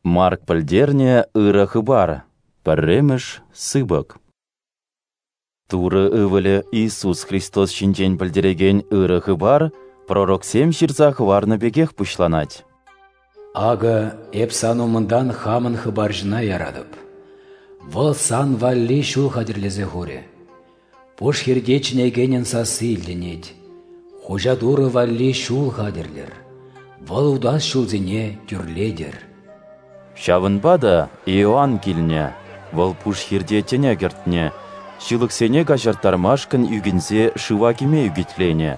Марк пӗлтернӗ Ырӑ Хыпар, пӗрремӗш сыпӑк. Турӑ Ывӑлӗ Иисус Христос ҫинчен пӗлтерекен Ырӑ Хыпар пророксем ҫырса хӑварнӑ пекех пуҫланать. Акӑ эп сан умӑнтан хамӑн хыпарҫӑна яратӑп. Вӑл сан валли ҫул хатӗрлесе хурӗ. Пуш хирте чӗнекенӗн сасси илтӗнет. Хуҫа Турӑ валли ҫул хатӗрлӗр. Вӑл утас ҫулсене тӳрлетӗр. Ҫавӑнпа та Иоанн килнӗ, вӑл пуш хирте тӗне кӗртнӗ, ҫылӑхсене каҫарттармашкӑн ӳкӗнсе шыва кӗме ӳкӗтленӗ.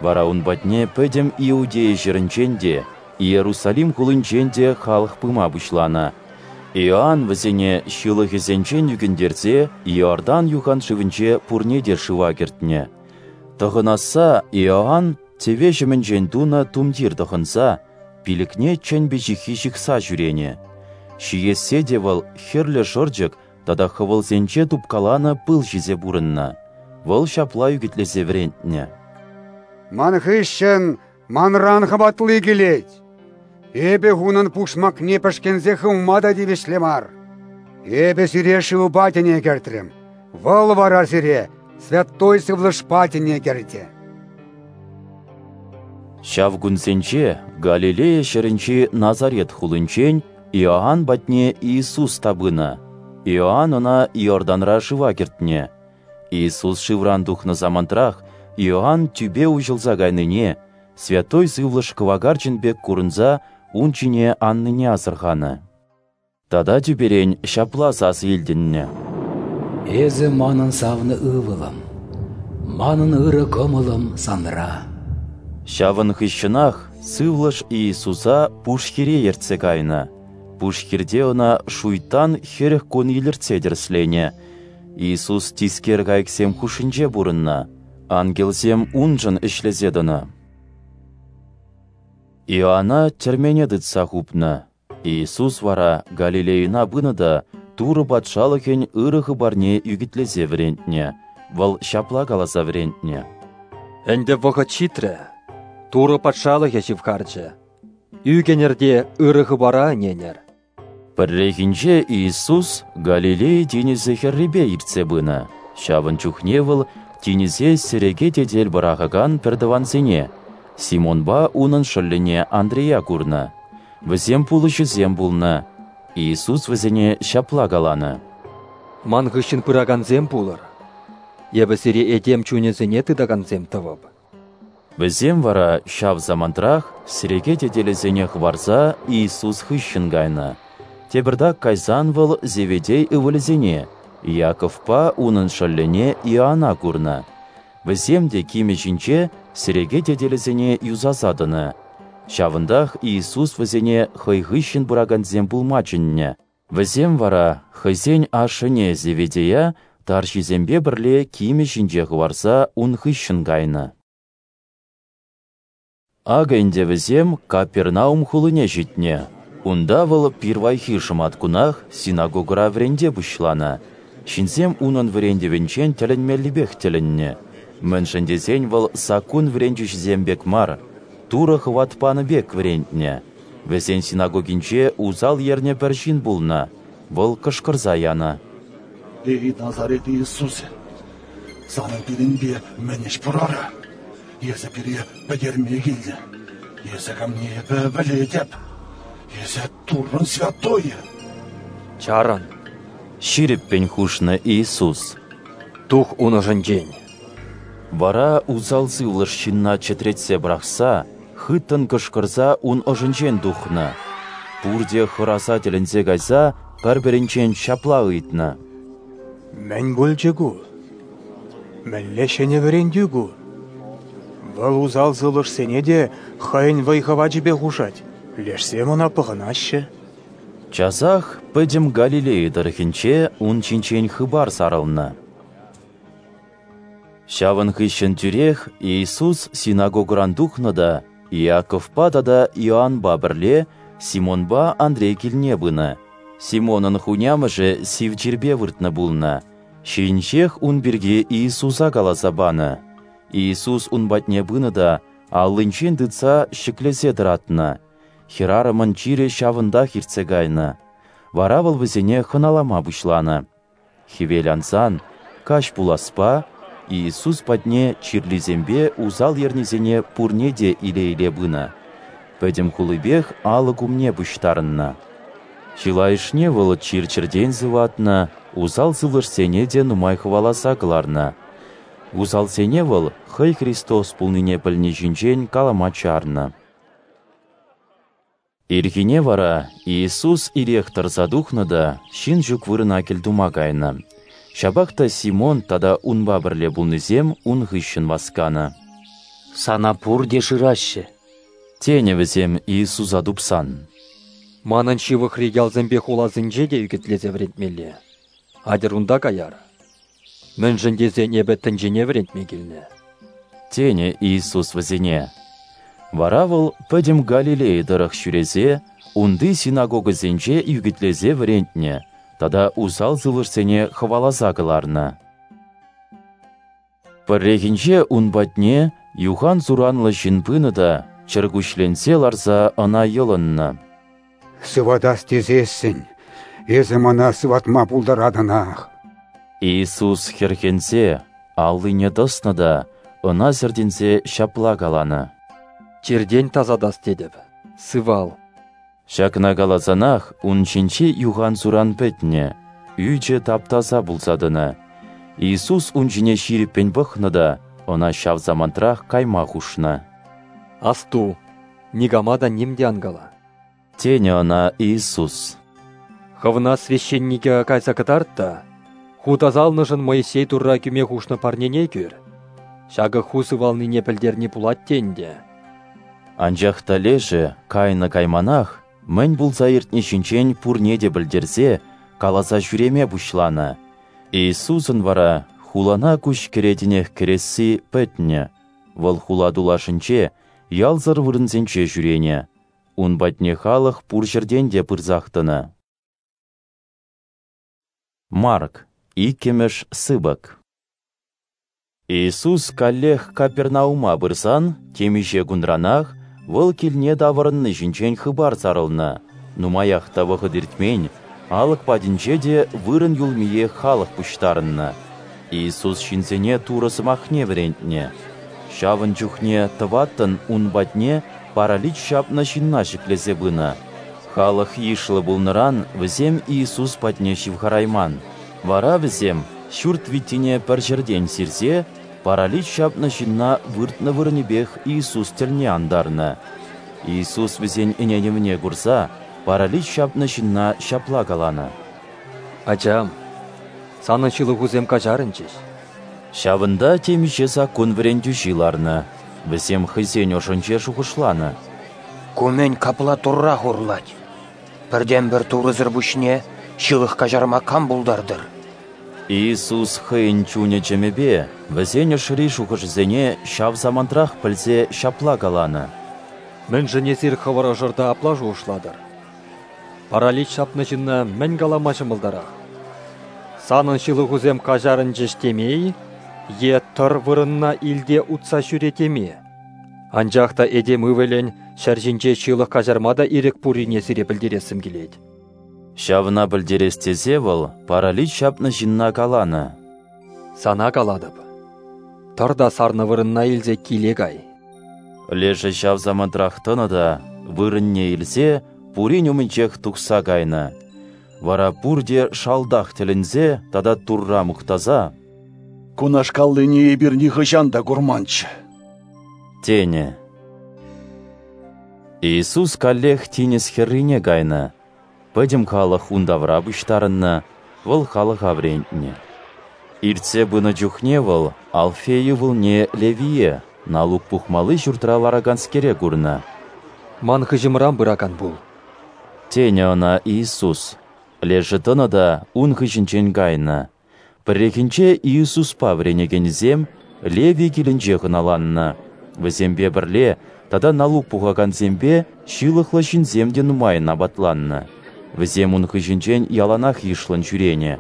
Вара ун патне пӗтӗм Иудея ҫӗрӗнчен те, Иерусалим хулинчен те халӑх пыма пуҫланӑ. Иоанн вӗсене ҫылӑхӗсенчен ӳкӗнтерсе Иордан юхан шывӗнче пурне те шыва кӗртнӗ. Тӑхӑнасса Иоанн тӗве ҫӑмӗнчен тунӑ тумтир тӑхӑнса, пилӗкне чӗн пиҫиххи ҫыхса ҫӳренӗ. Ҫиессе те вӑл хӗрлӗ шӑрчӑк тата хӑвӑлсенче тупкаланӑ пыл ҫисе пурӑннӑ. Вӑл ҫапла ӳкӗтлесе вӗрентнӗ. Ман хыҫҫӑн манран хӑватли килет. Эпӗ унӑн пушмакне пӗшкӗнсе хывма та тивӗҫлӗ мар. Эпӗ сире шывпа тӗне кӗртрӗм. Вӑл вара сире Святой Сывлӑшпа тӗне кӗртӗ. Ҫав кунсенче Галилея ҫӗрӗнчи Назарет хулинчен Иоанн патне Иисус та пынӑ. Иоанн ӑна Иорданра шыва кӗртнӗ. Иисус шывран тухнӑ самантрах Иоанн тӳпе уҫӑлса кайнине, Святой Сывлӑш кӑвакарчӑн пек курӑнса ун ҫине аннине асӑрханӑ. Тата тӳперен ҫапла сасӑ илтӗннӗ: Эсӗ манӑн савнӑ ывӑлӑм, манӑн ырӑ кӑмӑлӑм санра. Ҫавӑн хыҫҫӑнах Сывлӑш Иисуса пуш хире ертсе кайнӑ. Пуш хирте ӑна шуйттан 40 кун илӗртсе тӗрӗсленӗ. Иисус тискер кайӑксем хушшинче пурӑннӑ, ангелсем уншӑн ӗҫлесе тӑнӑ. Иоанна тӗрмене тытса хупнӑ. Иисус вара Галилейӑна пынӑ та Турӑ Патшалӑхӗн ырӑ хыпарне ӳкӗтлесе вӗрентнӗ. Вӑл ҫапла каласа вӗрентнӗ: Ӗнтӗ вӑхӑт ҫитрӗ, Турӑ Патшалӑхӗ ҫывхарчӗ. Ӳкӗнӗр те ырӑ хыпара ӗненӗр. Пӗррехинче Иисус Галилея тинӗсӗ хӗррипе иртсе пынӑ. Ҫавӑн чухне вӑл тинӗсе сӗреке тетел пӑрахакан пӗртӑвансене, Симонпа унӑн шӑллӗне Андрея курнӑ. Вӗсем пулӑҫӑсем пулнӑ. Иисус вӗсене ҫапла каланӑ: Ман хыҫҫӑн пыракансем пулӑр. Эпӗ сире этем чунӗсене тытакансем тӑвӑп. Вӗсем вара ҫав самантрах сӗреке тетелӗсене хӑварса Иисус хыҫҫӑн кайнӑ. Тепӗртак кайсан вӑл Зеведей ывӑлӗсене, Иаковпа унӑн шӑллӗне Иоанна курнӑ. Вӗсем те кимӗ ҫинче сӗреке тетелӗсене юсаса тӑнӑ. Ҫавӑнтах Иисус вӗсене хӑй хыҫҫӑн пыракансем пулма чӗннӗ. Вӗсем вара хӑйсен ашшӗне Зеведея тарҫисемпе пӗрле кимӗ ҫинче хӑварса ун хыҫҫӑн кайнӑ. Акӑ ӗнтӗ вӗсем Капернаум хулине ҫитнӗ. Унта вӑл пирвайхи шӑматкунах синагогӑра вӗренте пуҫланӑ. Ҫынсем унӑн вӗрентӗвӗнчен тӗлӗнмеллипех тӗлӗннӗ. Мӗншӗн тесен вӑл саккун вӗрентӳҫисем пек мар, Турӑ хӑват панӑ пек вӗрентнӗ. Вӗсен синагогинче усал ернӗ пӗр ҫын пулнӑ. Вӑл кӑшкӑрса янӑ: Эй, Назарет Иисусӗ, санӑн пирӗнпе мӗн ӗҫ пур ара? Эсӗ пире пӗтерме килнӗ. Эсӗ камне эпӗ пӗлетӗп. Эсӗ Туррӑн святойӗ. Чарӑн, ҫирӗппӗн хушнӑ Иисус. Тух ун ӑшӗнчен. Вара усал сывлӑш ҫынна чӗтретсе пӑрахса, хыттӑн кӑшкӑрса ун ӑшӗнчен тухнӑ. Пурте хӑраса тӗлӗнсе кайса пӗр-пӗринчен ҫапла ыйтнӑ: Мӗн пулчӗ ку? Мӗнле ҫӗнӗ вӗрентӳ ку? Вӑл усал сывлӑшсене те хӑйӗн вӑй-хӑвачӗпе хушать, лешсем ӑна пӑхӑнаҫҫӗ. Часах пӗтӗм Галилея тӑрӑхӗнче ун ҫинчен хыпар сарӑлнӑ. Ҫавӑн хыҫҫӑн тӳрех Иисус синагогӑран тухнӑ та Иаковпа тата Иоаннпа пӗрле Симонпа Андрей килне пынӑ. Симонӑн хунямӑшӗ сив чирпе выртнӑ пулнӑ. Ҫийӗнчех ун пирки Иисуса каласа панӑ. Иисус ун патне пынӑ та аллинчен тытса ҫӗклесе тӑратнӑ. Хӗрарӑмӑн чирӗ ҫавӑнтах иртсе кайнӑ. Вара вӑл вӗсене хӑналама пуҫланӑ. Хӗвел ансан, каҫ пуласпа, Иисус патне чирлисемпе усал ернисене пурне те иле-иле пынӑ. Пӗтӗм хулипех алӑк умне пуҫтарӑннӑ. Чылайӑшне вӑл чир-чӗртен сыватнӑ, усал сывлӑшсене те нумай хӑваласа кӑларнӑ. Усалсене вӑл хӑй Христос пулнине пӗлни ҫинчен калама чарнӑ. Ирхине вара Иисус ирех тӑрса тухнӑ та ҫын ҫук вырӑна кӗлтума кайнӑ. Ҫапах та Симон тата унпа пӗрле пулнисем ун хыҫҫӑн васканӑ. «Сана пурте шыраҫҫӗ», тенӗ вӗсем Иисуса тупсан. «Манӑн ҫывӑхри ялсемпе хуласенче те ӳкӗтлесе вӗрентмелле. Атьӑр унта каяр. Мӗншӗн тесен эпӗ тӗнчене вӗрентме килнӗ», тенӗ Иисус вӗсене. Вара вӑл пӗтӗм Галилея тӑрӑх ҫӳресе унти синагогӑсенче ӳкӗтлесе вӗрентнӗ тата усал сывлӑшсене хӑваласа кӑларнӑ. Пӗррехинче ун патне юхан-суранлӑ ҫын пынӑ та чӗркуҫленсе ларса ӑна йӑлӑннӑ. «Сыватас тесессӗн, эсӗ мана сыватма пултаратӑнах». Иисус хӗрхенсе аллине тӑснӑ та ӑна сӗртӗнсе ҫапла каланӑ: «Чиртен тасатас тетӗп, сывал». Ҫакна каласанах ун ҫинчи юхан-суран пӗтнӗ, ӳчӗ тап-таса пулса тӑнӑ. Иисус ун ҫине ҫирӗппӗн пӑхнӑ та ӑна ҫав самантрах кайма хушнӑ. «Асту, никама та ним те ан кала», тенӗ ӑна Иисус. «Хӑвна священнике кайса кӑтарт та, ху тасалнӑшӑн Моисей Турра кӳме хушнӑ парнене кӳр. Ҫакӑ ху сывалнине пӗлтерни пулать те ӗнтӗ». Анчах та лешӗ кайнӑ-кайманах мӗн пулса иртни ҫинчен пурне те пӗлтерсе, каласа ҫӳреме пуҫланӑ. Иисусӑн вара хулана куҫ кӗретӗнех кӗресси пӗтнӗ. Вӑл хула тулашӗнче, ялсӑр вырӑнсенче ҫӳренӗ. Ун патне халӑх пур ҫӗртен те пырсах тӑнӑ. Марк, 2-мӗш сыпӑк. Иисус каллех Капернаума пырсан, темиҫе кунранах вӑл килне таврӑнни ҫинчен хыпар сарӑлнӑ. Нумаях та вӑхӑт иртмен, алӑк патӗнче те вырӑн юлмиех халӑх пуҫтарӑннӑ. Иисус ҫынсене Турӑ сӑмахне вӗрентнӗ. Ҫавӑн чухне тӑваттӑн ун патне паралич ҫапнӑ ҫынна ҫӗклесе пынӑ. Халӑх йышлӑ пулнӑран вӗсем Иисус патне ҫывхарайман. Вара вӗсем ҫурт виттине пӗр ҫӗртен сирсе паралич ҫапнӑ ҫынна выртнӑ вырӑнӗпех Иисус тӗлне антарнӑ. Иисус вӗсен ӗненӗвне курса паралич ҫапнӑ ҫынна ҫапла каланӑ: «Ачам, санӑн ҫылӑхусем каҫарӑнчӗҫ». Ҫавӑнта темиҫе саккун вӗрентӳҫи ларнӑ. Вӗсем хӑйсен ӑшӗнче шухӑшланӑ: «Ку мӗн капла Турра хурлать? Пӗртен-пӗр Турӑсӑр пуҫне ҫылӑх каҫарма кам пултартӑр?» Иисус хӑйӗн чунӗ-чӗмӗпе вӗсен ӑшри шухӑшӗсене ҫав самантрах пӗлсе ҫапла каланӑ: «Мӗншӗн эсир хӑвӑр ӑшӑрта апла шухӑшлатӑр? Паралич ҫапнӑ ҫынна мӗн калама ҫӑмӑлтарах? Санӑн ҫылӑхусем каҫарӑнчӗҫ теме-и е тӑр вырӑнна илте утса ҫӳре теме? Анчах та этем ывӑлӗн ҫӗр ҫинче ҫылӑх каҫарма та ирӗк пуррине сире пӗлтерессӗм килет». Ҫавна пӗлтерес тесе вӑл паралич ҫапнӑ ҫынна каланӑ: «Сана калатӑп, тӑр та сарнӑ вырӑнна илсе киле кай». Лешӗ ҫав самантрах тӑнӑ та вырӑнне илсе пурин умӗнчех тухса кайнӑ. Вара пурте шалтах тӗлӗнсе тата Турра мухтаса: «Кунашкаллине эпир нихӑҫан та курманччӗ», тенӗ. Иисус каллех тинӗс хӗррине кайнӑ. Пӗтӗм халӑх ун тавра пуҫтарӑннӑ, вӑл халӑха вӗрентнӗ. Иртсе пынӑ чухне вӑл Алфей ывӑлне Левие, налук пухмалли ҫуртра лараканскере курнӑ. «Ман хыҫӑмран пыракан пул», тенӗ ӑна Иисус. Лешӗ тӑнӑ та ун хыҫӗнчен кайнӑ. Пӗррехинче Иисуспа вӗренекенӗсем Левий килӗнче хӑналаннӑ. Вӗсемпе пӗрле тата налук пухакансемпе ҫылӑхлӑ ҫынсем те нумайӑн апатланнӑ. Вӗсем ун хыҫӗнчен яланах йышлӑн ҫӳренӗ.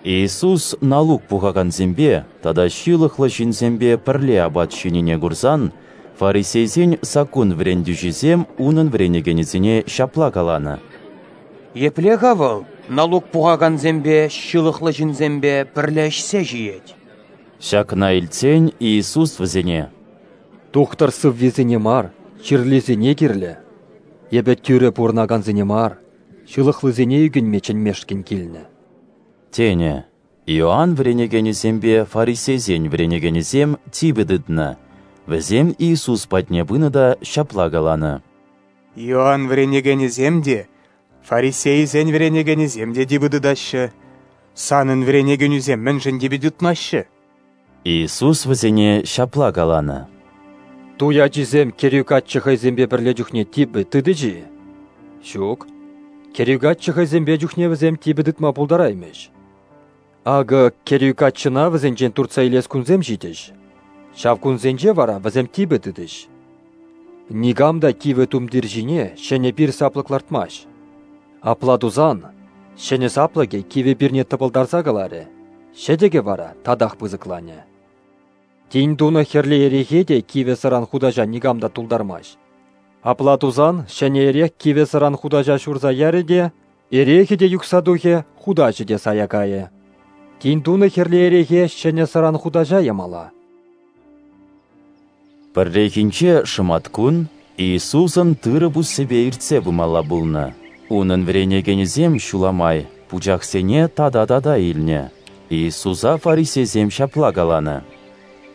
Иисус налук пухакансемпе тата ҫылӑхлӑ ҫынсемпе пӗрле апат ҫинине курсан, Фарисейсен саккун вӗрентӳҫисем унӑн вӗренекенӗсене ҫапла каланӑ: Епле-ха вӑл налук пухакансемпе, ҫылӑхлӑ ҫынсемпе пӗрле ӗҫсе ҫиет? Ҫакна илтсен Иисус вӗсене: Тухтӑр сыввисене мар, чирлисене кирлӗ. Эпӗ тӳрӗ пурӑнакансене мар, ҫылӑхлисене ӳкӗнме чӗнмешкӗн килнӗ, тенӗ. Иоанн вӗренекенӗсемпе фарисейсен вӗренекенӗсем типӗ тытнӑ. Вӗсем Иисус патне пынӑ та ҫапла каланӑ: Иоанн вӗренекенӗсем те, фарисейсен вӗренекенӗсем те типӗ тытаҫҫӗ. Санӑн вӗренекенӳсем мӗншӗн типӗ тытмаҫҫӗ? Иисус вӗсене ҫапла каланӑ: Туй ачисем кӗрӳ каччӑ хӑйсемпе пӗрле чухне типӗ тытӗҫ-и? Ҫук. Кӗрӳ каччӑ хӑйсемпе чухне вӗсем типӗ тытма пултараймӗҫ. Акӑ кӗрӳ каччӑна вӗсенчен туртса илес кунсем ҫитӗҫ. Ҫав кунсенче вара вӗсем типӗ тытӗҫ. Никам та кивӗ тумтир ҫине ҫӗнӗ пир саплӑк лартмасть. Апла тусан, ҫӗнӗ саплӑкӗ кивӗ пирне тӑпӑлтарса кӑларӗ, ҫӗтӗкӗ вара татах пысӑкланӗ. Тин тунӑ хӗрлӗ эрехе те кивӗ сӑран хутаҫа никам та тултармасть. Апла тусан ҫӗнӗ эрех кивӗ сӑран хутаҫа ҫурса ярӗ те, эрехӗ те юхса тухӗ, хутаҫӗ те сая кайӗ. Тин тунӑ хӗрлӗ эрехе ҫӗнӗ сӑран хутаҫа ямалла. Пӗррехинче шӑматкун Иисусӑн тырӑ пуссипе иртсе пымалла пулнӑ. Унӑн вӗренекенӗсем ҫула май пучахсене тата-тата илнӗ. Иисуса фарисейсем ҫапла каланӑ: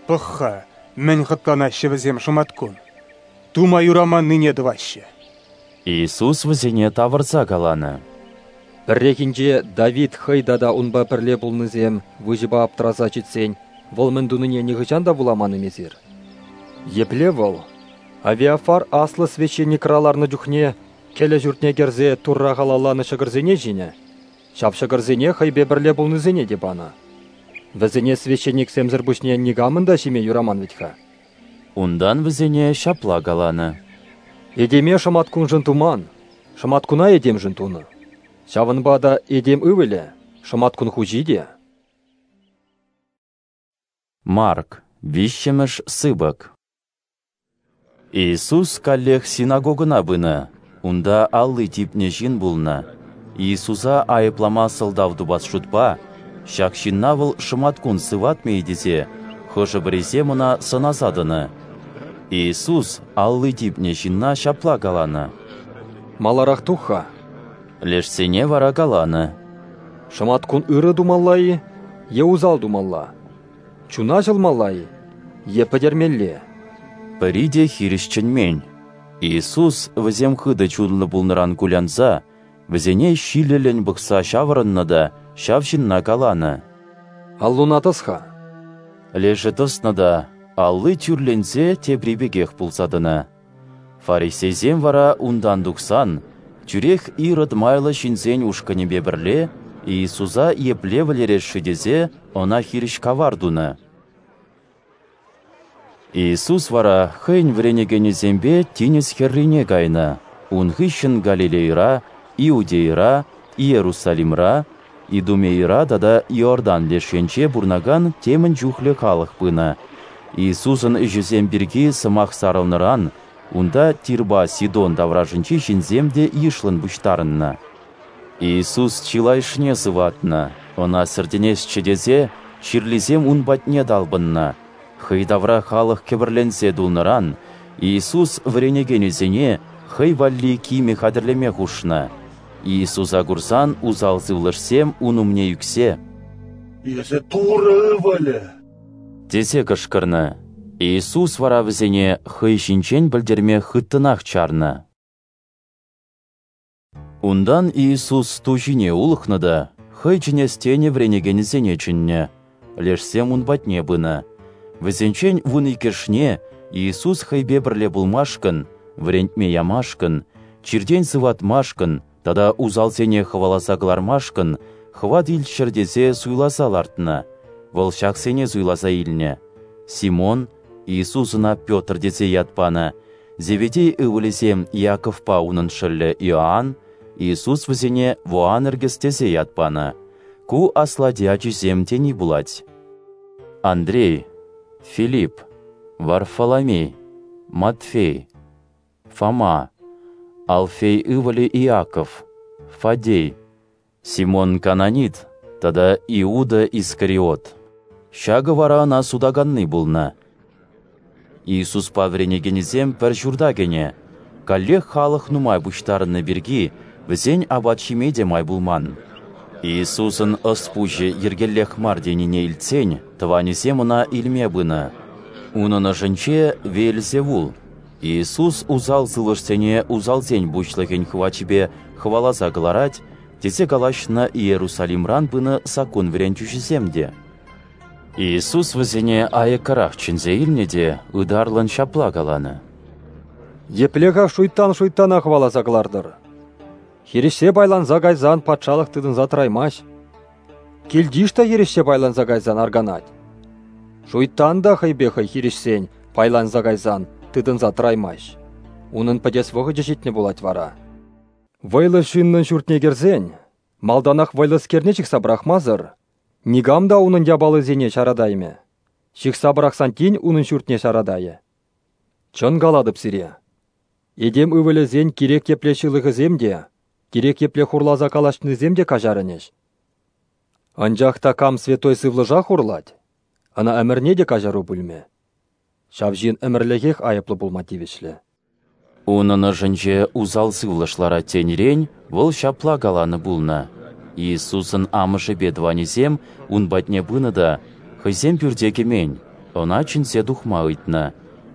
Пӑх-ха, мӗн хӑтланаҫҫӗ вӗсем шӑматкун. Тума юраманнине тӑваҫҫӗ. Иисус вӗсене тавӑрса каланӑ: Пӗррехинче Давид хӑй тата унпа пӗрле пулнисем выҫӑпа аптӑраса ҫитсен вӑл мӗн тунине нихӑҫан та вуламан-им эсир? Епле вӑл Авиафар аслӑ священникра ларнӑ чухне кӗлӗ ҫуртне кӗрсе Турра халалланӑ ҫӑкӑрсене ҫинӗ, ҫав ҫӑкӑрсене хӑйпе пӗрле пулнисене те панӑ. Вӗсене священниксемсӗр пуҫне никамӑн та ҫиме юраман вӗт-ха. Унтан вӗсене ҫапла каланӑ: Этеме шӑматкуншӑн туман, шӑматкуна этемшӗн тунӑ. Ҫавӑнпа та этем ывӑлӗ шӑматкун хуҫи те. Марк, 3-мӗш сыпӑк. Иисус каллех синагогӑна пынӑ. Унта алли типнӗ ҫын пулнӑ. Иисуса айӑплама сӑлтав тупас шутпа, ҫак ҫынна вӑл шӑматкун сыватмӗ-и тесе, хӑшӗ-пӗрисем ӑна сӑнаса тӑнӑ. Иисус алли типнӗ ҫынна ҫапла каланӑ: Маларах тух-ха. Лешсене вара каланӑ: Шӑматкун ырӑ тумалла-и е усал тумалла? Чуна ҫӑлмалла-и е пӗтермелле? Пӗри те хирӗҫ чӗнмен. Иисус вӗсем хытӑ чунлӑ пулнӑран кулянса, вӗсене ҫилӗллӗн пӑхса ҫаврӑннӑ та ҫав ҫынна каланӑ: Аллуна тӑс-ха. Лешӗ тӑснӑ та алли тӳрленсе тепри пекех пулса тӑнӑ. Фарисейсем вара унтан тухсан тӳрех Ирод майлӑ ҫынсен ушкӑнӗпе пӗрле Иисуса епле вӗлерес-ши тесе ӑна хирӗҫ кавар тунӑ. Иисус вара хӑйӗн вӗренекенӗсемпе тинӗс хӗррине кайнӑ. Ун хыҫҫӑн Галилейӑра, Иудейӑра, Иерусалимра, Идумейӑра тата Иордан леш енче пурӑнакан темӗн чухлӗ халӑх пынӑ. Иисусӑн ӗҫӗсем пирки сӑмах сарӑлнӑран унта Тирпа Сидон таврашӗнчи ҫынсем те йышлӑн пуҫтарӑннӑ. Иисус чылайӑшне сыватнӑ, ӑна сӗртӗнесчӗ тесе чирлисем ун патне талпӑннӑ. Хӑй тавра халӑх кӗпӗрленсе тулнӑран Иисус вӗренекенӗсене хӑй валли кимӗ хатӗрлеме хушнӑ. Иисуса курсан усал сывлӑшсем ун умне ӳксе: Эсӗ Турӑ ывӑлӗ! тесе кӑшкӑрнӑ. Иисус вара вӗсене хӑй ҫинчен пӗлтерме хыттӑнах чарнӑ. Унтан Иисус ту ҫине улӑхнӑ та хӑй чӗнес тенӗ вӗренекенӗсене чӗннӗ. Лешсем ун патне пынӑ. Вӗсенчен 12-шне Иисус хӑйпе пӗрле пулмашкӑн, вӗрентме ямашкӑн, чиртен сыватмашкӑн тата усалсене хӑваласа кӑлармашкӑн хӑват илччӗр тесе суйласа лартнӑ. Вӑл ҫаксене суйласа илнӗ: Симон, Иисус ӑна Петр тесе ят панӑ, Зеведей ывӑлӗсем Иаковпа унӑн шӑллӗ Иоанн, Иисус вӗсене Воанергес тесе ят панӑ. Ку аслати ачисем тени пулать. Андрей, Филипп, Варфоломей, Матфей, Фома, Алфей ывӑлӗ Иаков, Фадей, Симон Кананит тата Иуда Искариот. Ҫакӑ вара ӑна сутаканни пулнӑ. Иисуспа вӗренекенӗсем пӗр ҫурта кӗнӗ. Каллех халӑх нумай пуҫтарӑннӑ пирки вӗсен апат ҫиме те май пулман. Иисусӑн ӑс-пуҫӗ йӗркеллех мар тенине илтсен тӑванӗсем ӑна илме пынӑ. Унӑн ӑшӗнче Веельзевул. Иисус усал сывлӑшсене усалсен пуҫлӑхӗн хӑвачӗпе хӑваласа кӑларать, тесе калаҫнӑ Иерусалимран пынӑ саккун вӗрентӳҫисем те. Иисус вӗсене айӑккарах чӗнсе илнӗ те ытарлӑн ҫапла каланӑ. Епле-ха шуйттан шуйттана хӑваласа кӑлартӑр? Хирӗҫсе пайланса кайсан патшалӑх тытӑнса тӑраймасть. Килтиш та хирӗҫсе пайланса кайсан арканать. Шуйттан та хӑйпе хӑй хирӗҫсен, пайланса кайсан тытӑнса тӑраймасть. Унӑн пӗтес вӑхӑчӗ ҫитнӗ пулать вара. Вӑйлӑ ҫыннӑн ҫуртне кӗрсен, малтанах вӑйлӑскерне ҫыхса пӑрахмасӑр, никам та унӑн япалисене ҫаратаймӗ. Ҫыхса пӑрахсан тин унӑн ҫуртне ҫаратайӗ. Чӑн калатӑп сире, этем ывӑлӗсен кирек епле ҫылӑхӗсем те, кирек епле хурласа калаҫнисем те каҫарӑнӗҫ. Анчах та кам святой сывлӑша хурлать, ӑна ӗмӗрне те каҫару пулмӗ. Ҫав ҫын ӗмӗрлӗхех айӑплӑ пулма тивӗҫлӗ. Унӑн ӑшӗнче усал сывлӑш ларать тенӗрен вӑл ҫапла каланӑ пулнӑ. Иисусӑн амӑшӗпе тӑванӗсем ун патне пынӑ та хӑйсем пӳрте кӗмен, ӑна чӗнсе тухма ыйтнӑ.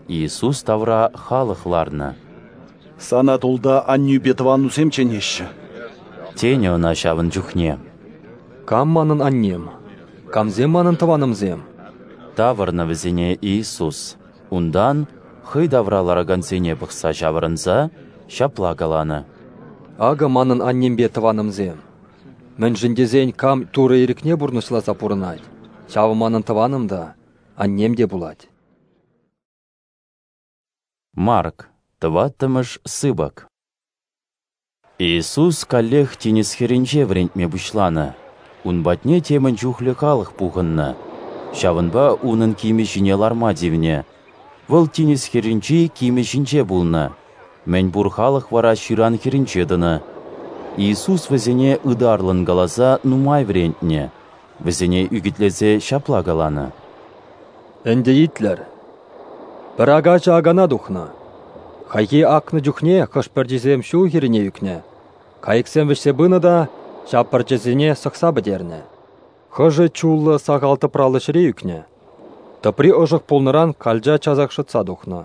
Иисус тавра халӑх ларнӑ. Сана тулта аннӳпе тӑванусем чӗнеҫҫӗ, тенӗ ӑна ҫавӑн чухне. Кам манӑн аннем? Камсем манӑн тӑванӑмсем? Тавӑрнӑ вӗсене Иисус. Унтан, хӑй тавра ларакансене пӑхса ҫавӑрӑнса, ҫапла каланӑ. Акӑ манӑн аннемпе тӑванӑмсем. Мӗншӗн тесен кам Турӑ ирӗкне пурнӑҫласа пурӑнать, ҫавӑ манӑн тӑванӑм та, аннем те пулать. Марк, тӑваттӑмӗш сыпӑк. Иисус каллех тинӗс хӗрринче вӗрентме пуҫланӑ. Ун патне темӗн чухлӗ халӑх пухӑннӑ. Ҫавӑнпа унӑн кимӗ ҫине ларма тивнӗ. Вӑл тинӗс хӗрринчи кимӗ ҫинче пулнӑ. Мӗн пур халӑх вара ҫыран хӗрринче тӑнӑ. Иисус вӗсене ытарлӑн каласа нумай вӗрентнӗ. Вӗсене ӳкӗтлесе ҫапла каланӑ. Ӗнтӗ итлӗр. Пӗр акаҫӑ акана тухнӑ. Хайхи акнӑ чухне хӑш пӗрчисем ҫул хӗррине ӳкнӗ. Кайӑксем вӗҫсе пынӑ та ҫав пӗрчӗсене сӑхса пӗтернӗ. Хӑшӗ чуллӑ сахал тӑпраллӑ ҫӗре ӳкнӗ. Тӑпри ӑшӑх пулнӑран калча часах шӑтса тухнӑ.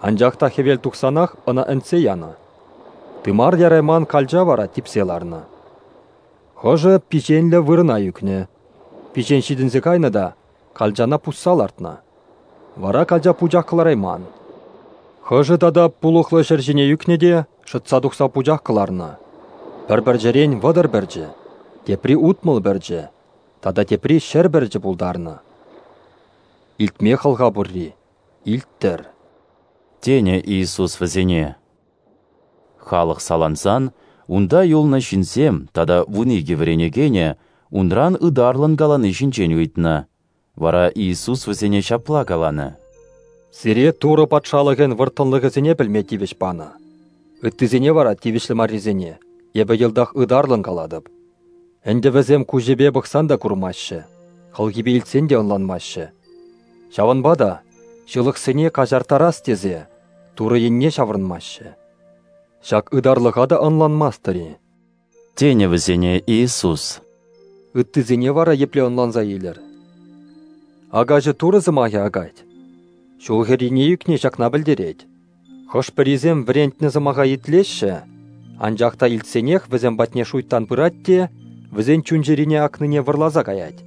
Анчах та хӗвел тухсанах ӑна ӗнтсе янӑ. Тымар ярайман калча вара типсе ларнӑ. Хӑшӗ пиҫенлӗ вырӑна ӳкнӗ. Пиҫен ҫитӗнсе кайнӑ та калчана пусса лартнӑ. Вара калча пучах кӑларайман. Хӑшӗ тата пулӑхлӑ ҫӗр ҫине ӳкнӗ те шӑтса тухса пучах кӑларнӑ. Пӗр пӗрчӗрен 30 пӗрчӗ, тепри 60 пӗрчӗ, тата тепри 100 пӗрчӗ пултарнӑ. Илтме хӑлха пурри, илттӗр. Тенӗ Иисус вӗсене. Халӑх салансан, унта юлнӑ ҫынсем тата 12 вӗренекенӗ унран ытарлӑн калани ҫинчен ыйтнӑ. Вара Иисус вӗсене ҫапла каланӑ. Сире Турӑ патшалӑхӗн вӑрттӑнлӑхӗсене пӗлме тивӗҫ панӑ. Ыттисене вара тивӗҫлӗ маррисене эпӗ йӑлтах ытарлӑн калатӑп. Ӗнтӗ вӗсем куҫӗпе пӑхсан та курмаҫҫӗ, хӑлхипе илтсен те ӑнланмаҫҫӗ. Ҫавӑнпа та ҫылӑхсене каҫарттарас тесе Турӑ енне ҫаврӑнмаҫҫӗ. Ҫак ытарлӑха та ӑнланмастӑр-и? Тенӗ вӗсене Иисус. Ыттисене вара епле ӑнланса илӗр? Акаҫӑ Турӑ сӑмахӗ акать. Ҫул хӗррине ӳкни ҫакна пӗлтерет. Хӑш-пӗрисем вӗрентнӗ сӑмаха итлеҫҫӗ, анчах та илтсенех вӗсем патне шуйттан пырать те вӗсен чун-чӗрине акнине вӑрласа каять.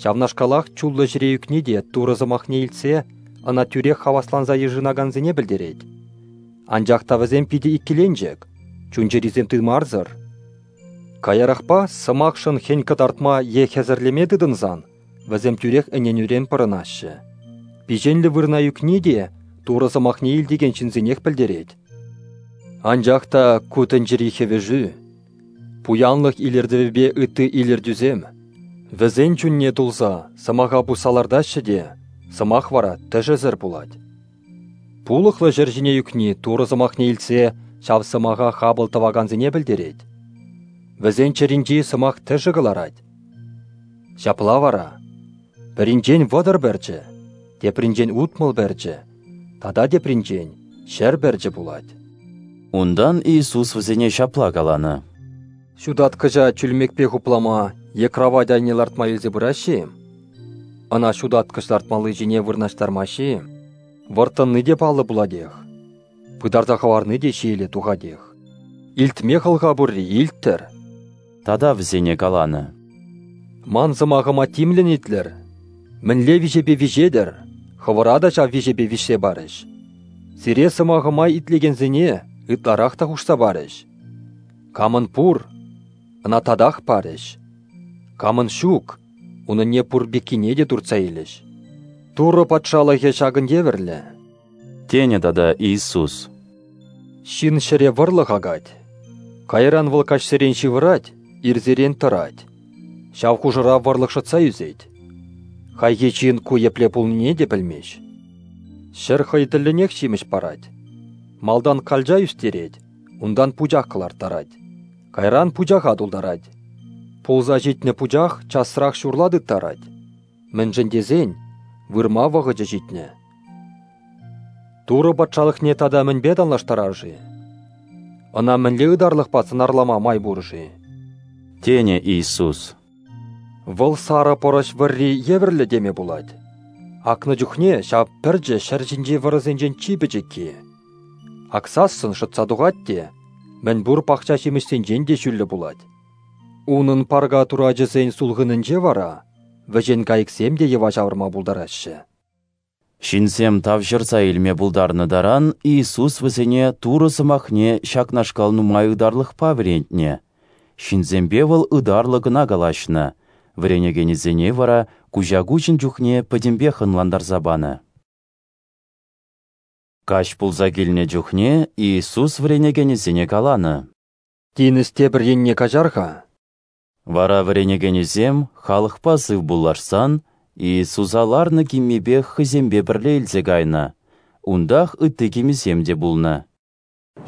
Ҫавнашкалах чуллӑ ҫӗре ӳкни те Турӑ сӑмахне илтсе ӑна тӳрех хавасланса йышӑнакансене пӗлтерет. Анчах та вӗсем питӗ иккӗленчӗк, чун-чӗрисем тымарсӑр. Каярахпа сӑмахшӑн хӗн кӑтартма е хӗсӗрлеме тытӑнсан вӗсем тӳрех ӗненӳрен пӑрӑнаҫҫӗ. Пиҫенлӗ вырӑна ӳкни те Турӑ сӑмахне илтекен ҫынсенех пӗлтерет. Анчах та ку тӗнчери хӗвӗшӳ, пуянлӑх илӗртӗвӗпе ытти илӗртӳсем вӗсен чунне тулса сӑмаха пусса лартаҫҫӗ те, сӑмах вара тӗшӗсӗр пулать. Пулӑхлӑ ҫӗр ҫине ӳкни Турӑ сӑмахне илтсе ҫав сӑмаха хапӑл тӑвакансене пӗлтерет. Вӗсен чӗринчи сӑмах тӗшӗ кӑларать. Ҫапла вара, пӗринчен 30 пӗрчӗ, тепринчен 60 пӗрчӗ, тата тепринчен 100 пӗрчӗ пулать. Унтан Иисус вӗсене ҫапла каланӑ: Ҫутаткӑҫа чӳлмекпе хуплама е кравать айне лартма илсе пыраҫҫӗ-им? Ӑна ҫутаткӑҫ лартмалли ҫине вырнаҫтармаҫҫӗ-им? Вӑрттӑнни те паллӑ пулатех, пытарса хӑварни те ҫиеле тухатех. Илтме хӑлха пурри илттӗр. Тата вӗсене каланӑ: Ман сӑмахӑма тимлӗн итлӗр. Мӗнле виҫепе виҫетӗр, хӑвӑра та ҫав виҫепе виҫсе парӗҫ. Сире сӑмахӑма итлекенсене ытларах та хушса парӗҫ. Камӑн пур, ӑна татах парӗҫ. Камӑн ҫук, унӑнне пур пеккине те туртса илӗҫ. Турӑ патшалӑхӗ ҫакӑн евӗрлӗ, тенӗ тата Иисус. Ҫын ҫӗре вӑрлӑх акать. Кайран вӑл каҫсерен ҫывӑрать, ирсерен тӑрать. Ҫав хушӑра вӑрлӑх шӑтса ӳсет. Хайхи ҫын ку епле пулнине те пӗлмест. Ҫӗр хӑй тӗллӗнех ҫимӗҫ парать. Малтан калча ӳстерет, унтан пучах кӑларттарать. Кайран пучаха тултарать. Пулса ҫитнӗ пучах часрах ҫурла тыттарать. Мӗншӗн тесен вырма вӑхӑчӗ ҫитнӗ. Турӑ патшалӑхне тата мӗнпе танлаштарар-ши? Ӑна мӗнле ытарлӑхпа сӑнарлама май пур-ши? Тенӗ Иисус. Вӑл сарӑ пӑрӑҫ вӑрри евӗрлӗ теме пулать. Акнӑ чухне ҫав пӗрчӗ ҫӗр ҫинчи вӑрӑсенчен чи пӗчӗкки. Аксассӑн шӑтса тухать те мӗнпур пахча ҫимӗҫсенчен те ҫӳллӗ пулать. Унӑн парка турачӗсен сулхӑнӗнче вара вӗҫен кайӑксем те йӑва ҫавӑрма пултараҫҫӗ. Ҫынсем тавҫӑрса илме пултарнӑ таран Иисус вӗсене Турӑ сӑмахне ҫакнашкал нумай ытарлӑхпа вӗрентнӗ. Ҫынсемпе вӑл ытарлӑ кӑна калаҫнӑ, вӗренекенӗсене вара куҫа-куҫӑн чухне пӗтӗмпех ӑнлантарса панӑ. Каҫ пулса килнӗ чухне Иисус вӗренекенӗсене каланӑ: Тинӗс тепӗр енне каҫар-ха. Вара вӗренекенӗсем халӑхпа сывпуллашсан Иисуса ларнӑ киммипех хӑйсемпе пӗрле илсе кайнӑ. Унтах ытти кимӗсем те пулнӑ.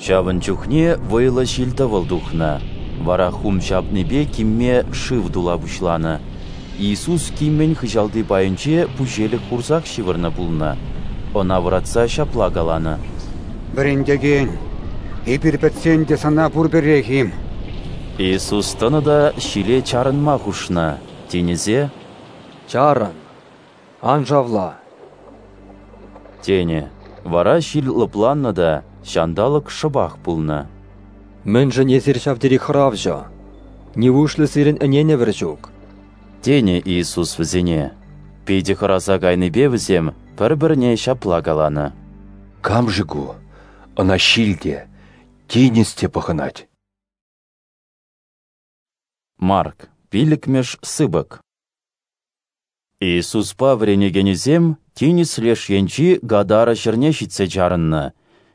Ҫавӑн чухне вӑйлӑ ҫил-тӑвӑл тухнӑ. Вара хум ҫапнипе кимме шыв тула пуҫланӑ. Иисус киммӗн хыҫалти пайӗнче пуҫелӗк хурсах ҫывӑрнӑ пулнӑ. Ӑна вӑратса ҫапла каланӑ: Вӗрентекен, эпир пӗтсен те сана пурпӗрех-им? Иисус тӑнӑ та ҫиле чарӑнма хушнӑ. Тинӗсе: Чарӑн, ан шавла, тенӗ. Вара ҫил лӑпланнӑ та ҫанталӑк шӑпах пулнӑ. Мӗншӗн эсир ҫав тери хӑравҫӑ? Нивушлӗ сирӗн ӗненӗвӗр ҫук? Тенӗ Иисус вӗсене. Питӗ хӑраса кайнипе вӗсем пӗр-пӗрне ҫапла каланӑ: Кам-ши ку? Ӑна ҫил те, тинӗс те пӑхӑнать. Марк, 5-мӗш сыпӑк. Иисуспа вӗренекенӗсем тинӗс леш енчи Гадара ҫӗрне ҫитсе чарӑннӑ.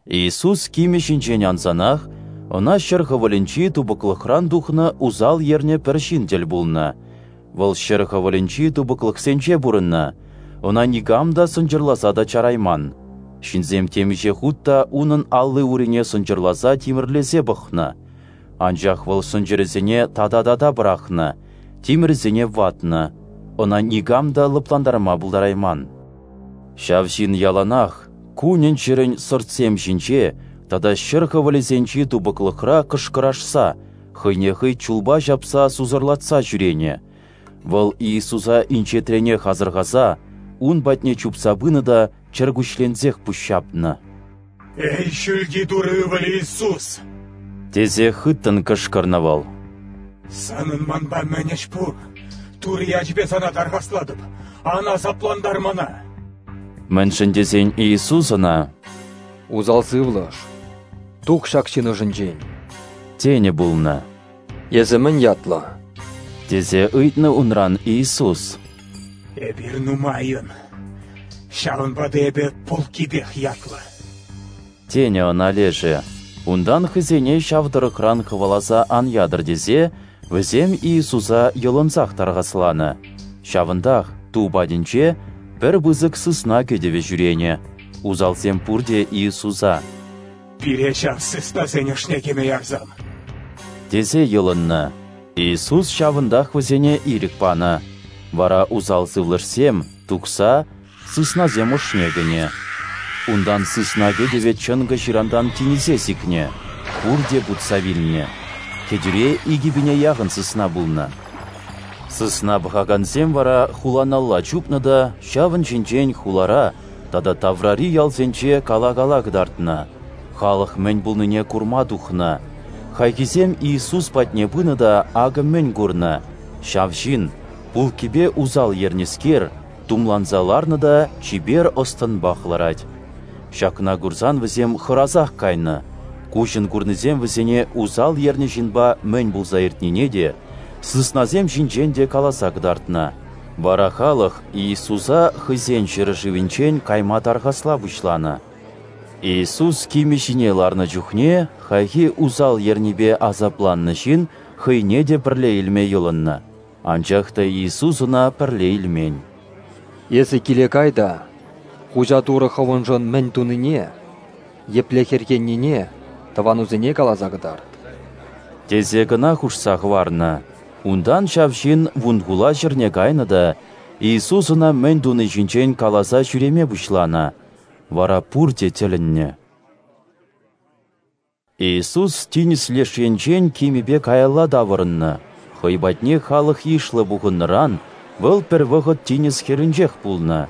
Иисус кимӗ ҫинчен ансанах ӑна ҫӗр хӑвӑлӗнчи тупӑклӑхран тухнӑ усал ернӗ пӗр ҫын тӗл пулнӑ. Вӑл ҫӗр хӑвӑлӗнчи тупӑклӑхсенче пурӑннӑ, ӑна никам та сӑнчӑрласа та чарайман. Ҫынсем темиҫе хут та унӑн алли-урине сӑнчӑрласа тимӗрлесе пӑхнӑ. Анчах вӑл сӑнчӑрӗсене тата-тата пӑрахнӑ, тимӗрӗсене ватнӑ, ӑна никам та лӑплантарма пултарайман. Ҫав ҫын яланах кунӗн-ҫӗрӗн сӑртсем ҫинче тата ҫӗр хӑвӑлӗсенчи тупӑклӑхра кӑшкӑрашса, хӑйне хӑй чулпа ҫапса сусӑрлатса ҫӳренӗ. Вӑл Иисуса инҫетренех асӑрхаса, ун патне чупса пынӑ та чӗркуҫленсех пуҫҫапнӑ. Эй, ҫӳлти Турӑ ывӑлӗ Иисус! Тесе хыттӑн кӑшкӑрнӑ вӑл. Санӑн манпа мӗн ӗҫ пур? Турӑ ячӗпе сана тархаслатӑп, ан асаплантар мана! Мӗншӗн тесен Иисус ӑна: Усал сывлӑш, тух ҫак ҫын ӑшӗнчен! Тенӗ пулнӑ. Эсӗ мӗн ятлӑ? Тесе ыйтнӑ унран Иисус. Эпир нумайӑн, ҫавӑнпа та эпӗ пулккипех ятлӑ. Тенӗ ӑна лешӗ. Унтан хӑйсене ҫав тӑрӑхран хӑваласа ан ятӑр тесе вӗсем Иисуса йӑлӑнсах тархасланӑ. Ҫавӑнтах ту патӗнче пӗр пысӑк сысна кӗтӗвӗ ҫӳренӗ. Усалсем пурте Иисуса: «Пире ҫав сыснасен ӑшне кӗме ярсам», тесе йӑлӑннӑ. Иисус ҫавӑнтах вӗсене ирӗк панӑ. Вара усал сывлӑшсем, тухса, сыснасем ӑшне кӗнӗ. Унтан сысна кӗтӗвӗ чӑнкӑ ҫырантан тинӗсе сикнӗ, пурте путса вилнӗ. Кӗтӳре 2000 яхӑн сысна пулнӑ. Сысна пӑхакансем вара хуланалла чупнӑ та ҫавӑн ҫинчен хулара тата таврари ялсенче кала-кала кӑтартнӑ. Халӑх мӗн пулнине курма тухнӑ. Хайхисем Иисус патне пынӑ та акӑ мӗн курнӑ. Ҫав ҫын, пулккипе усал ернӗскер, тумланса ларнӑ та чипер ӑс-тӑнпах ларать. Ҫакна курсан вӗсем хӑрасах кайнӑ. Куҫӑн курнисем вӗсене усал ернӗ ҫынпа мӗн пулса иртнине те, сыснасем ҫинчен те каласа кӑтартнӑ. Вара халӑх Иисуса хӑйсен ҫӗршывӗнчен кайма тархасла пуҫланӑ. Иисус кимӗ ҫине ларнӑ чухне хайхи усал ернипе асапланнӑ ҫын хӑйне те пӗрле илме йӑлӑннӑ. Анчах та Иисус ӑна пӗрле илмен. Эсӗ киле кай та, Хуҫа Турӑ хӑвӑншӑн мӗн тунине, епле хӗрхеннине тӑванусене каласа кӑтарт, тесе кӑна хушса хӑварнӑ. Унтан ҫав ҫын Вунхула ҫӗрне кайнӑ та Иисус ӑна мӗн туни ҫинчен каласа ҫӳреме пуҫланӑ. Вара пурте тӗлӗннӗ. Иисус тинӗс леш енчен кимӗпе каялла таврӑннӑ. Хӑй патне халӑх йышлӑ пухӑннӑран вӑл пӗр вӑхӑт тинӗс хӗрринчех пулнӑ.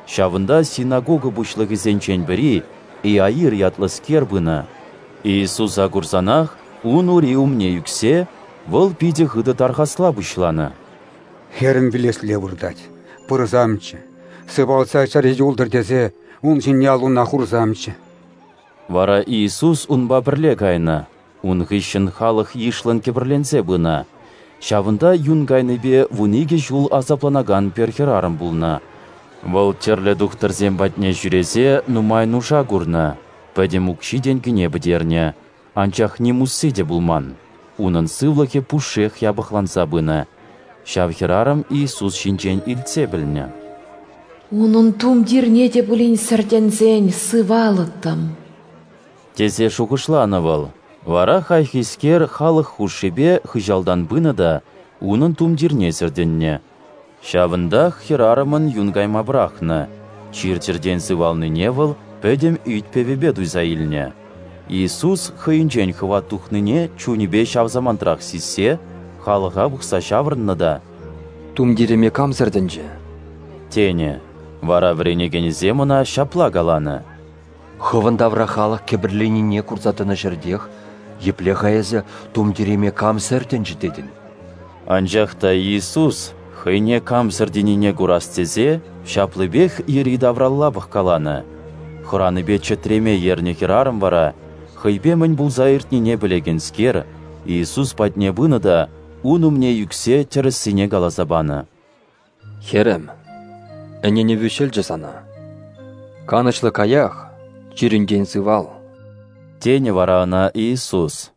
Ҫавӑнта синагога пуҫлӑхӗсенчен пӗри, Иаир ятлӑскер, пынӑ. Иисуса курсанах ун ури умне ӳксе, вӑл питӗ хытӑ тархасла пуҫланӑ. Хӗрӗм вилесле выртать, пырсамччӗ, сывалса чӗрӗ юлтӑр тесе ун ҫине аллуна хурсамччӗ. Вара Иисус унпа пӗрле кайнӑ. Ун хыҫҫӑн халӑх йышлӑн кӗпӗрленсе пынӑ. Ҫавӑнта юн кайнипе 12 ҫул асапланакан пӗр хӗрарӑм пулнӑ. Вӑл тӗрлӗ тухтӑрсем патне ҫӳресе нумай нуша курнӑ, пӗтӗм укҫи-тенкине пӗтернӗ, анчах ним усси те пулман. Унӑн сывлӑхӗ пушшех япӑхланса пынӑ. Ҫав хӗрарӑм Иисус ҫинчен илтсе пӗлнӗ. Унӑн тумтирне те пулин сӗртӗнсен сывалӑттӑм, тесе шухӑшланӑ вӑл. Вара хайхискер халӑх хушшипе хыҫалтан пынӑ та унӑн тумтирне сӗртӗннӗ. Ҫавӑнтах хӗрарӑмӑн юн кайма пӑрахнӑ. Чир-чӗртен сывалнине вӑл пӗтӗм ӳт-пӗвӗпе туйса илнӗ. Иисус хӑйӗнчен хӑват тухнине чунӗпе ҫав самантрах сиссе халӑха пӑхса ҫаврӑннӑ та: «Тумтирӗме кам сӗртӗнчӗ?» тенӗ. Вара вӗренекенӗсем ӑна ҫапла каланӑ: «Хӑвӑн тавра халӑх кӗпӗрленнине курса тӑнӑ ҫӗртех епле-ха эсӗ тумтирӗме кам сӗртӗнчӗ тетӗн?» Анчах та Иисус хӑйне кам сӗртӗннине курас тесе ҫаплипех йӗри-тавралла пӑхкаланӑ. Хӑранипе чӗтреме ернӗ хӗрарӑм вара, хӑйпе мӗн пулса иртнине пӗлекенскер, Иисус патне пынӑ та ун умне ӳксе тӗрӗссине каласа панӑ. Хӗрӗм, ӗненӗвӳ ҫӑлчӗ сана. Канӑҫлӑ каях, чирӗнтен сывал, тенӗ вара ӑна Иисус.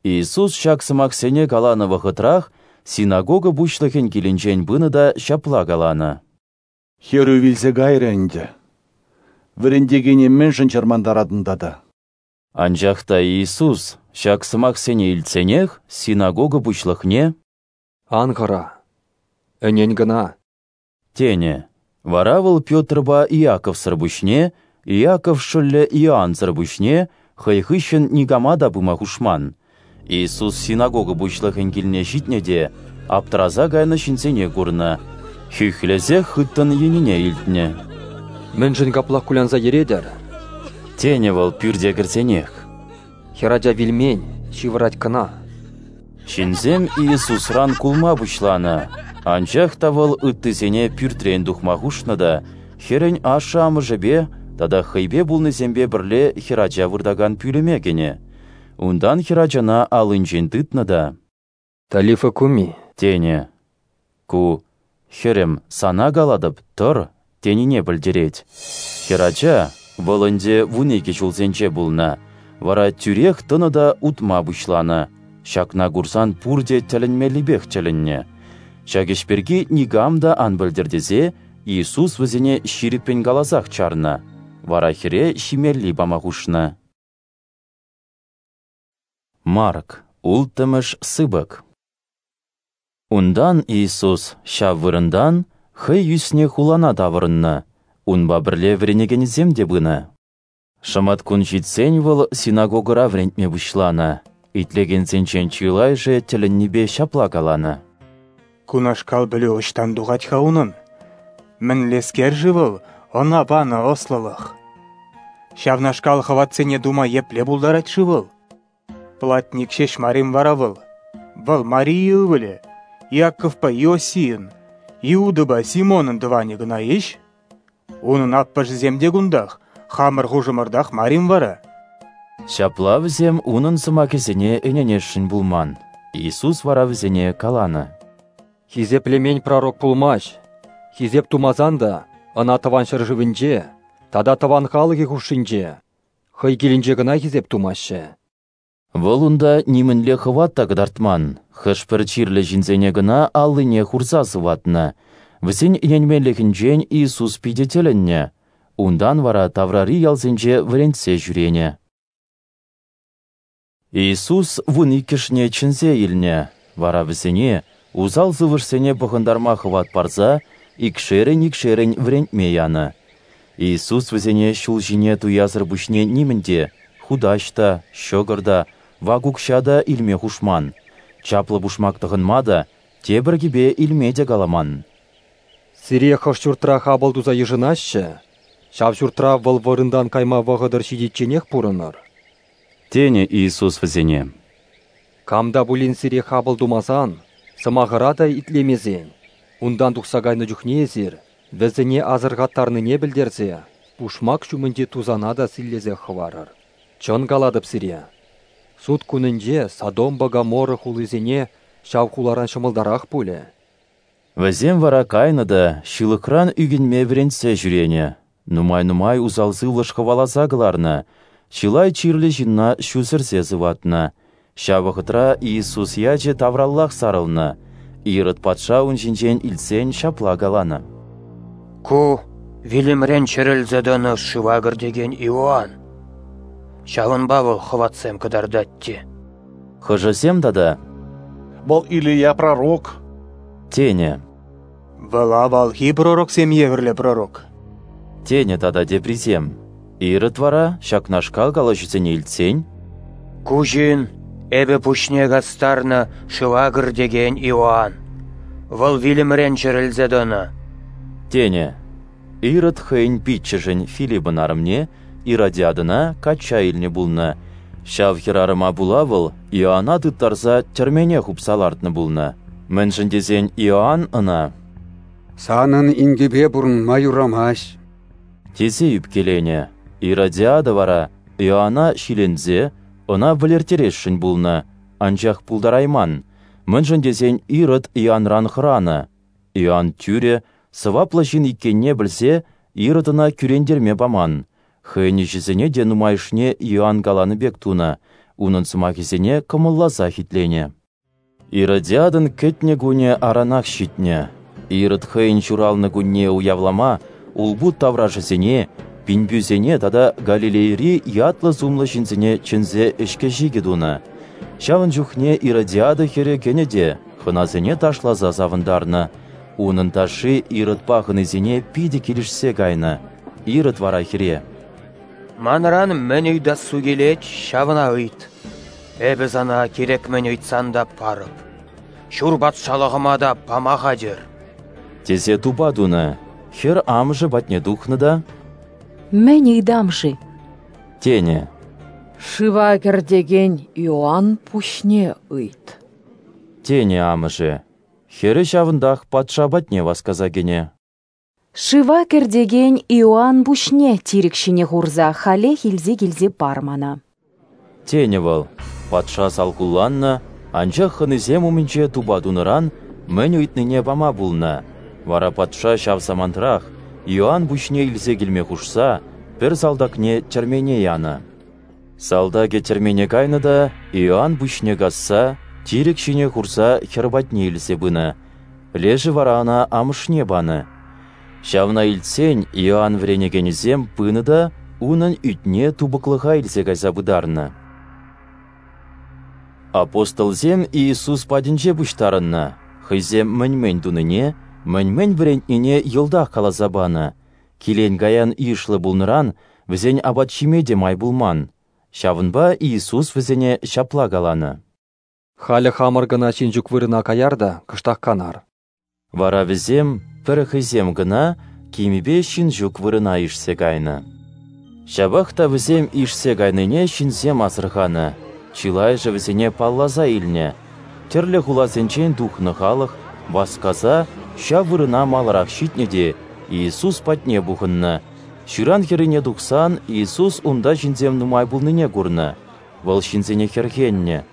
Иисус ҫак сӑмахсене каланӑ вӑхӑтрах синагога пуҫлӑхӗн килӗнчен пынӑ та ҫапла каланӑ: Хӗрӳ вилсе кайрӗ ӗнтӗ. Вӗрентекене мӗншӗн чӑрмантаратӑн тата? Анчах та Иисус ҫак сӑмахсене илтсенех синагога пуҫлӑхне: «Ан хӑра, ӗнен кӑна», тенӗ. Вара вӑл Петрпа Иаковсӑр пуҫне, Иаков шӑллӗ Иоансӑр пуҫне хӑй хыҫҫӑн никама та пыма хушман. Иисус синагога пуҫлӑхӗн килне ҫитнӗ те аптӑраса кайнӑ ҫынсене курнӑ, хӳхлесех хыттӑн йӗнине илтнӗ. «Мӗншӗн каплах кулянса йӗретӗр?» тенӗ вӑл пӳрте кӗрсенех. Хӗрача вилмен, ҫывӑрать кӑна. Ҫынсем Иисусран кулма пуҫланӑ, анчах та вӑл ыттисене пӳртрен тухма хушнӑ та хӗрӗн ашшӗ-амӑшӗпе тата хӑйпе пулнисемпе пӗрле хӗрача выртакан пӳлӗме кӗнӗ. Унтан хӗрачана аллинчен тытнӑ та: «Талифа куми», тенӗ. Ку «Хӗрӗм, сана калатӑп, тӑр», тенине пӗлтерет. Хӗрача, вӑл ӗнтӗ 12 ҫулсенче пулнӑ, вара тӳрех тӑнӑ та утма пуҫланӑ. Ҫакна курсан пурте тӗлӗнмеллипех тӗлӗннӗ. Ҫак ӗҫ пирки никам та ан пӗлтӗр тесе Иисус вӗсене ҫирӗппӗн каласах чарнӑ. Вара хӗре ҫимелли пама хушнӑ. Марк, 6-мӗш сыпӑк. Унтан Иисус ҫав вырӑнтан хӑй ӳснӗ хулана таврӑннӑ, унпа пӗрле вӗренекенӗсем те пынӑ. Шӑматкун ҫитсен вӑл синагогӑра вӗрентме пуҫланӑ. Итлекенсенчен чылайӑшӗ тӗлӗннипе ҫапла каланӑ: Кунашкал пӗлӳ ӑҫтан тухать-ха унӑн? Мӗнлескер-ши вӑл ӑна панӑ ӑслӑлӑх? Ҫавнашкал хӑватсене тума епле пултарать-ши вӑл? Платник ҫеҫ мар-им вара вӑл? Вӑл Мария ывӑлӗ, Иаковпа Иосийӑн, Иудӑпа Симонӑн тӑванӗ кӑна-иҫ? Унӑн аппӑшӗсем те кунтах, хамӑр хушӑмӑртах мар-им вара? Ҫапла вӗсем унӑн сӑмахӗсене ӗненесшӗн пулман. Иисус вара вӗсене каланӑ: Хисеплемен пророк пулмасть. Хисеп тумасан та ӑна тӑван ҫӗршывӗнче тата тӑван халӑхӗ хушшинче хӑй килӗнче кӑна хисеп тумаҫҫӗ. Вӑл унта нимӗнле хӑват та кӑтартман, хӑш-пӗр чирлӗ ҫынсене кӑна аллине хурса сыватнӑ. Вӗсен ӗненменлӗхӗнчен Иисус питӗ тӗлӗннӗ. Унтан вара таврари ялсенче вӗрентсе ҫӳренӗ. Иисус 12-шне чӗнсе илнӗ, вара вӗсене усал сывлӑшсене пӑхӑнтарма хӑват парса икшерӗн-икшерӗн вӗрентме янӑ. Иисус вӗсене ҫул ҫине туясӑр пуҫне нимӗн те, хутаҫ та, ҫӑкӑр та, вак укҫа та илме хушман, чаплӑ пушмак тӑхӑнма та, тепӗр кӗпе илме те каламан. Сире хӑш ҫуртра хапӑл туса йышӑнаҫҫӗ, ҫав ҫуртра вӑл вырӑнтан кайма вӑхӑтӑр ҫитичченех пурӑнӑр. Тенӗ Иисус вӗсене. Кам та пулин сире хапӑл тумасан, сӑмахӑра та итлемесен, унтан тухса кайнӑ чухне эсир вӗсене асӑрхаттарнине пӗлтерсе пушмак ҫумӗнчи тусана та силлесе хӑварӑр. Чӑн калатӑп сире, суд кунӗнче Содомпа Гоморра хулисене ҫав хуларан ҫӑмӑлтарах пулӗ. Вӗсем вара кайнӑ та ҫылӑхран ӳкӗнме вӗрентсе ҫӳренӗ. Нумай-нумай усал сывлӑш хӑваласа кӑларнӑ, чылай чирлӗ ҫынна ҫу сӗрсе сыватнӑ. Ҫав вӑхӑтра Иисус ячӗ тавраллах сарӑлнӑ. Ирод патша ун ҫинчен илтсен ҫапла каланӑ: Ку вилӗмрен чӗрӗлсе тӑнӑ шыва кӗртекен Иоанн. Ҫавӑнпа вӑл хӑватсем кӑтартать те. Хӑшӗсем тата: Вӑл Илия пророк тенӗ. Вӑл авалхи пророксем евӗрлӗ пророк тенӗ тата теприсем. Ирод вара ҫакнашкал калаҫусене илтсен: Ку ҫын эпӗ пуҫне кастарнӑ шыва кӗртекен Иоанн. Вӑл вилӗмрен чӗрӗлсе тӑнӑ тенӗ. Ирод хӑйӗн пиччӗшӗн Филиппӑн арӑмне Иродиадӑна качча илнӗ пулнӑ. Ҫав хӗрарӑма пула вӑл Иоанна тыттарса тӗрмене хупса лартнӑ пулнӑ. Мӗншӗн тесен Иоанн ӑна: Санӑн инкепе пурӑнма юрамасть тесе ӳпкеленӗ. Иродиада вара Иоанна ҫиленсе ӑна вӗлерттересшӗн пулнӑ, анчах пултарайман, мӗншӗн тесен Ирод Иоанран хӑранӑ. Иоанн тӳрӗ, сӑваплӑ ҫын иккенне пӗлсе Ирод ӑна кӳрентерме паман. Хӑйӗн ӗҫӗсене те нумайӑшне Иоанн каланӑ пек тунӑ, унӑн сӑмахӗсене кӑмӑлласах итленӗ. Иродиадӑн кӗтнӗ кунӗ аранах ҫитнӗ. Ирод хӑйӗн ҫуралнӑ кунне уявлама улпут таврашӗсене, пинпӳсене тата Галилейӑри ятлӑ-сумлӑ ҫынсене чӗнсе ӗҫкӗ-ҫикӗ тунӑ. Ҫавӑн чухне Иродиада хӗрӗ кӗнӗ те хӑнасене ташласа савӑнтарнӑ. Унӑн ташши Иродпа хӑнисене питӗ килӗшсе кайнӑ. Ирод вара хӗре: Манран мӗн ыйтассу килет, ҫавна ыйт. Эпӗ сана кирек мӗн ыйтсан та парӑп. Ҫур патшалӑхӑма та пама хатӗр тесе тупа тунӑ. Хӗр амӑшӗ патне тухнӑ та: Мӗн ыйтам-ши? тенӗ. Шыва кӗртекен Иоанн пуҫне ыйт тенӗ амӑшӗ. Хӗрӗ ҫавӑнтах патша патне васкаса кӗнӗ. Шыва кӗртекен Иоанн пуҫне тирӗк ҫине хурса халех илсе килсе пар мана тенӗ вӑл. Патша салхулланнӑ, анчах хӑнисем умӗнче тупа тунӑран мӗн ыйтнине пама пулнӑ. Вара патша ҫав самантрах Иоанн пуҫне илсе килме хушса пӗр салтакне тӗрмене янӑ. Салтакӗ тӗрмене кайнӑ та Иоанн пуҫне касса тирӗк ҫине хурса хӗр патне илсе пынӑ. Лешӗ вара ӑна амӑшне панӑ. Ҫавна илтсен Иоанн вӗренекенӗсем пынӑ та унӑн ӳтне тупӑклӑха илсе кайса пытарнӑ. Апостолсем Иисус патӗнче пуҫтарӑннӑ, хӑйсем мӗн-мӗн тунине, мӗн-мӗн вӗрентнине йӑлтах каласа панӑ. Килен-каян йышлӑ пулнӑран вӗсен апат ҫиме те май пулман. Ҫавӑнпа Иисус вӗсене ҫапла каланӑ: Халӗ хамӑр кӑна ҫын ҫук вырӑна каяр та кӑштах канар. Вара вӗсем пӗр хӑйсем кӑна кимӗпе ҫын ҫук вырӑна ишсе кайнӑ. Ҫапах та вӗсем ишсе кайнине ҫынсем асӑрханӑ, чылайӑшӗ вӗсене палласа илнӗ. Тӗрлӗ хуласенчен тухнӑ халӑх васкаса ҫав вырӑна маларах ҫитнӗ те Иисус патне пухӑннӑ. Ҫыран хӗррине тухсан Иисус унта ҫынсем нумай пулнине курнӑ. Вӑл ҫынсене хӗрхеннӗ,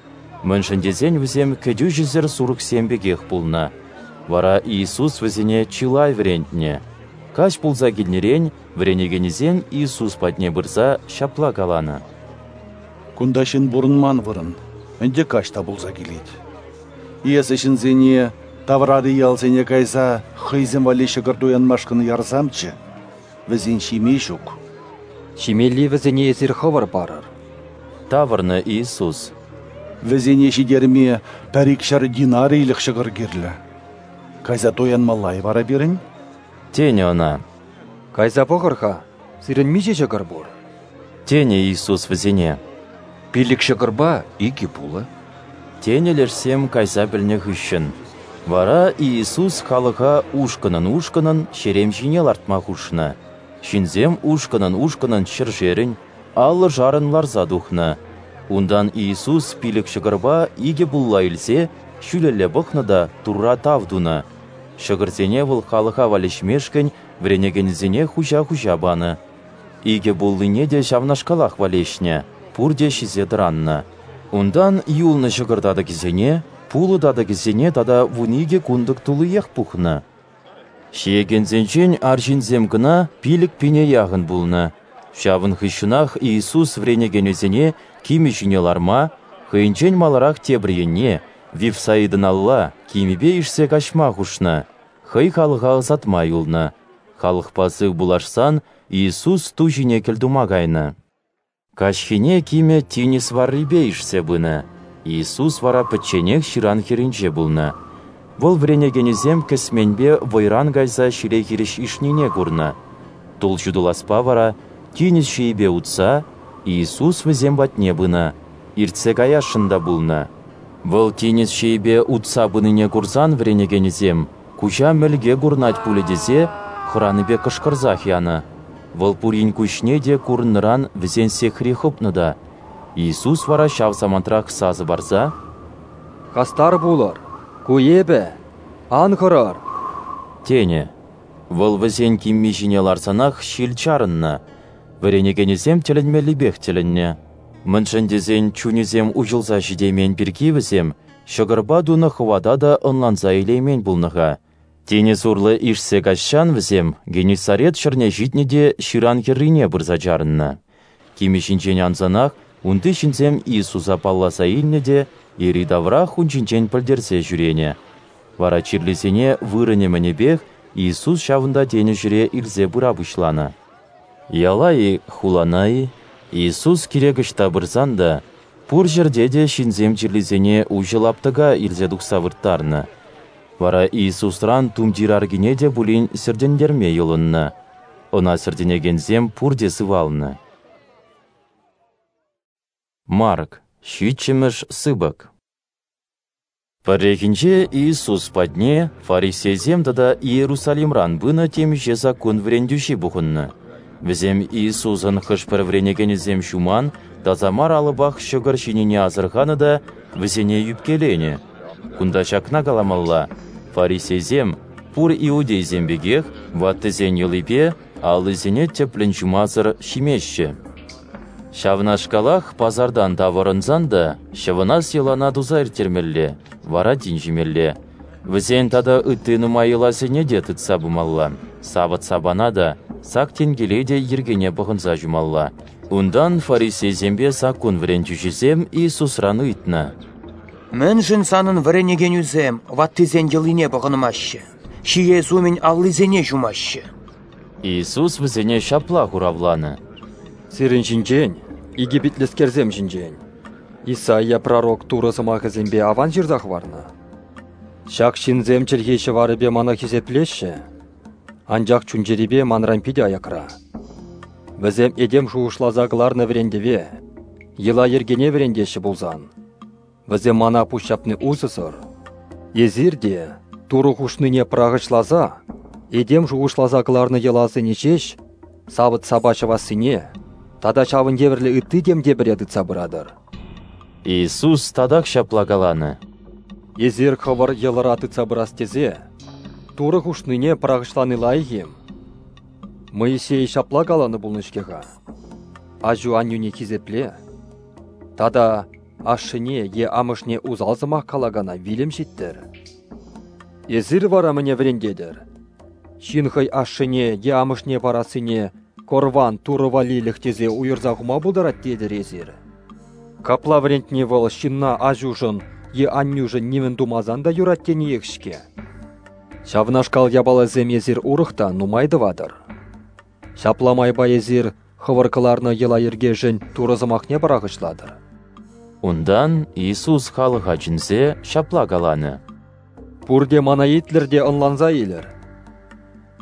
мӗншӗн тесен вӗсем кӗтӳҫӗсӗр сурӑхсем пекех пулнӑ. Вара Иисус вӗсене чылай вӗрентнӗ. Каҫ пулса килнӗрен вӗренекенӗсем Иисус патне пырса ҫапла каланӑ: Кунта ҫын пурӑнман вырӑн, ӗнтӗ каҫ та пулса килет. Эсӗ ҫынсене таврари ялсене кайса хӑйсем валли ҫӑкӑр туянмашкӑн ярсамччӗ, вӗсен ҫиме ҫук. Ҫимелли вӗсене эсир хӑвӑр парӑр, тавӑрнӑ Иисус. Вӗсене ҫитерме пӗр-ик ҫӗр динарийлӗх ҫӑкӑр кирлӗ. Кайса туянмалла-и вара пирӗн? Тенӗ ӑна. Кайса пӑхӑр-ха, сирӗн миҫе ҫӑкӑр пур? Тенӗ Иисус вӗсене. 5 ҫӑкӑрпа 2 пулӑ. Тенӗ лешсем кайса пӗлнӗ хыҫҫӑн. Вара Иисус халӑха ушкӑнӑн-ушкӑнӑн ҫерем ҫине лартма хушнӑ. Ҫынсем ушкӑнӑн-ушкӑнӑн ҫӗршерӗн, аллӑшарӑн ларса тухнӑ. Унтан Иисус 5 ҫӑкӑрпа 2 пулла илсе ҫӳлелле пӑхнӑ та Турра тав тунӑ. Ҫӑкӑрсене вӑл халӑха валеҫмешкӗн вӗренекенӗсене хуҫа-хуҫа панӑ. 2 пуллине те ҫавнашкалах валеҫнӗ, пурте ҫисе тӑраннӑ. Унтан юлнӑ ҫӑкӑр татӑкӗсене, пулӑ татӑкӗсене тата 12 кунтӑк туллиех пухнӑ. Ҫиекенсенчен арҫынсем кӑна 5000 яхӑн пулнӑ. Ҫавӑн хыҫҫӑнах Иисус вӗренекенӗсене кимӗ ҫине ларма, хӑйӗнчен маларах тепӗр енне, Вифсаидӑналла, кимӗпе ишсе каҫма хушнӑ, хӑй халӑха ӑсатма юлнӑ. Халӑхпа сыв пулашсан Иисус ту ҫине кӗлтума кайнӑ. Каҫхине кимӗ тинӗс варрипе ишсе пынӑ. Иисус вара пӗчченех ҫыран хӗрринче пулнӑ. Вӑл вӗренекенӗсем кӗсменпе вӑйран кайса ҫиле хирӗҫ ишнине курнӑ. Тул ҫутӑласпа вара тинӗс ҫийӗпе утса Иисус вӗсем патне пынӑ, иртсе каясшӑн та пулнӑ. Вӑл тинӗс ҫийӗпе утса пынине курсан вӗренекенӗсем куҫа мӗлке курнать пулӗ тесе хӑранипе кӑшкӑрсах янӑ. Вӑл пурин куҫне те курӑннӑран вӗсен сехри хӑпнӑ та. Иисус вара ҫав самантрах сасӑ парса: Хастар пулӑр, ку эпӗ, ан хӑрӑр! Тенӗ. Вӑл вӗсен кимми ҫине ларсанах ҫил чарӑннӑ. Вӗренекенӗсем тӗлӗнмеллипех тӗлӗннӗ. Мӗншӗн тесен чунӗсем уҫӑлса ҫитеймен пирки вӗсем ҫӑкӑрпа тунӑ хӑвата та ӑнланса илеймен пулнӑ-ха. Тинӗс урлӑ ишсе каҫсан вӗсем Геннисарет ҫӗрне ҫитнӗ те ҫыран хӗррине пырса чарӑннӑ. Кимӗ ҫинчен ансанах унти ҫынсем Иисуса палласа илнӗ те йӗри-таврах ун ҫинчен пӗлтерсе ҫӳренӗ. Вара чирлисене вырӑнӗ-мӗнӗпех Иисус ҫавӑнта тенӗ ҫӗре илсе пыра пуҫланӑ. Яла-и, хулана-и, Иисус кирек ӑҫта пырсан та, пур ҫӗрте те ҫынсем чирлисене уҫӑ лаптӑка илсе тухса вырттарнӑ. Вара Иисусран тумтир аркине те пулин сӗртӗнтерме йӑлӑннӑ. Ӑна сӗртӗнекенсем пурте сывалнӑ. Марк, 7-мӗш сыпӑк. Пӗррехинче Иисус патне фарисейсем тата Иерусалимран пынӑ темиҫе саккун вӗрентӳҫи пухӑннӑ. Вӗсем Иисусӑн хӑш-пӗр вӗренекенӗсем ҫуман, таса мар алӑпах ҫӑкӑр ҫинине асӑрханӑ та вӗсене ӳпкеленӗ. Кунта ҫакна каламалла: фарисейсем, пур иудейсем пекех, ваттисен йӑлипе аллисене тӗплӗн ҫумасӑр ҫимеҫҫӗ. Ҫавнашкалах пасартан тавӑрӑнсан та ҫӑвӑнас йӑлана туса ирттермелле, вара тин ҫимелле. Вӗсен тата ытти нумай йӑласене те тытса пымалла, савӑт-сапана та, сак тенкеле те йӗркене пӑхӑнса ҫумалла. Унтан фарисейсемпе саккун вӗрентӳҫисем Иисусран ыйтнӑ: Мӗншӗн санӑн вӗренекенӳсем ваттисен йӑлине пӑхӑнмаҫҫӗ, ҫиес умӗн аллисене ҫумаҫҫӗ? Иисус вӗсене ҫапла хуравланӑ: Сирӗн ҫинчен, икӗпитлӗскерсем ҫинчен, Исаия пророк Турӑ сӑмахӗсемпе аван ҫырса хӑварнӑ. Ҫак ҫынсем чӗлхи-ҫӑварӗпе мана хисеплеҫҫӗ, анчах чун-чӗрипе манран питӗ аякра. Вӗсем этем шухӑшласа кӑларнӑ вӗрентӗве, йӑла-йӗркене вӗрентеҫҫӗ пулсан, вӗсем мана пуҫҫапни усӑсӑр. Эсир те, Турӑ хушнине пӑрахӑҫласа, этем шухӑшласа кӑларнӑ йӑласене ҫеҫ, савӑт-сапа ҫӑвассине тата ҫавӑн евӗрлӗ ытти темтепӗре тытса пыратӑр. Иисус татах ҫапла каланӑ: Эсир хӑвӑр йӑлӑра тытса пырас тесе Турӑ хушнине пӑрахӑҫлани лайӑх-им? Моисей ҫапла каланӑ пулнӑ-ҫке-ха: аҫу-аннӳне хисепле тата ашшӗне е амӑшне усал сӑмах калакана вилӗм ҫиттӗр. Эсир вара мӗне вӗрентетӗр? Ҫын хӑй ашшӗне е амӑшне парассине корван Турӑ валлилӗх тесе уйӑрса хума пултарать тетӗр эсир. Капла вӗрентни вӑл ҫынна аҫушӑн е аннӳшӗн нимӗн тумасан та юрать тениех-ҫке. Ҫавнашкал япаласем эсир урӑх та нумай тӑватӑр. Ҫапла майпа эсир хӑвӑр кӑларнӑ йӑла-йӗркешӗн Турӑ сӑмахне пӑрахӑҫлатӑр. Унтан Иисус халӑха чӗнсе ҫапла каланӑ: Пурте мана итлӗр те ӑнланса илӗр.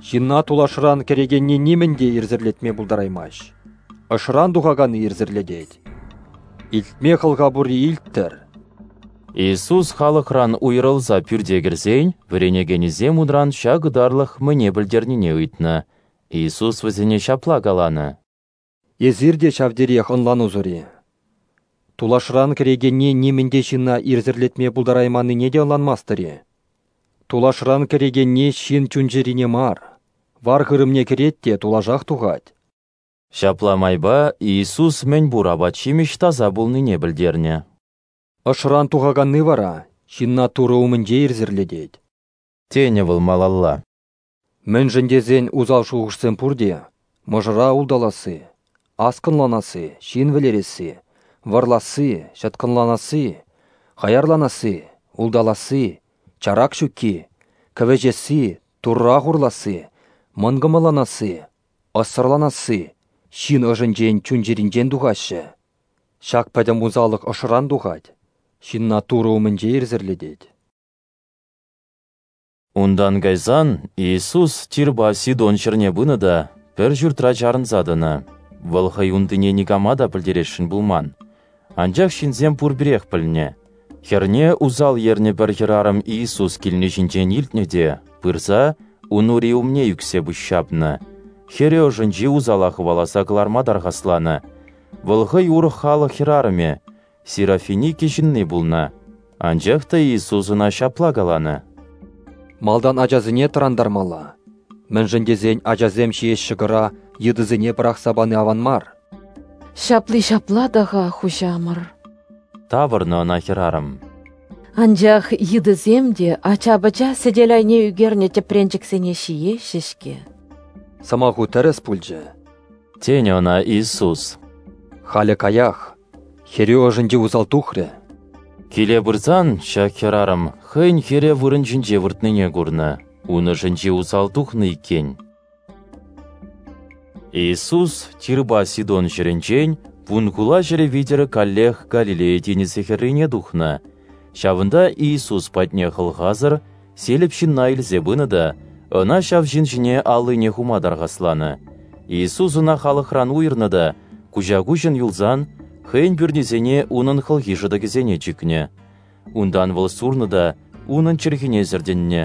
Ҫынна тулашран кӗрекенни нимӗн те ирсӗрлетме пултараймасть. Ӑшран тухаканни ирсӗрлетет. Илтме хӑлха пурри илттӗр. Иисус халӑхран уйрӑлса пӳрте кӗрсен, вӗренекенӗсем унран ҫак ытарлӑх мӗне пӗлтернине ыйтнӑ. Иисус вӗсене ҫапла каланӑ: Эсир те ҫав териех ӑнланусӑр-и? Тулашран кӗрекенни нимӗн те ҫынна ирсӗрлетме пултарайманнине те ӑнланмастӑр-и? Тулашран кӗрекенни ҫын чун-чӗрине мар, вар-хырӑмне кӗрет те тулашах тухать. Ҫапла майпа Иисус мӗн пур апат-ҫимӗҫ таса пулнине пӗлтернӗ. Ӑшран тухаканни вара ҫынна Турӑ умӗнче ирсӗрлетет, тенӗ вӑл малалла. Мӗншӗн тесен усал шухӑшсем пурте мӑшӑра улталасси, аскӑнланасси, ҫын вӗлересси, вӑрласси, ҫӑткӑнланасси, хаярланасси, улталасси, чарак ҫукки, кӗвӗҫесси, Турра хурласси, мӑнкӑмӑлланасси, ӑссӑрланасси ҫын ӑшӗнчен, чун-чӗринчен тухаҫҫӗ. Ҫак пӗтӗм усаллӑх ӑшран тухать, ҫынна Турӑ умӗнче ирсӗрлетет. Унтан кайсан Иисус Тирпа Сидон ҫӗрне пынӑ та пӗр ҫуртра чарӑнса тӑнӑ. Вӑл хӑй унтине никама та пӗлтересшӗн пулман. Анчах ҫынсем пурпӗрех пӗлнӗ. Хӗрне усал ернӗ пӗр хӗрарӑм Иисус килни ҫинчен илтнӗ те пырса ун ури умне ӳксе пуҫҫапнӑ. Хӗрӗ ӑшӗнчи усала хӑваласа кӑларма тархасланӑ. Вӑл хӑй урӑх халӑх хӗрарӑмӗ, Серафиники ҫынни пулнӑ. Анчах та Иисус ӑна ҫапла каланӑ: Малтан ачасене тӑрантармалла. Мӗншӗн тесен ачасем ҫиес ҫӑкӑра йытӑсене пӑрахса пани аван мар. Ҫапли ҫапла та-ха, хуҫамӑр, тавӑрнӑ ӑна хӗрарӑм. Анчах йытӑсем те ача-пӑча сӗтел айне ӳкернӗ тӗпренчӗксене ҫиеҫҫӗ-ҫке. Сӑмаху тӗрӗс пулчӗ, тенӗ ӑна Иисус. Халӗ каях, хӗрӳ ӑшӗнчи усал тухрӗ. Киле пырсан ҫак хӗрарӑм хӑйӗн хӗрӗ вырӑн ҫинче выртнине курнӑ, ун ӑшӗнчи усал тухнӑ иккен. Иисус Тирпа Сидон ҫӗрӗнчен Вунхула ҫӗрӗ витӗр каллех Галилея тинӗсӗ хӗррине тухнӑ. Ҫавӑнта Иисус патне хӑлхасӑр селӗп ҫынна илсе пынӑ та ӑна ҫав ҫын ҫине аллине хума тархасланӑ. Иисус ӑна халӑхран уйӑрнӑ та куҫа-куҫӑн юлсан хӑйӗн пӳрнисене унӑн хӑлхи шӑтӑкӗсене чикнӗ. Унтан вӑл сурнӑ та унӑн чӗлхине сӗртӗннӗ.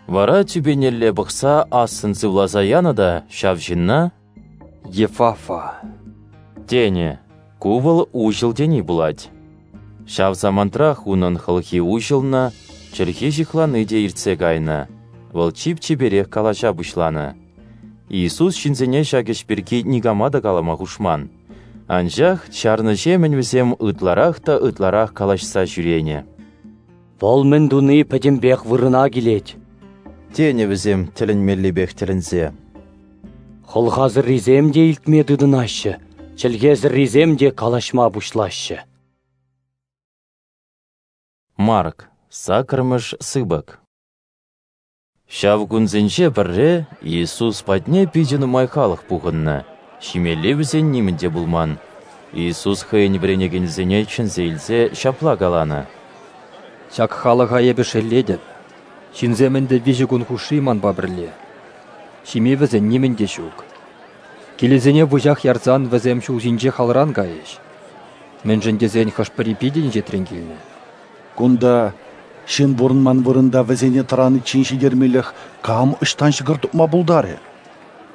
Вара тӳпенелле пӑхса ассӑн сывласа янӑ та ҫав ҫынна «Ефафа» тенӗ. Ку вӑл уҫӑл тени пулать. Ҫав самантрах унӑн хӑлхи уҫӑлнӑ, чӗлхи ҫыхланни те иртсе кайнӑ. Вӑл чип-чиперех калаҫа пуҫланӑ. Иисус ҫынсене ҫак ӗҫ пирки никама та калама хушман. Анчах чарнӑҫемӗн вӗсем ытларах та ытларах калаҫса ҫӳренӗ. Вӑл мӗн туни пӗтӗмпех вырӑна килет, тенӗ вӗсем тӗлӗнмеллипех тӗлӗнсе. Хӑлхасӑррисем те илтме тытӑнаҫҫӗ, чӗлхесӗррисем те калаҫма пуҫлаҫҫӗ. Марк, 8-мӗш сыпӑк. Ҫав кунсенче пӗрре Иисус патне питӗ нумай халӑх пухӑннӑ. Ҫимелли вӗсен нимӗн те пулман. Иисус хӑйӗн вӗренекенӗсене чӗнсе илсе ҫапла каланӑ: «Ҫак халӑха эпӗ шеллетӗп. Ҫынсем ӗнтӗ 3 кун хушши манпа пӗрле. Ҫиме вӗсен нимӗн те ҫук. Килӗсене выҫах ярсан вӗсем ҫул ҫинче халран кайӗҫ. Мӗншӗн тесен хӑш-пӗри питӗ инҫетрен килнӗ». «Кунта ҫын пурӑнман вырӑнта вӗсене тӑраниччен ҫитермелӗх кам ӑҫтан ҫӑкӑр тупма пултарӗ?»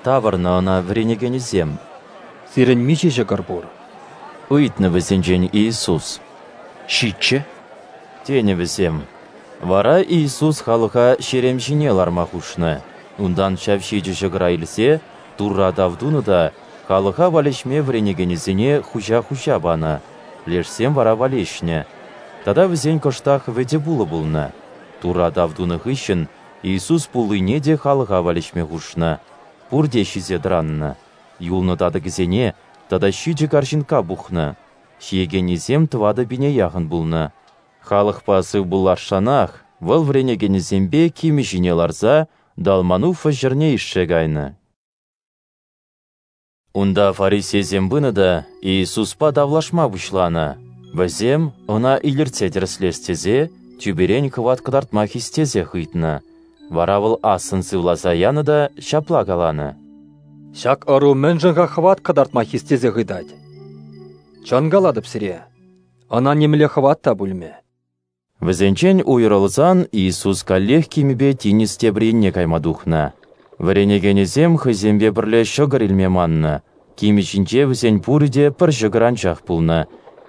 Тавӑрнӑ ӑна вӗренекенӗсем. «Сирӗн миҫе ҫӑкӑр пур?» Ыйтнӑ вӗсенчен Иисус. 7. Тенӗ вӗсем. Вара Иисус халӑха ҫерем ҫине ларма хушнӑ. Унтан ҫав 7 ҫӑкӑра илсе Турра тав тунӑ та халӑха валеҫме вӗренекенӗсене хуҫа-хуҫа панӑ. Лешсем вара валеҫнӗ. Тата вӗсен кӑштах вӗтӗ пулӑ пулнӑ. Турра тав тунӑ хыҫҫӑн Иисус пуллине те халӑха валеҫме хушнӑ. Пурте ҫисе тӑраннӑ. Юлнӑ татӑкӗсене тата 7 карҫинкка пухнӑ. Ҫиекеннисем 4000 яхӑн пулнӑ. Халӑхпа сывпуллашсанах вӑл вӗренекенӗсемпе кимӗ ҫине ларса Далмануфа ҫӗрне ишсе кайнӑ. Унта фарисейсем пынӑ та Иисуспа тавлашма пуҫланӑ. Вӗсем ӑна илӗртсе тӗрӗслес тесе тӳперен хӑват кӑтартма хистесех ыйтнӑ. Вара вӑл ассӑн сывласа янӑ та ҫапла каланӑ: «Ҫак ӑру мӗншӗн-ха хӑват кӑтартма хистесех ыйтать? Чӑн калатӑп сире, ӑна нимле хӑват та пулмӗ». Вӗсенчен уйрӑлсан Иисус каллех кимӗпе тинӗс тепӗр енне кайма тухнӑ. Вӗренекенӗсем хӑйсемпе пӗрле ҫӑкӑр илме маннӑ. Кимӗ ҫинче вӗсен пурӗ те пӗр ҫӑкӑр анчах пулнӑ.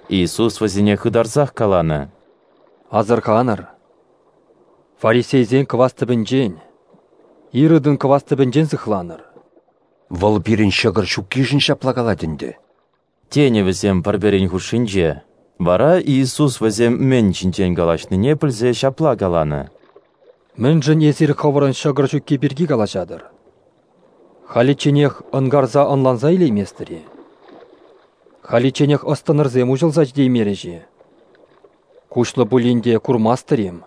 Иисус вӗсене хытарсах каланӑ: «Асӑрханӑр! Фарисейсен кӑвас тӗпӗнчен, Иродӑн кӑвас тӗпӗнчен сыхланӑр». «Вӑл пирӗн ҫӑкӑр ҫуккишӗн ҫапла калать ӗнтӗ», тенӗ вӗсем пӗр-пӗрин хушшинче. Вара Иисус вӗсем мӗн ҫинчен калаҫнине пӗлсе ҫапла каланӑ: «Мӗншӗн эсир хӑвӑрӑн ҫӑкӑр ҫукки пирки калаҫатӑр? Халичченех ӑнкарса ӑнланса илейместӗр-и? Халичченех ӑс-тӑнӑрсем уҫӑлса ҫитеймерӗҫ-и? Куҫлӑ пулин те курмастӑр-им?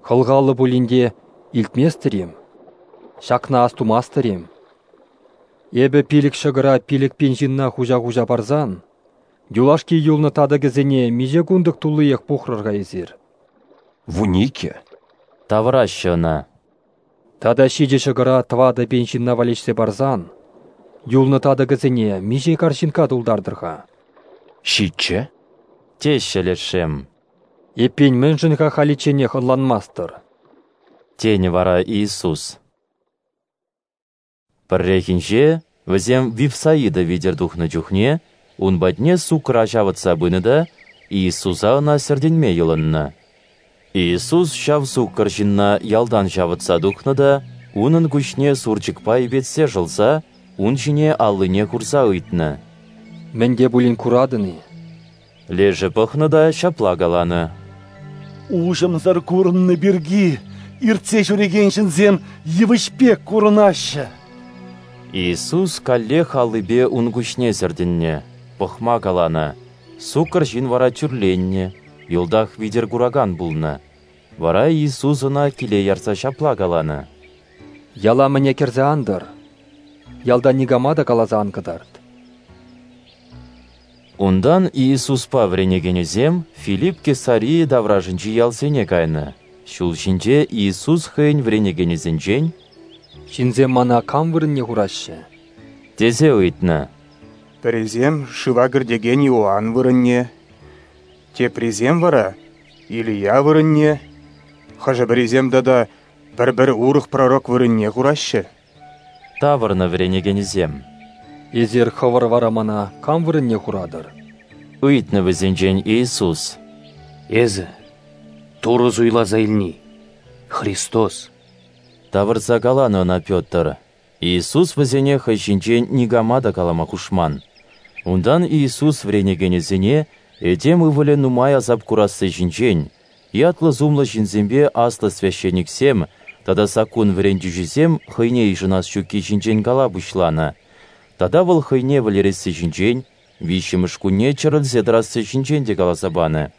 Хӑлхаллӑ пулин те илтместӗр-им? Ҫакна астумастӑр-им? Эпӗ 5 ҫӑкӑра 5000 ҫынна хуҫа-хуҫа парсан, юлашки юлнӑ татӑкӗсене миҫе кунтӑк туллиех пухрӑр-ха эсир?» 12. Тавӑраҫҫӗ ӑна. Тата 7 ҫӑкӑра 4000 ҫынна валеҫсе парсан, юлнӑ татӑкӗсене миҫе карҫинкка тултартӑр-ха? 7. Теҫҫӗ лешсем. Эппин мӗншӗн-ха халичченех ӑнланмастӑр? Тенӗ вара Иисус. Пӗррехинче вӗсем Вифсаида витӗр тухнӑ чухне ун патне суккӑра ҫавӑтса пынӑ та Иисуса ӑна сӗртӗнме йӑлӑннӑ. Иисус ҫав суккӑр ҫынна ялтан ҫавӑтса тухнӑ та унӑн куҫне сурчӑкпа йӗпетсе шӑлса ун ҫине аллине хурса ыйтнӑ: «Мӗн те пулин куратӑн-и?» Лешӗ пӑхнӑ та ҫапла каланӑ: «Уҫӑмсӑр курӑннӑ пирки иртсе ҫӳрекен ҫынсем йывӑҫ пек курӑнаҫҫӗ». Иисус каллех аллипе ун куҫне сӗртӗннӗ, пӑхма каланӑ. Суккӑр ҫын вара тӳрленнӗ, йӑлтах витӗр куракан пулнӑ. Вара Иисус ӑна киле ярса ҫапла каланӑ: «Яла мӗне кӗрсе ан тӑр, ялта никама та каласа ан кӑтарт». Унтан Иисуспа вӗренекенӗсем Филипп Кесарийӗ таврашӗнчи ялсене кайнӑ. Ҫул ҫинче Иисус хӑйӗн вӗренекенӗсенчен: «Ҫынсем мана кам вырӑнне хураҫҫӗ?» тесе ыйтнӑ. Пӗрисем шыва кӗртекен Иоанн вырӑнне, теприсем вара Илия вырӑнне, хӑшӗ-пӗрисем тата пӗр-пӗр урӑх пророк вырӑнне хураҫҫӗ. Тавӑрнӑ вӗренекенӗсем. «Эсир хӑвӑр вара мана кам вырӑнне хуратӑр?» Ыйтнӑ вӗсенчен Иисус. «Эсӗ Турӑ суйласа илни, Христос», тавӑрса каланӑ ӑна Петр. Иисус вӗсене хӑй ҫинчен никама та калама хушман. Унтан Иисус вӗренекенӗсене этем ывӑлӗ нумай асап курасси ҫинчен, ятлӑ-сумлӑ ҫынсемпе аслӑ священниксем тата саккун вӗрентӳҫисем хӑйне йышӑнас ҫукки ҫинчен кала пуҫланӑ. Тата вӑл хӑйне вӗлересси ҫинчен, 3-мӗш кунне чӗрӗлсе тӑрасси ҫинчен те каласа панӑ.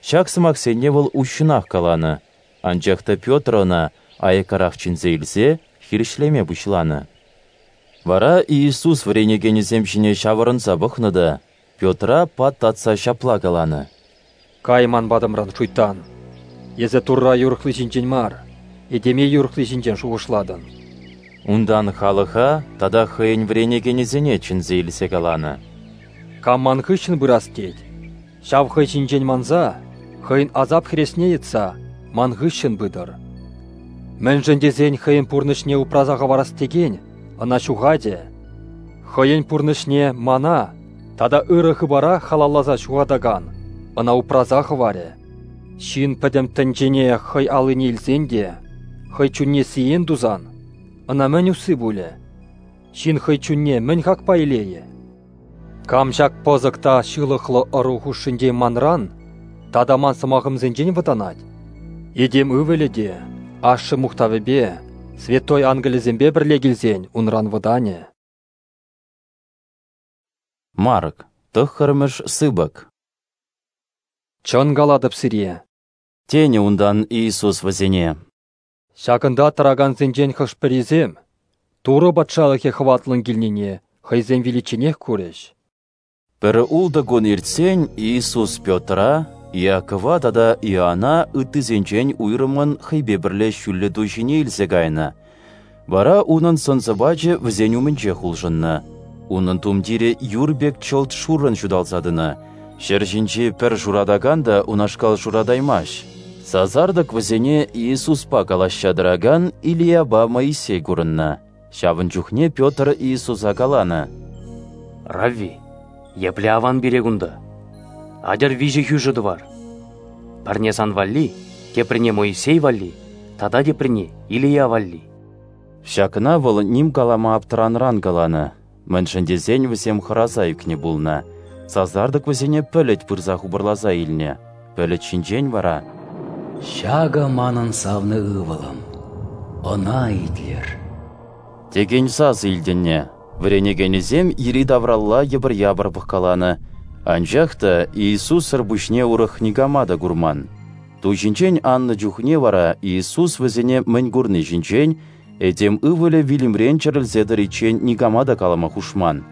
Ҫак сӑмахсене вӑл уҫҫӑнах каланӑ. Анчах та Петр ӑна аяккарах чӗнсе илсе хирӗҫлеме пуҫланӑ. Вара Иисус вӗренекенӗсем ҫине ҫавӑрӑнса пӑхнӑ та Петра пат татса ҫапла каланӑ: «Кай ман патӑмран, шуйттан! Эсӗ Турра юрӑхли ҫинчен мар, этеме юрӑхли ҫинчен шухӑшлатӑн». Унтан халӑха тата хӑйӗн вӗренекенӗсене чӗнсе илсе каланӑ: «Кам ман хыҫҫӑн пырас тет, ҫав хӑй ҫинчен манса, хӑйӗн асап хӗресне йӑтса ман хыҫҫӑн пытӑр. Мӗншӗн тесен хӑйӗн пурнӑҫне упраса хӑварас текен ӑна ҫухатӗ. Хӑйӗн пурнӑҫне мана тата ырӑ хыпара халалласа ҫухатакан ӑна упраса хӑварӗ. Ҫын пӗтӗм тӗнчене хӑй аллине илсен те, хӑй чунне сиен тусан, ӑна мӗн усси пулӗ? Ҫын хӑй чунне мӗн хакпа илейӗ? Кам ҫак пӑсӑк та ҫылӑхлӑ ӑру хушшинче манран тата ман сӑмахӑмсенчен вӑтанать, этем ывӑлӗ те ашшӗ мухтавӗпе, святой ангелӗсемпе пӗрле килсен унран вӑтанӗ». Марк, 9-мӗш сыпӑк. «Чӑн калатӑп сире, — тенӗ унтан Иисус вӗсене. Ҫакӑнта тӑракансенчен хӑш-пӗрисем Турӑ Патшалӑхӗ хӑватлӑн килнине хӑйсем виличченех курӗҫ». Пӗр 6 кун иртсен Иисус Петра, Иакова тата Иоанна ыттисенчен уйрӑммӑн хӑйпе пӗрле ҫӳллӗ ту ҫине илсе кайнӑ. Вара унӑн сӑн-сӑпачӗ вӗсен умӗнчех улшӑннӑ. Унӑн тумтирӗ юр пек чӑлт шуррӑн ҫуталса тӑнӑ. Ҫӗр ҫинчи пӗр шуратакан та унашкал шуратаймасть. Сасартӑк вӗсене Иисуспа калаҫса тӑракан Илияпа Моисей курӑннӑ. Ҫавӑн чухне Петр Иисуса каланӑ: «Равви, епле аван пире кунта! Атьӑр 3 хӳшӗ тӑвар. Пӗрне сан валли, теприне Моисей валли тата теприне Илия валли». Ҫакна вӑл ним калама аптӑранран каланӑ, мӗншӗн тесен вӗсем хӑраса ӳкнӗ пулнӑ. Сасартӑк вӗсене пӗлӗт пырса хупӑрласа илнӗ. Пӗлӗт ҫинчен вара: «Ҫакӑ манӑн савнӑ ывӑлӑм, ӑна итлӗр», текен сасӑ илтӗннӗ. Вӗренекенӗсем йӗри-тавралла йӑпӑр-япӑр пӑхкаланӑ, анчах та Иисуссӑр пуҫне урӑх никама та курман. Ту ҫинчен аннӑ чухне вара Иисус вӗсене мӗн курни ҫинчен этем ывӑлӗ вилӗмрен чӗрӗлсе тӑриччен никама та калама хушман.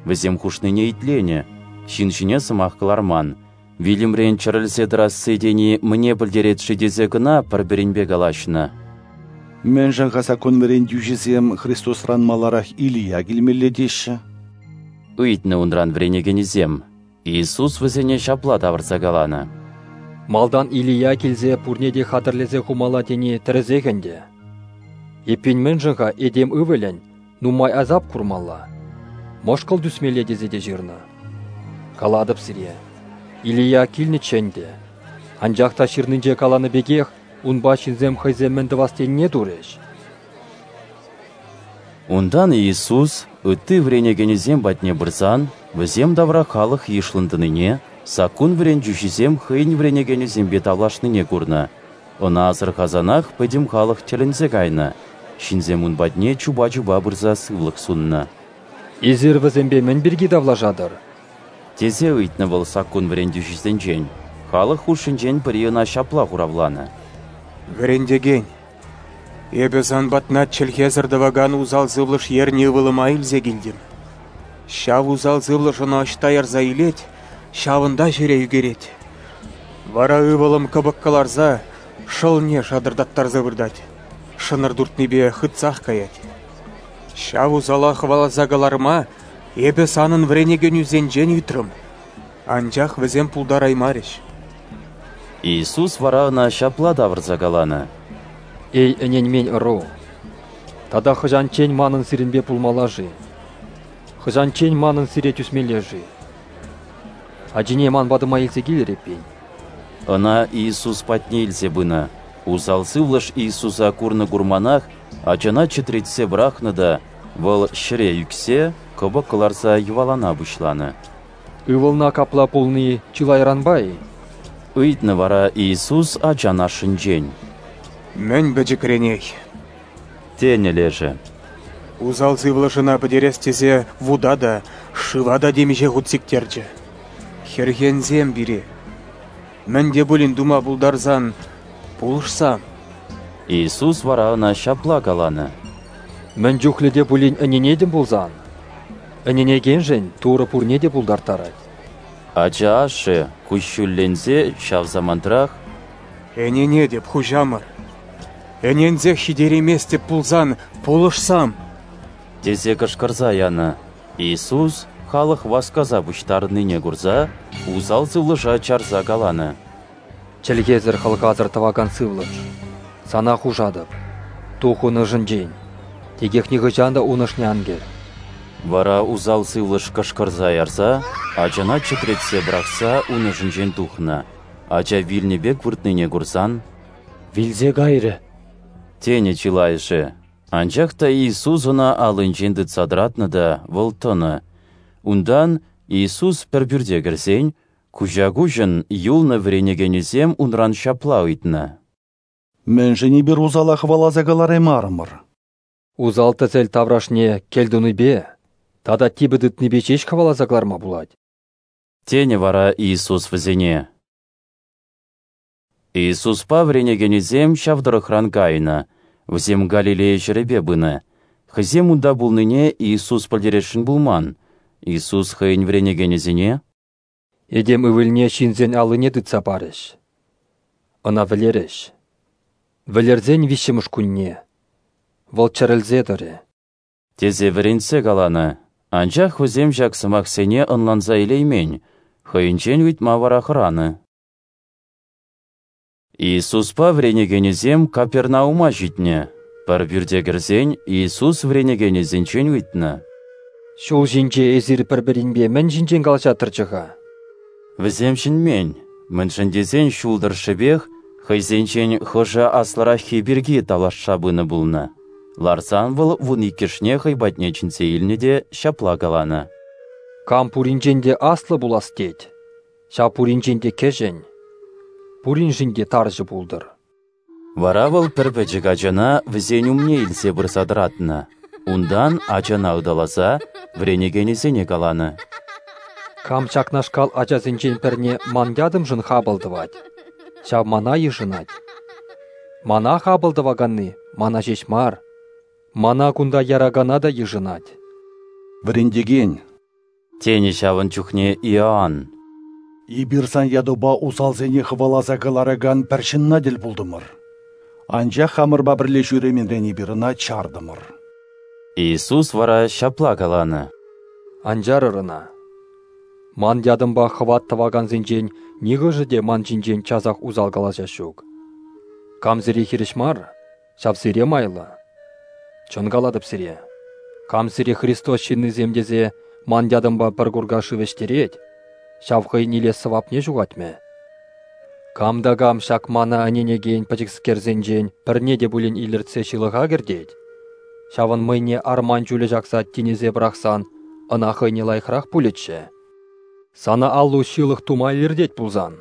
Вӗсем хушнине итленӗ, ҫын ҫине сӑмах кӑларман. Вилӗмрен чӗрӗлсе тӑрасси тени мӗне пӗлтерет-ши тесе кӑна пӗр-пӗринпе калаҫнӑ. «Мӗншӗн-ха саккун вӗрентӳҫисем Христосран маларах Илия килмелле теҫҫӗ?» ыйтнӑ унран вӗренекенӗсем. Иисус вӗсене ҫапла тавӑрса каланӑ: «Малтан Илия килсе пурне те хатӗрлесе хумалла тени тӗрӗсех ӗнтӗ. Эппин мӗншӗн-ха этем ывӑлӗн нумай асап курмалла, мӑшкӑл тӳсмелле тесе те ҫырнӑ? Калатӑп сире, Илия килнӗччӗ ӗнтӗ, анчах та ҫырнинче каланӑ пекех унпа ҫынсем хӑйсем мӗн тӑвас тенине турӗҫ». Унтан Иисус ытти вӗренекенӗсем патне пырсан, вӗсем тавра халӑх йышлӑн тӑнине, саккун вӗрентӳҫисем хӑйӗн вӗренекенӗсемпе тавлашнине курнӑ. Ӑна асӑрхасанах пӗтӗм халӑх тӗлӗнсе кайнӑ. Ҫынсем ун патне чупа-чупа пырса сывлӑх суннӑ. «Эсир вӗсемпе мӗн пирки тавлашатӑр?» тесе ыйтнӑ вӑл саккун вӗрентӳҫисенчен. Халӑх хушшинчен пӗри ӑна ҫапла хуравланӑ: «Вӗрентекен, эпӗ сан патна чӗлхесӗр тӑвакан усал сывлӑш ернӗ ывӑлӑма илсе килтӗм. Ҫав усал сывлӑш ӑна ӑҫта ярса илет, ҫавӑнта ҫӗре ӳкерет. Вара ывӑлӑм кӑпӑк кӑларса шӑлне шатӑртаттарса выртать, шӑнӑр туртнипе хытсах каять. Ҫав усала хӑваласа кӑларма эпӗ санӑн вӗренекенӳсенчен ыйтрӑм, анчах вӗсем пултараймарӗҫ». Иисус вара ӑна ҫапла тавӑрса каланӑ: «Эй, ӗненмен ӑру! Тата хӑҫанччен манӑн сирӗнпе пулмалла-ши? Хӑҫанччен манӑн сире тӳсмелле-ши? Ачине ман патӑма илсе килӗр эппин». Ӑна Иисус патне илсе пынӑ. Усал сывлӑш Иисуса курнӑ-курманах ачана чӗтретсе пӑрахнӑ та вӑл ҫӗре ӳксе кӑпӑк кӑларса йӑвалана пуҫланӑ. «Ывӑлна капла пулни чылайранпа-и?» ыйтнӑ вара Иисус ачан ашшӗнчен. «Мӗн пӗчӗкренех», тенӗ лешӗ. «Усал сывлӑш ӑна пӗтерес тесе вута та, шыва та темиҫе хут сиктерчӗ. Хӗрхенсем пире. Мӗн те пулин тума пултарсан, пулӑшсам». Иисус вара ӑна ҫапла каланӑ: Мӗн чухлӗ те пулин ӗненетӗн пулсан, ӗненекеншӗн Турӑ пурне те пултарттарать. Ача ашшӗ, куҫҫульленсе, ҫав самантрах: «Ӗненетӗп, Хуҫамӑр! Ӗненсех ҫитерейместӗп пулсан, пулӑшсам!» тесе кӑшкӑрса янӑ. Иисус, халӑх васкаса пуҫтарӑннине курса, усал сывлӑша чарса каланӑ: «Чӗлхесӗр-хӑлхасӑр тӑвакан сывлӑш, сана хушатӑп, тух ун ӑшӗнчен, текех нихӑҫан та ун ӑшне ан кӗр!» Вара усал сывлӑш кӑшкӑрса ярса, ачана чӗтретсе пӑрахса ун ӑшӗнчен тухнӑ. Ача вилнӗ пек выртнине курсан: «Вилсе кайрӗ!» тенӗ чылайӑшӗ. Анчах та Иисус ӑна аллинчен тытса тӑратнӑ та вӑл тӑнӑ. Унтан, Иисус пӗр пӳрте кӗрсен, куҫа-куҫӑн юлнӑ вӗренекенӗсем унран ҫапла ыйтнӑ: «Мӗншӗн эпир усала хӑваласа кӑлараймарӑмӑр?» Усал-тӗсел таврашне кӗлтунипе тата типӗ тытнипе ҫеҫ хӑваласа кӑларма пулать. Тенӗ вара Иисус вӗсене. Иисуспа вӗренекенӗсем ҫав тӑрӑхран кайнӑ, вӗсем Галилея ҫӗрӗпе пынӑ. Хӑйсем унта пулнине Иисус пӗлтересшӗн пулман. Иисус хӑйӗн вӗренекенӗсене: «Этем Ывӑлне ҫынсен аллине тытса парӗҫ, Ӑна вӗлерӗҫ. Вӗлерсен виҫҫӗмӗш кунне Вӑл чӗрӗлсе тӑрӗ», тесе вӗрентсе каланӑ. Анчах вӗсем ҫак сӑмахсене ӑнланса илеймен, хӑйӗнчен ыйтма вара хӑранӑ. Иисуспа вӗренекенӗсем Капернаума ҫитнӗ. Пӗр пӳрте кӗрсен Иисус вӗренекенӗсенчен ыйтнӑ: «Ҫул ҫинче эсир пӗр-пӗринпе мӗн ҫинчен калаҫаттӑрччӗ-ха?» Вӗсем чӗнмен, мӗншӗн тесен ҫул тӑршшӗпех хӑйсенчен хӑшӗ аслӑраххи пирки тавлашса пынӑ пулнӑ. Ларсан вӑл 12-шне хӑй патне чӗнсе илнӗ те ҫапла каланӑ: «Кам пуринчен те аслӑ пулас тет, ҫав пуринчен те кӗҫӗн, пуриншӗн те тарҫӑ пултӑр». Вара вӑл пӗр пӗчӗк ачана вӗсен умне илсе пырса тӑратнӑ. Унтан ачана ыталаса вӗренекенӗсене каланӑ: «Кам ҫакнашкал ачасенчен пӗрне ман ятӑмшӑн хапӑл тӑвать, ҫав мана йышӑнать. Мана хапӑл тӑваканни мана ҫеҫ мар, мана кунта яракана та йышӑнать». «Вӗрентекен», тенӗ ҫавӑн чухне Иоанн, «эпир сан ятупа усалсене хӑваласа кӑларакан пӗр ҫынна тӗл пултӑмӑр. Анчах хамӑрпа пӗрле ҫӳременрен эпир ӑна чартӑмӑр». Иисус вара ҫапла каланӑ: «Ан чарӑр ӑна. Ман ятӑмпа хӑват тӑвакансенчен нихӑшӗ те ман ҫинчен часах усал калаҫас ҫук. Кам сире хирӗҫ мар, ҫав сире майлӑ. Чӑн калатӑп сире, кам сире Христос ҫыннисем тесе ман ятӑмпа пӗр курка шыв ӗҫтерет, ҫав хӑйӗн илес сӑвапне ҫухатмӗ. Кам та кам ҫак мана ӗненекен пӗчӗкскерсенчен пӗрне те пулин илӗртсе ҫылӑха кӗртет, ҫавӑн мӑйне арман чулӗ ҫакса тинӗсе пӑрахсан ӑна хӑйне лайӑхрах пулӗччӗ. Сана аллу ҫылӑх тума илӗртет пулсан,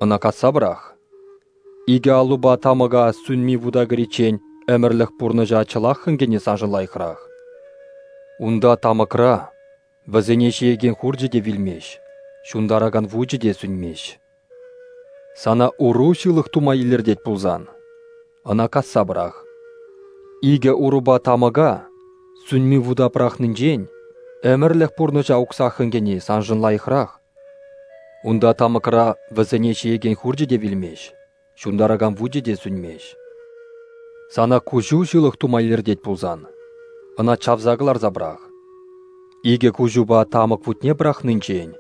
ӑна касса пӑрах. Икӗ аллупа тамӑка сӳнми вута кӗриччен ӗмӗрлӗх пурнӑҫа чӑлаххӑн кӗни саншӑн лайӑхрах. Унта тамӑкра вӗсене ҫиекен хурчӗ те вилмест, ҫунтаракан вучӗ те сӳнмест. Сана уру ҫылӑх тума илӗртет пулсан, ӑна касса пӑрах. Икӗ урупа тамӑка сӳнми вута пӑрахнинчен ӗмӗрлӗх пурнӑҫа уксаххӑн кӗни саншӑн лайӑхрах. Унта тамӑкра вӗсене ҫиекен хурчӗ те вилмест, ҫунтаракан вучӗ те сӳнмест. Сана куҫу ҫылӑх тума илӗртет пулсан, ӑна чавса кӑларса пӑрах. Икӗ куҫупа тамӑк вутне пӑрахнинчен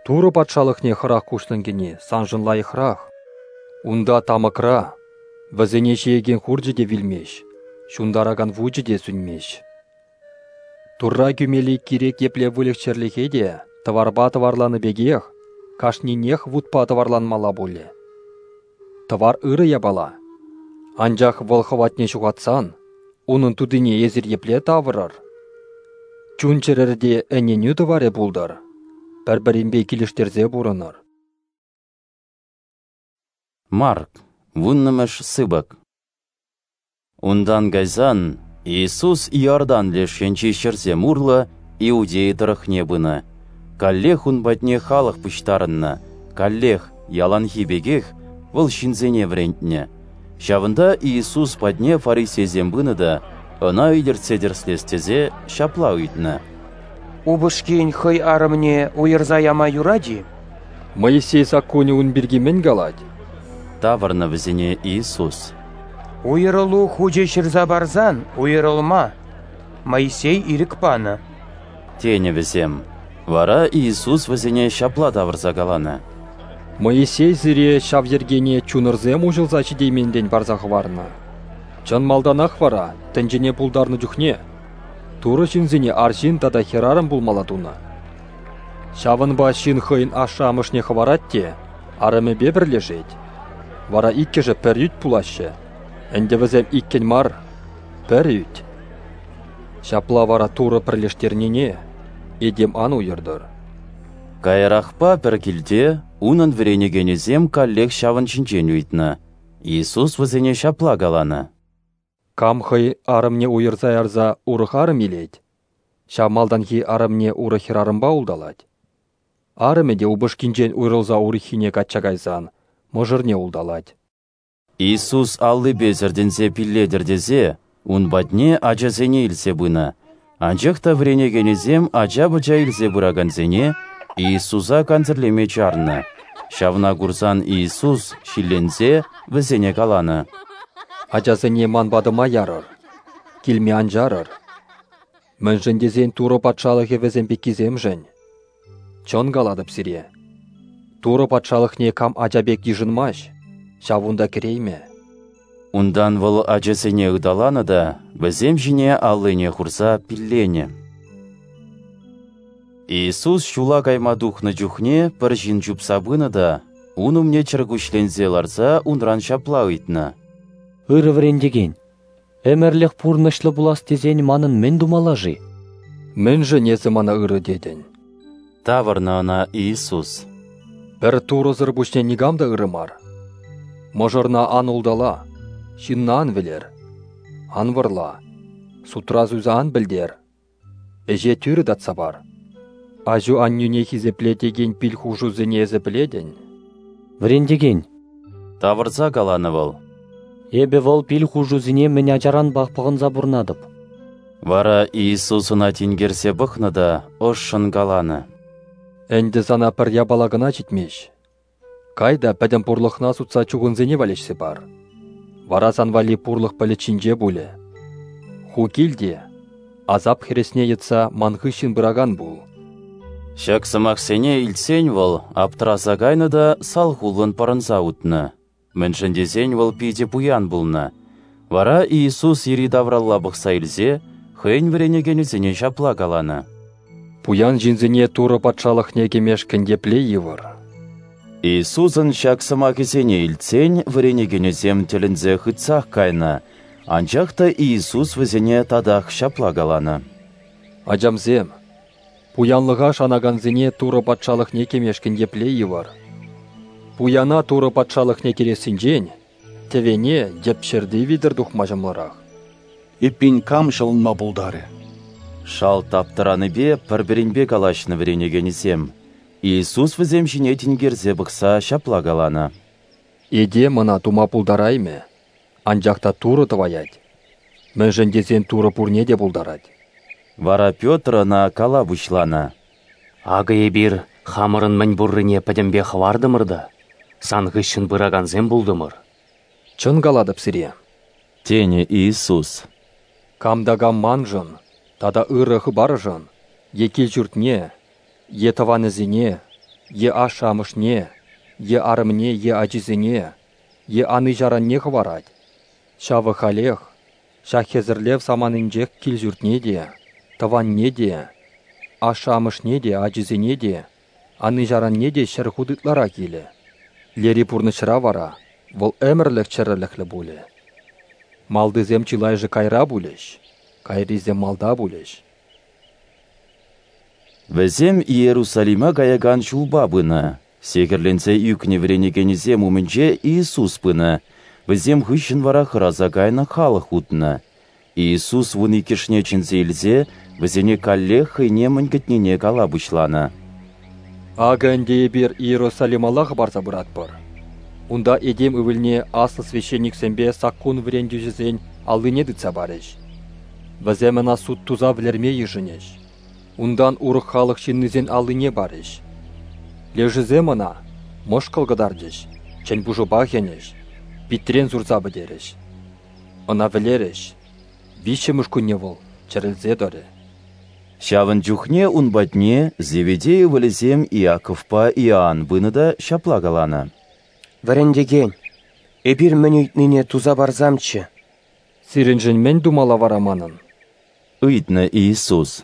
Турӑ патшалӑхне хӑрах куҫлӑн кӗни саншӑн лайӑхрах. Унта тамӑкра вӗсене ҫиекен хурчӗ те вилмест, ҫунтаракан вучӗ те сӳнмест. Турра кӳмелли кирек епле выльӑх-чӗрлӗхе те тӑварпа тӑварланӑ пекех кашнинех вутпа тӑварланмалла пулӗ. Тӑвар ырӑ япала, анчах вӑл хӑватне ҫухатсан унӑн тутине эсир епле тавӑрӑр? Чун-чӗрӗрте ӗненӳ тӑварӗ пултӑр, пӗр-пӗринпе килӗштерсе пурӑнӑр. Марк, 10-мӗш сыпӑк. Унтан кайсан Иисус Иордан леш енчи ҫӗрсем урлӑ Иудея тӑрӑхне пынӑ. Каллех ун патне халӑх пуҫтарӑннӑ, каллех, яланхи пекех, вӑл ҫынсене вӗрентнӗ. Ҫавӑнта Иисус патне фарисейсем пынӑ та Ӑна илӗртсе тӗрӗслес тесе ҫапла ыйтнӑ: Упӑшкин хӑй арӑмне уйӑрса яма юрать-и? Моисей саккунӗ ун пирки мӗн калать? Тавӑрнӑ вӗсене Иисус. Уйӑрӑлу хучӗ ҫырса парсан уйӑрӑлма Моисей ирӗк панӑ. Тенӗ вӗсем. Вара Иисус вӗсене ҫапла тавӑрса каланӑ: Моисей сире ҫав йӗркене чунӑрсем уҫӑлса ҫитейменрен парса хӑварнӑ. Чӑн малтанах вара, тӗнчене пултарнӑ чухне, Турӑ ҫынсене арҫын тата хӗрарӑм пулмалла тунӑ. Ҫавӑнпа ҫын хӑйӗн ашшӗ-амӑшне хӑварать те арӑмӗпе пӗрлешет. Вара иккӗшӗ пӗр ӳт пулаҫҫӗ. Ӗнтӗ вӗсем иккӗн мар, пӗр ӳт. Ҫапла вара Турӑ пӗрлештернине этем ан уйӑртӑр. Каярахпа пӗр килте унӑн вӗренекенӗсем каллех ҫавӑн ҫинчен ыйтнӑ. Иисус вӗсене ҫапла каланӑ: Кам хӑй арӑмне уйӑрса ярса урӑх арӑм илет, ҫав малтанхи арӑмне урӑх хӗрарӑмпа улталать. Арӑмӗ те упӑшкинчен уйрӑлса урӑххине качча кайсан мӑшӑрне улталать. Иисус аллипе сӗртӗнсе пиллетӗр тесе ун патне ачасене илсе пынӑ, анчах та вӗренекенӗсем ача-пӑча илсе пыракансене Иисуса кансӗрлеме чарнӑ. Ҫавна курсан Иисус, ҫилленсе, вӗсене каланӑ: Ачасене ман патӑма ярӑр, килме ан чарӑр. Мӗншӗн тесен Турӑ Патшалӑхӗ вӗсем пеккисемшӗн. Чӑн калатӑп сире, Турӑ Патшалӑхне кам ача пек йышӑнмасть, ҫав унта кӗреймӗ. Унтан вӑл ачасене ыталанӑ та вӗсем ҫине аллине хурса пилленӗ. Иисус ҫула кайма тухнӑ чухне пӗр ҫын чупса пынӑ та ун умне чӗркуҫленсе ларса унран ҫапла ыйтнӑ: Ырӑ вӗрентекен, ӗмӗрлӗх пурнӑҫлӑ пулас тесен манӑн мӗн тумалла-ши? Мӗншӗн эсӗ мана ырӑ тетӗн? Тавӑрнӑ ӑна Иисус. Пӗр Турӑсӑр пуҫне никам та ырӑ мар. Мӑшӑрна ан ултала, ҫынна ан вӗлер, ан вӑрла, сутра суйса ан пӗлтер, ӗҫе тӳрӗ татса пар. Аҫу-аннӳне хисепле текен пил хушусене эсӗ пӗлетӗн. Вӗрентекен, тавӑрса каланӑ вӑл. Эпӗ вӑл пил хушусене мӗн ачаранпах пӑхӑнса пурӑнатӑп. Вара Иисус ӑна тинкерсе пӑхнӑ та ӑшшӑн каланӑ: Ӗнтӗ сана пӗр япала кӑна ҫитмест. Кай та пӗтӗм пурлӑхна сутса чухӑнсене валеҫсе пар. Вара сан валли пурлӑх пӗлӗт ҫинче пулӗ. Ху кил те, асап хӗресне йӑтса ман хыҫҫӑн пыракан пул. Ҫак сӑмахсене илтсен вӑл аптӑраса кайнӑ та салхуллӑн пӑрӑнса утнӑ. Мӗншӗн тесен вӑл питӗ пуян пулнӑ. Вара Иисус йӗри-тавралла пӑхса илсе хӑйӗн вӗренекенӗсене ҫапла каланӑ: Пуян ҫынсене Турӑ Патшалӑхне кӗмешкӗн епле йывӑр. Иисусӑн ҫак сӑмахӗсене илтсен вӗренекенӗсем тӗлӗнсе хытсах кайнӑ, анчах та Иисус вӗсене татах ҫапла каланӑ: Ачамсем, пуянлӑха шанакансене Турӑ Патшалӑхне кӗмешкӗн епле йывӑр. Пуяна Турӑ Патшалӑхне кӗрессинчен тӗвене йӗп ҫӗрти витӗр тухма ҫӑмӑлрах. Эппин, кам ҫӑлӑнма пултарӗ? Шалт аптӑранипе пӗр-пӗринпе калаҫнӑ вӗренекенӗсем. Иисус вӗсем ҫине тинкерсе пӑхса ҫапла каланӑ: Этем ӑна тума пултараймӗ, анчах та Турӑ тӑваять. Мӗншӗн тесен Турӑ пурне те пултарать. Вара Петр ӑна кала пуҫланӑ: Акӑ эпир хамӑрӑн мӗн пуррине пӗтӗмпе хӑвартӑмӑр та сан хыҫҫӑн пыракансем пултӑмӑр. Чӑн калатӑп сире, тенӗ Иисус. Кам та кам маншӑн тата ырӑ хыпаршӑн е кил-ҫуртне, е тӑванӗсене, е ашшӗ-амӑшне, е арӑмне, е ачисене, е ани-ҫаранне хӑварать, ҫавӑ халех, ҫак хӗсӗрлев саманинчех кил-ҫуртне те, тӑванне те, ашшӗ-амӑшне те, ачисене те, ани-ҫаранне те 100 хут ытларах илӗ. Лери пурнӑҫра вара вӑл ӗмӗрлӗх чӗрӗлӗхлӗ пулӗ. Малтисем чылайӑшӗ кайра пулӗҫ, кайрисем малта пулӗҫ. Вӗсем Иерусалима каякан ҫулпа пынӑ. Сехӗрленсе ӳкнӗ вӗренекенӗсем умӗнче Иисус пынӑ, вӗсем хыҫҫӑн вара хӑраса кайнӑ халӑх утнӑ. Иисус 12-шне чӗнсе илсе вӗсене каллех хӑйне мӗн кӗтнине кала пуҫланӑ. Акӑ ӗнтӗ эпир Иерусалималла хӑпарса пыратпӑр. Унта этем ывӑлне аслӑ священниксемпе саккун вӗрентӳҫӗсен аллине тытса парӗҫ. Вӗсем ӑна суд туса вӗлерме йышӑнӗҫ. Унтан урӑх халӑх ҫыннисен аллине парӗҫ. Лешӗсем ӑна мӑшкӑл кӑтартӗҫ, чӗн пушӑпа хӗнӗҫ, питрен сурса пӗтерӗҫ. Ӑна вӗлерӗҫ. Виҫҫӗмӗш кунне вӑл чӗрӗлсе тӑрӗ. Ҫавӑн чухне ун патне Зеведей ывӑлӗсем Иаковпа Иоанн пынӑ та ҫапла каланӑ: Вӗрентекен, эпир мӗн ыйтнине туса парсамччӗ. Сирӗншӗн мӗн тумалла вара манӑн? Ыйтнӑ Иисус.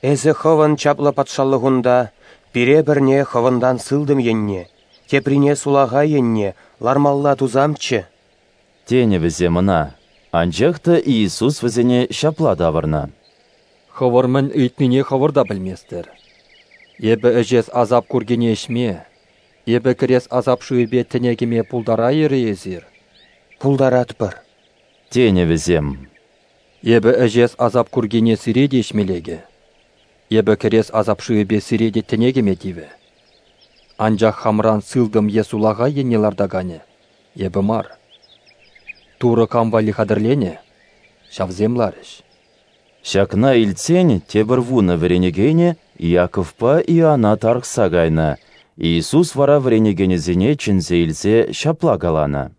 Эсӗ хӑвӑн чаплӑ патшалӑхунта пире пӗрне хӑвӑнтан сылтӑм енне, теприне сулахай енне лармалла тусамччӗ. Тенӗ вӗсем ӑна. Анчах та Иисус вӗсене ҫапла тавӑрнӑ: Хӑвӑр мӗн ыйтнине хӑвӑр та пӗлместӗр. Эпӗ ӗҫес асап куркине ӗҫме, эпӗ кӗрес асап шывӗпе тӗне кӗме пултарайӑр-и эсир? Пултаратпӑр. Тенӗ вӗсем. Эпӗ ӗҫес асап куркине сире те ӗҫме лекӗ. Эпӗ кӗрес асап шывӗпе сире те тӗне кӗме тивӗ. Анчах хамран сылтӑм е сулахай енне лартаканӗ эпӗ мар. Турӑ кам валли хатӗрленӗ, ҫавсем ларӗҫ. Ҫакна илтсен тепӗр 10 вӗренекенӗ Иаковпа Иоана тарӑхса кайнӑ. Иисус вара вӗренекенӗсене чӗнсе илсе ҫапла каланӑ: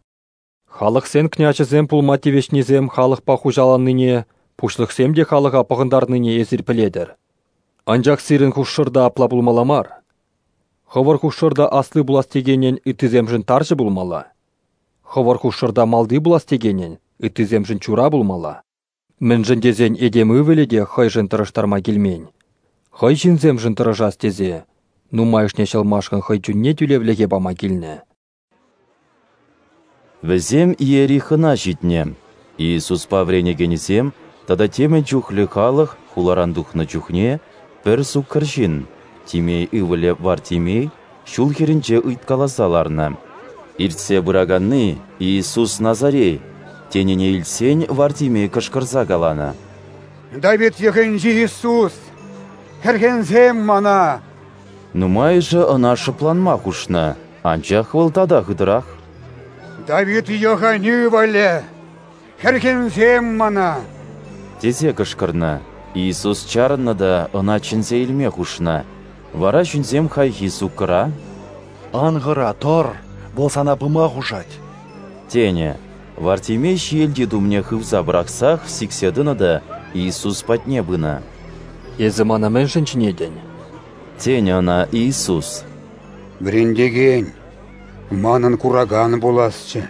Халӑхсен княҫӗсем пулма тивӗҫнисем халӑхпа хуҫаланнине, пуҫлӑхсем те халӑха пӑхӑнтарнине эсир пӗлетӗр. Анчах сирӗн хушшӑрта апла пулмалла мар. Хӑвӑр хушшӑрта асли пулас текенӗн ыттисемшӗн тарҫӑ пулмалла. Хӑвӑр хушшӑрта малти пулас текенӗн ыттисемшӗн чура пулмалла. Мӗншӗн тесен этем ывӑлӗ те хӑйшӗн тӑрӑштарма килмен. Хӑй ҫынсемшӗн тӑрӑшас тесе нумайӑшне ҫӑлмашкӑн хӑй чунне тӳлевлӗхе пама килнӗ. Вӗсем Иерихона ҫитнӗ. Иисуспа вӗренекенӗсем тата темӗн чухлӗ халӑх хуларан тухнӑ чухне пӗр суккӑр ҫын, Тимей ывӑлӗ Вартимей, ҫул хӗрринче ыйткаласа ларнӑ. Иртсе пыраканни Иисус Назарей тенине илтсен Вартимей кӑшкӑрса каланӑ: Давид йӑхӗнчи Иисус, хӗрхенсем мана! Нумайӑшӗ ӑна шӑпланма хушнӑ, анчах вӑл тата хытӑрах: Давид йӑхӗн ывӑлӗ, хӗрхенсем мана! Тесе кӑшкӑрнӑ. Иисус чарӑннӑ та ӑна чӗнсе илме хушнӑ. Вара ҫынсем хайхи суккӑра: Ан хӑра, тӑр, вӑл сана пыма хушать, тенӗ. Вартимей ҫиелти тумне хывса пӑрахсах сиксе тӑнӑ та Иисус патне пынӑ. Эсӗ мана мӗншӗн чӗнетӗн? Тенӗ ӑна Иисус. Вӗрентекен, манӑн куракан пуласчӗ,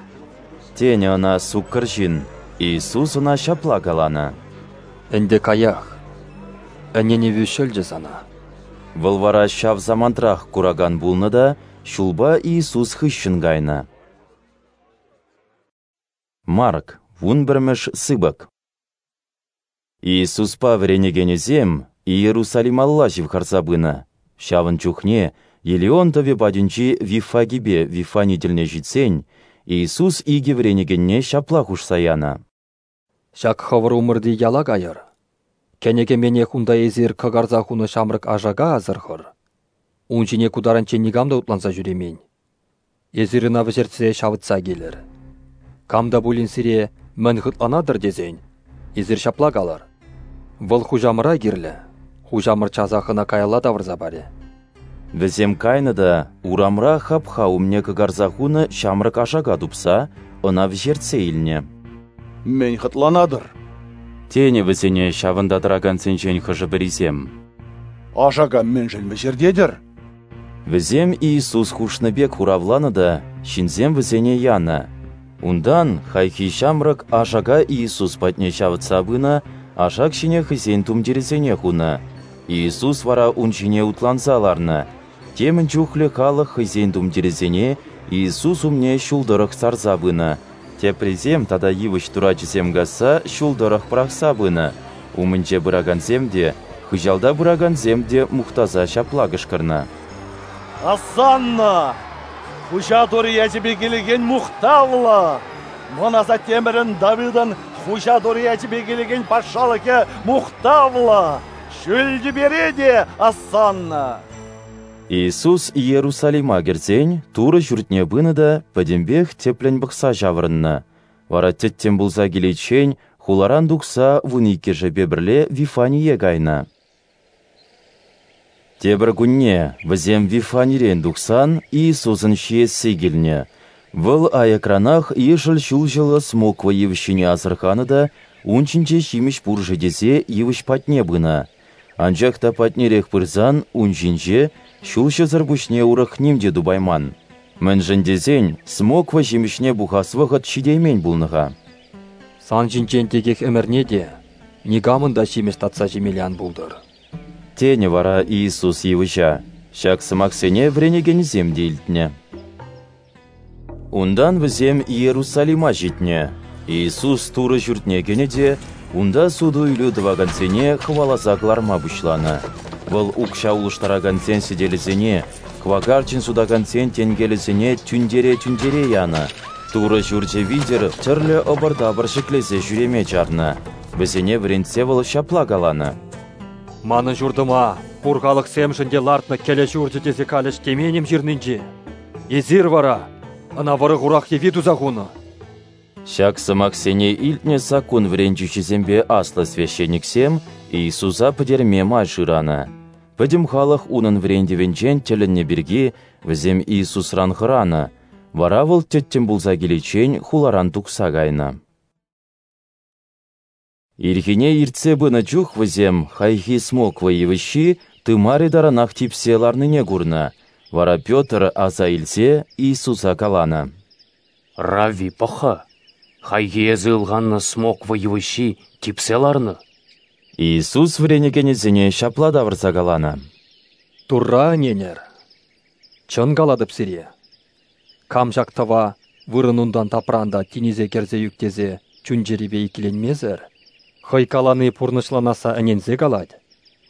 тенӗ ӑна суккӑр ҫын. Иисус ӑна ҫапла каланӑ: Ӗнтӗ каях, ӗненӗвӳ ҫӑлчӗ сана. Вӑл вара ҫав самантрах куракан пулнӑ та ҫулпа Иисус хыҫҫӑн кайнӑ. Марк, 11-мӗш сыпӑк. Иисуспа вӗренекенӗсем Иерусалималла ҫывхарса пынӑ. Ҫавӑн чухне Елеон тӑвӗ патӗнчи Виффагипе Вифани тӗлне ҫитсен, Иисус икӗ вӗренекенне ҫапла хушса янӑ: Ҫак хӑвӑр умӑрти яла кайӑр. Кӗнӗ-кӗменех унта эсир кӑкарса хунӑ ҫамрӑк ашака асӑрхӑр. Ун ҫине ку таранччен никам та утланса ҫӳремен. Эсир ӑна вӗҫертсе ҫавӑтса килӗр. Кам та пулин сире мӗн хӑтланатӑр тесен, эсир ҫапла калӑр: Вӑл хуҫамӑра кирлӗ, хуҫамӑр часах ӑна каялла тавӑрса парӗ. Вӗсем кайнӑ та урамра хапха умне кӑкарса хунӑ ҫамрӑк ашака тупса ӑна вӗҫертсе илнӗ. Мӗн хӑтланатӑр? Тенӗ вӗсене ҫавӑнта тӑракансенчен хӑшӗ-пӗрисем. Ашака мӗншӗн вӗҫертетӗр? Вӗсем Иисус хушнӑ пек хуравланӑ та ҫынсем вӗсене янӑ. Унтан хайхи ҫамрӑк ашака Иисус патне ҫавӑтса пынӑ, ашак ҫине хӑйсен тумтирӗсене хунӑ. Иисус вара ун ҫине утланса ларнӑ. Темӗн чухлӗ халӑх хӑйсен тумтирӗсене Иисус умне ҫул тӑрӑх сарса пынӑ. Теприсем тата йывӑҫ турачӗсем касса ҫул тӑрӑх пӑрахса пынӑ. Умӗнче пыракансем те, хыҫалта пыракансем те мухтаса ҫапла кӑшкӑрнӑ: Осанна! Хуҫа Турӑ ячӗпе килекен мухтавлӑ! Мӑн асаттемӗрӗн Давидӑн Хуҫа Турӑ ячӗпе килекен патшалӑхӗ мухтавлӑ! Ҫӳл тӳпере те осанна! Иисус Иерусалима кӗрсен Турӑ ҫуртне пынӑ та пӗтӗмпех тӗплӗн пӑхса ҫаврӑннӑ. Вара тӗттӗм пулса киличчен хуларан тухса вуниккӗшӗпе пӗрле Вифание кайнӑ. Тепӗр кунне, вӗсем Вифанирен тухсан, Иисусӑн ҫиесси килнӗ. Вӑл аякранах ешӗл ҫулҫӑллӑ смоква йывӑҫҫине асӑрханӑ та ун ҫинче ҫимӗҫ пур-ши тесе йывӑҫ патне пынӑ. Анчах та патнерех пырсан ун ҫинче ҫулҫӑсӑр пуҫне урӑх ним те тупайман. Мӗншӗн тесен смоква ҫимӗҫне пухас вӑхӑт ҫитеймен пулнӑ-ха. Сан ҫинчен текех ӗмӗрне те никамӑн та ҫимӗҫ татса ҫимелле ан пултӑр. Тенӗ вара Иисус йывӑҫа. Ҫак сӑмахсене вӗренекенӗсем те илтнӗ. Унтан вӗсем Иерусалима ҫитнӗ. Иисус Турӑ ҫуртне кӗнӗ те унта суту-илӳ тӑвакансене хӑваласа кӑларма пуҫланӑ. Вӑл укҫа улӑштаракансен сӗтелӗсене, кӑвакарчӑн сутакансен тенкелӗсене тӳнтере-тӳнтере янӑ, Турӑ ҫурчӗ витӗр тӗрлӗ ӑпӑр-тапӑр ҫӗклесе ҫӳреме чарнӑ. Вӗсене вӗрентсе вӑл ҫапла каланӑ: Манӑн ҫуртӑма пур халӑхсемшӗн те лартнӑ кӗлӗ ҫурчӗ тесе калӗҫ темен-им ҫырнинче? Эсир вара ӑна вӑрӑ-хурах йӑви туса хунӑ. Ҫак сӑмахсене илтнӗ саккун вӗрентӳҫисемпе аслӑ священниксем Иисуса пӗтерме май шыранӑ. Пӗтӗм халӑх унӑн вӗрентӗвӗнчен тӗлӗннӗ пирки вӗсем Иисусран хӑранӑ, вара вӑл тӗттӗм пулса киличчен хуларан тухса кайнӑ. Ирхине иртсе пынӑ чух вӗсем хайхи смоква йывӑҫҫи тымарӗ таранах типсе ларнине курнӑ. Вара Петр, аса илсе, Иисуса каланӑ: «Равви, пӑх-ха, хайхи эсӗ ылханнӑ смоква йывӑҫҫи типсе ларнӑ». Иисус вӗренекенӗсене ҫапла тавӑрса каланӑ: Турра ӗненӗр. Чӑн калатӑп сире, кам ҫак тӑва вырӑнунтан тапран та тинӗсе кӗрсе ӳк тесе чун-чӗрипе иккӗленмесӗр, хӑй калани пурнӑҫланасса ӗненсе калать,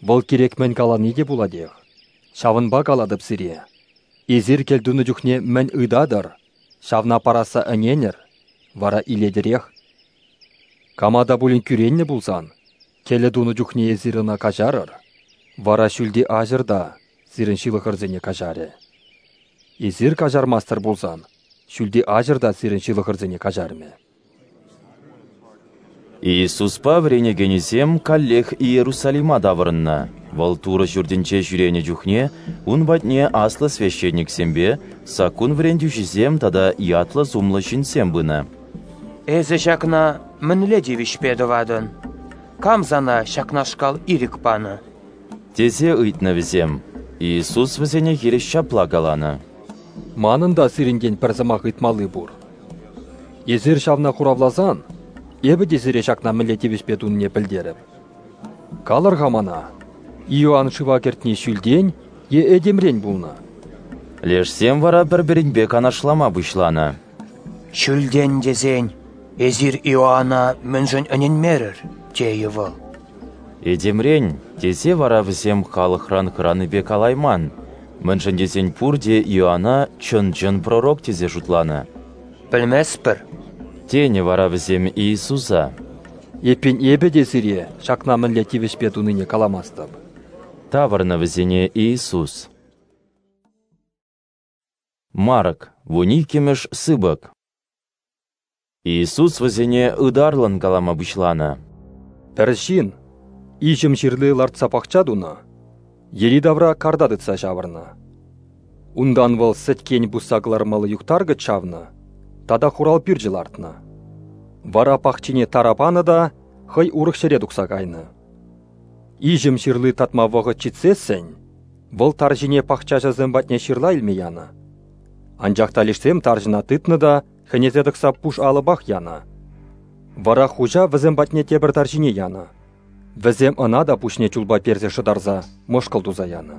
вӑл кирек мӗн калани те пулатех. Ҫавӑнпа калатӑп сире, эсир кӗлтунӑ чухне мӗн ыйтатӑр, ҫавна парасса ӗненӗр, вара илетӗрех. Кама та пулин кӳреннӗ пулсан, кӗлӗ тунӑ чухне эсир ӑна каҫарӑр, вара ҫӳлти аҫӑр та сирӗн ҫылӑхӑрсене каҫарӗ. Эсир каҫармастӑр пулсан, ҫӳлти аҫӑр та сирӗн ҫылӑхӑрсене каҫармӗ. Иисуспа вӗренекенӗсем каллех Иерусалима таврӑннӑ. Вӑл Турӑ ҫуртӗнче ҫӳренӗ чухне ун патне аслӑ священниксемпе саккун вӗрентӳҫисем тата ятлӑ-сумлӑ ҫынсем пынӑ. Эсӗ ҫакна мӗнле тивӗҫпе тӑватӑн? Кам сана ҫакнашкал ирӗк панӑ? Тесе ыйтнӑ вӗсем. Иисус вӗсене хирӗҫ ҫапла каланӑ: Манӑн та сирӗнтен пӗр сӑмах ыйтмалли пур. Эсир ҫавна хуравласан, эпӗ те сире ҫакна мӗнле тивӗҫпе тунине пӗлтерӗп. Калӑр-ха мана, Иоанн шыва кӗртни ҫӳлтен е этемрен пулнӑ? Лешсем вара пӗр-пӗринпе канашлама пуҫланӑ. Ҫӳлтен тесен, эсир Иоанна мӗншӗн ӗненмерӗр, тейӗ вӑл. Этемрен, тесе вара вӗсем халӑхран хӑранипе калайман, мӗншӗн тесен пурте Иоанна чӑн-чӑн пророк тесе шутланӑ. Пӗлместпӗр, тенӗ вара вӗсем Иисуса. Эппин эпӗ те сире ҫакна мӗнле тивӗҫпе тунине каламастӑп. Тавӑрнӑ вӗсене Иисус. Марк, 12-мӗш сыпӑк. Иисус вӗсене ытарлӑн калама пуҫланӑ. Пӗр ҫын иҫӗм ҫырли лартса пахча тунӑ, йӗри-тавра карта тытса ҫавӑрнӑ. Унтан вӑл сӗткен пусса кӑлармалли юхтаркӑч чавнӑ тата хурал пӳрчӗ лартнӑ. Вара пахчине тара панӑ та хӑй урӑх ҫӗре тухса кайнӑ. Иҫӗм ҫырли татма вӑхӑт ҫитсессӗн вӑл тарҫине пахчаҫӑсем патне ҫырла илме янӑ. Анчах та лешсем тарҫӑна тытнӑ та хӗнесе тӑкса пуш алӑпах янӑ. Вара хуҫа вӗсем патне тепӗр тарҫине янӑ. Вӗсем ӑна та пуҫне чулпа персе шӑтарса мӑшкӑл туса янӑ.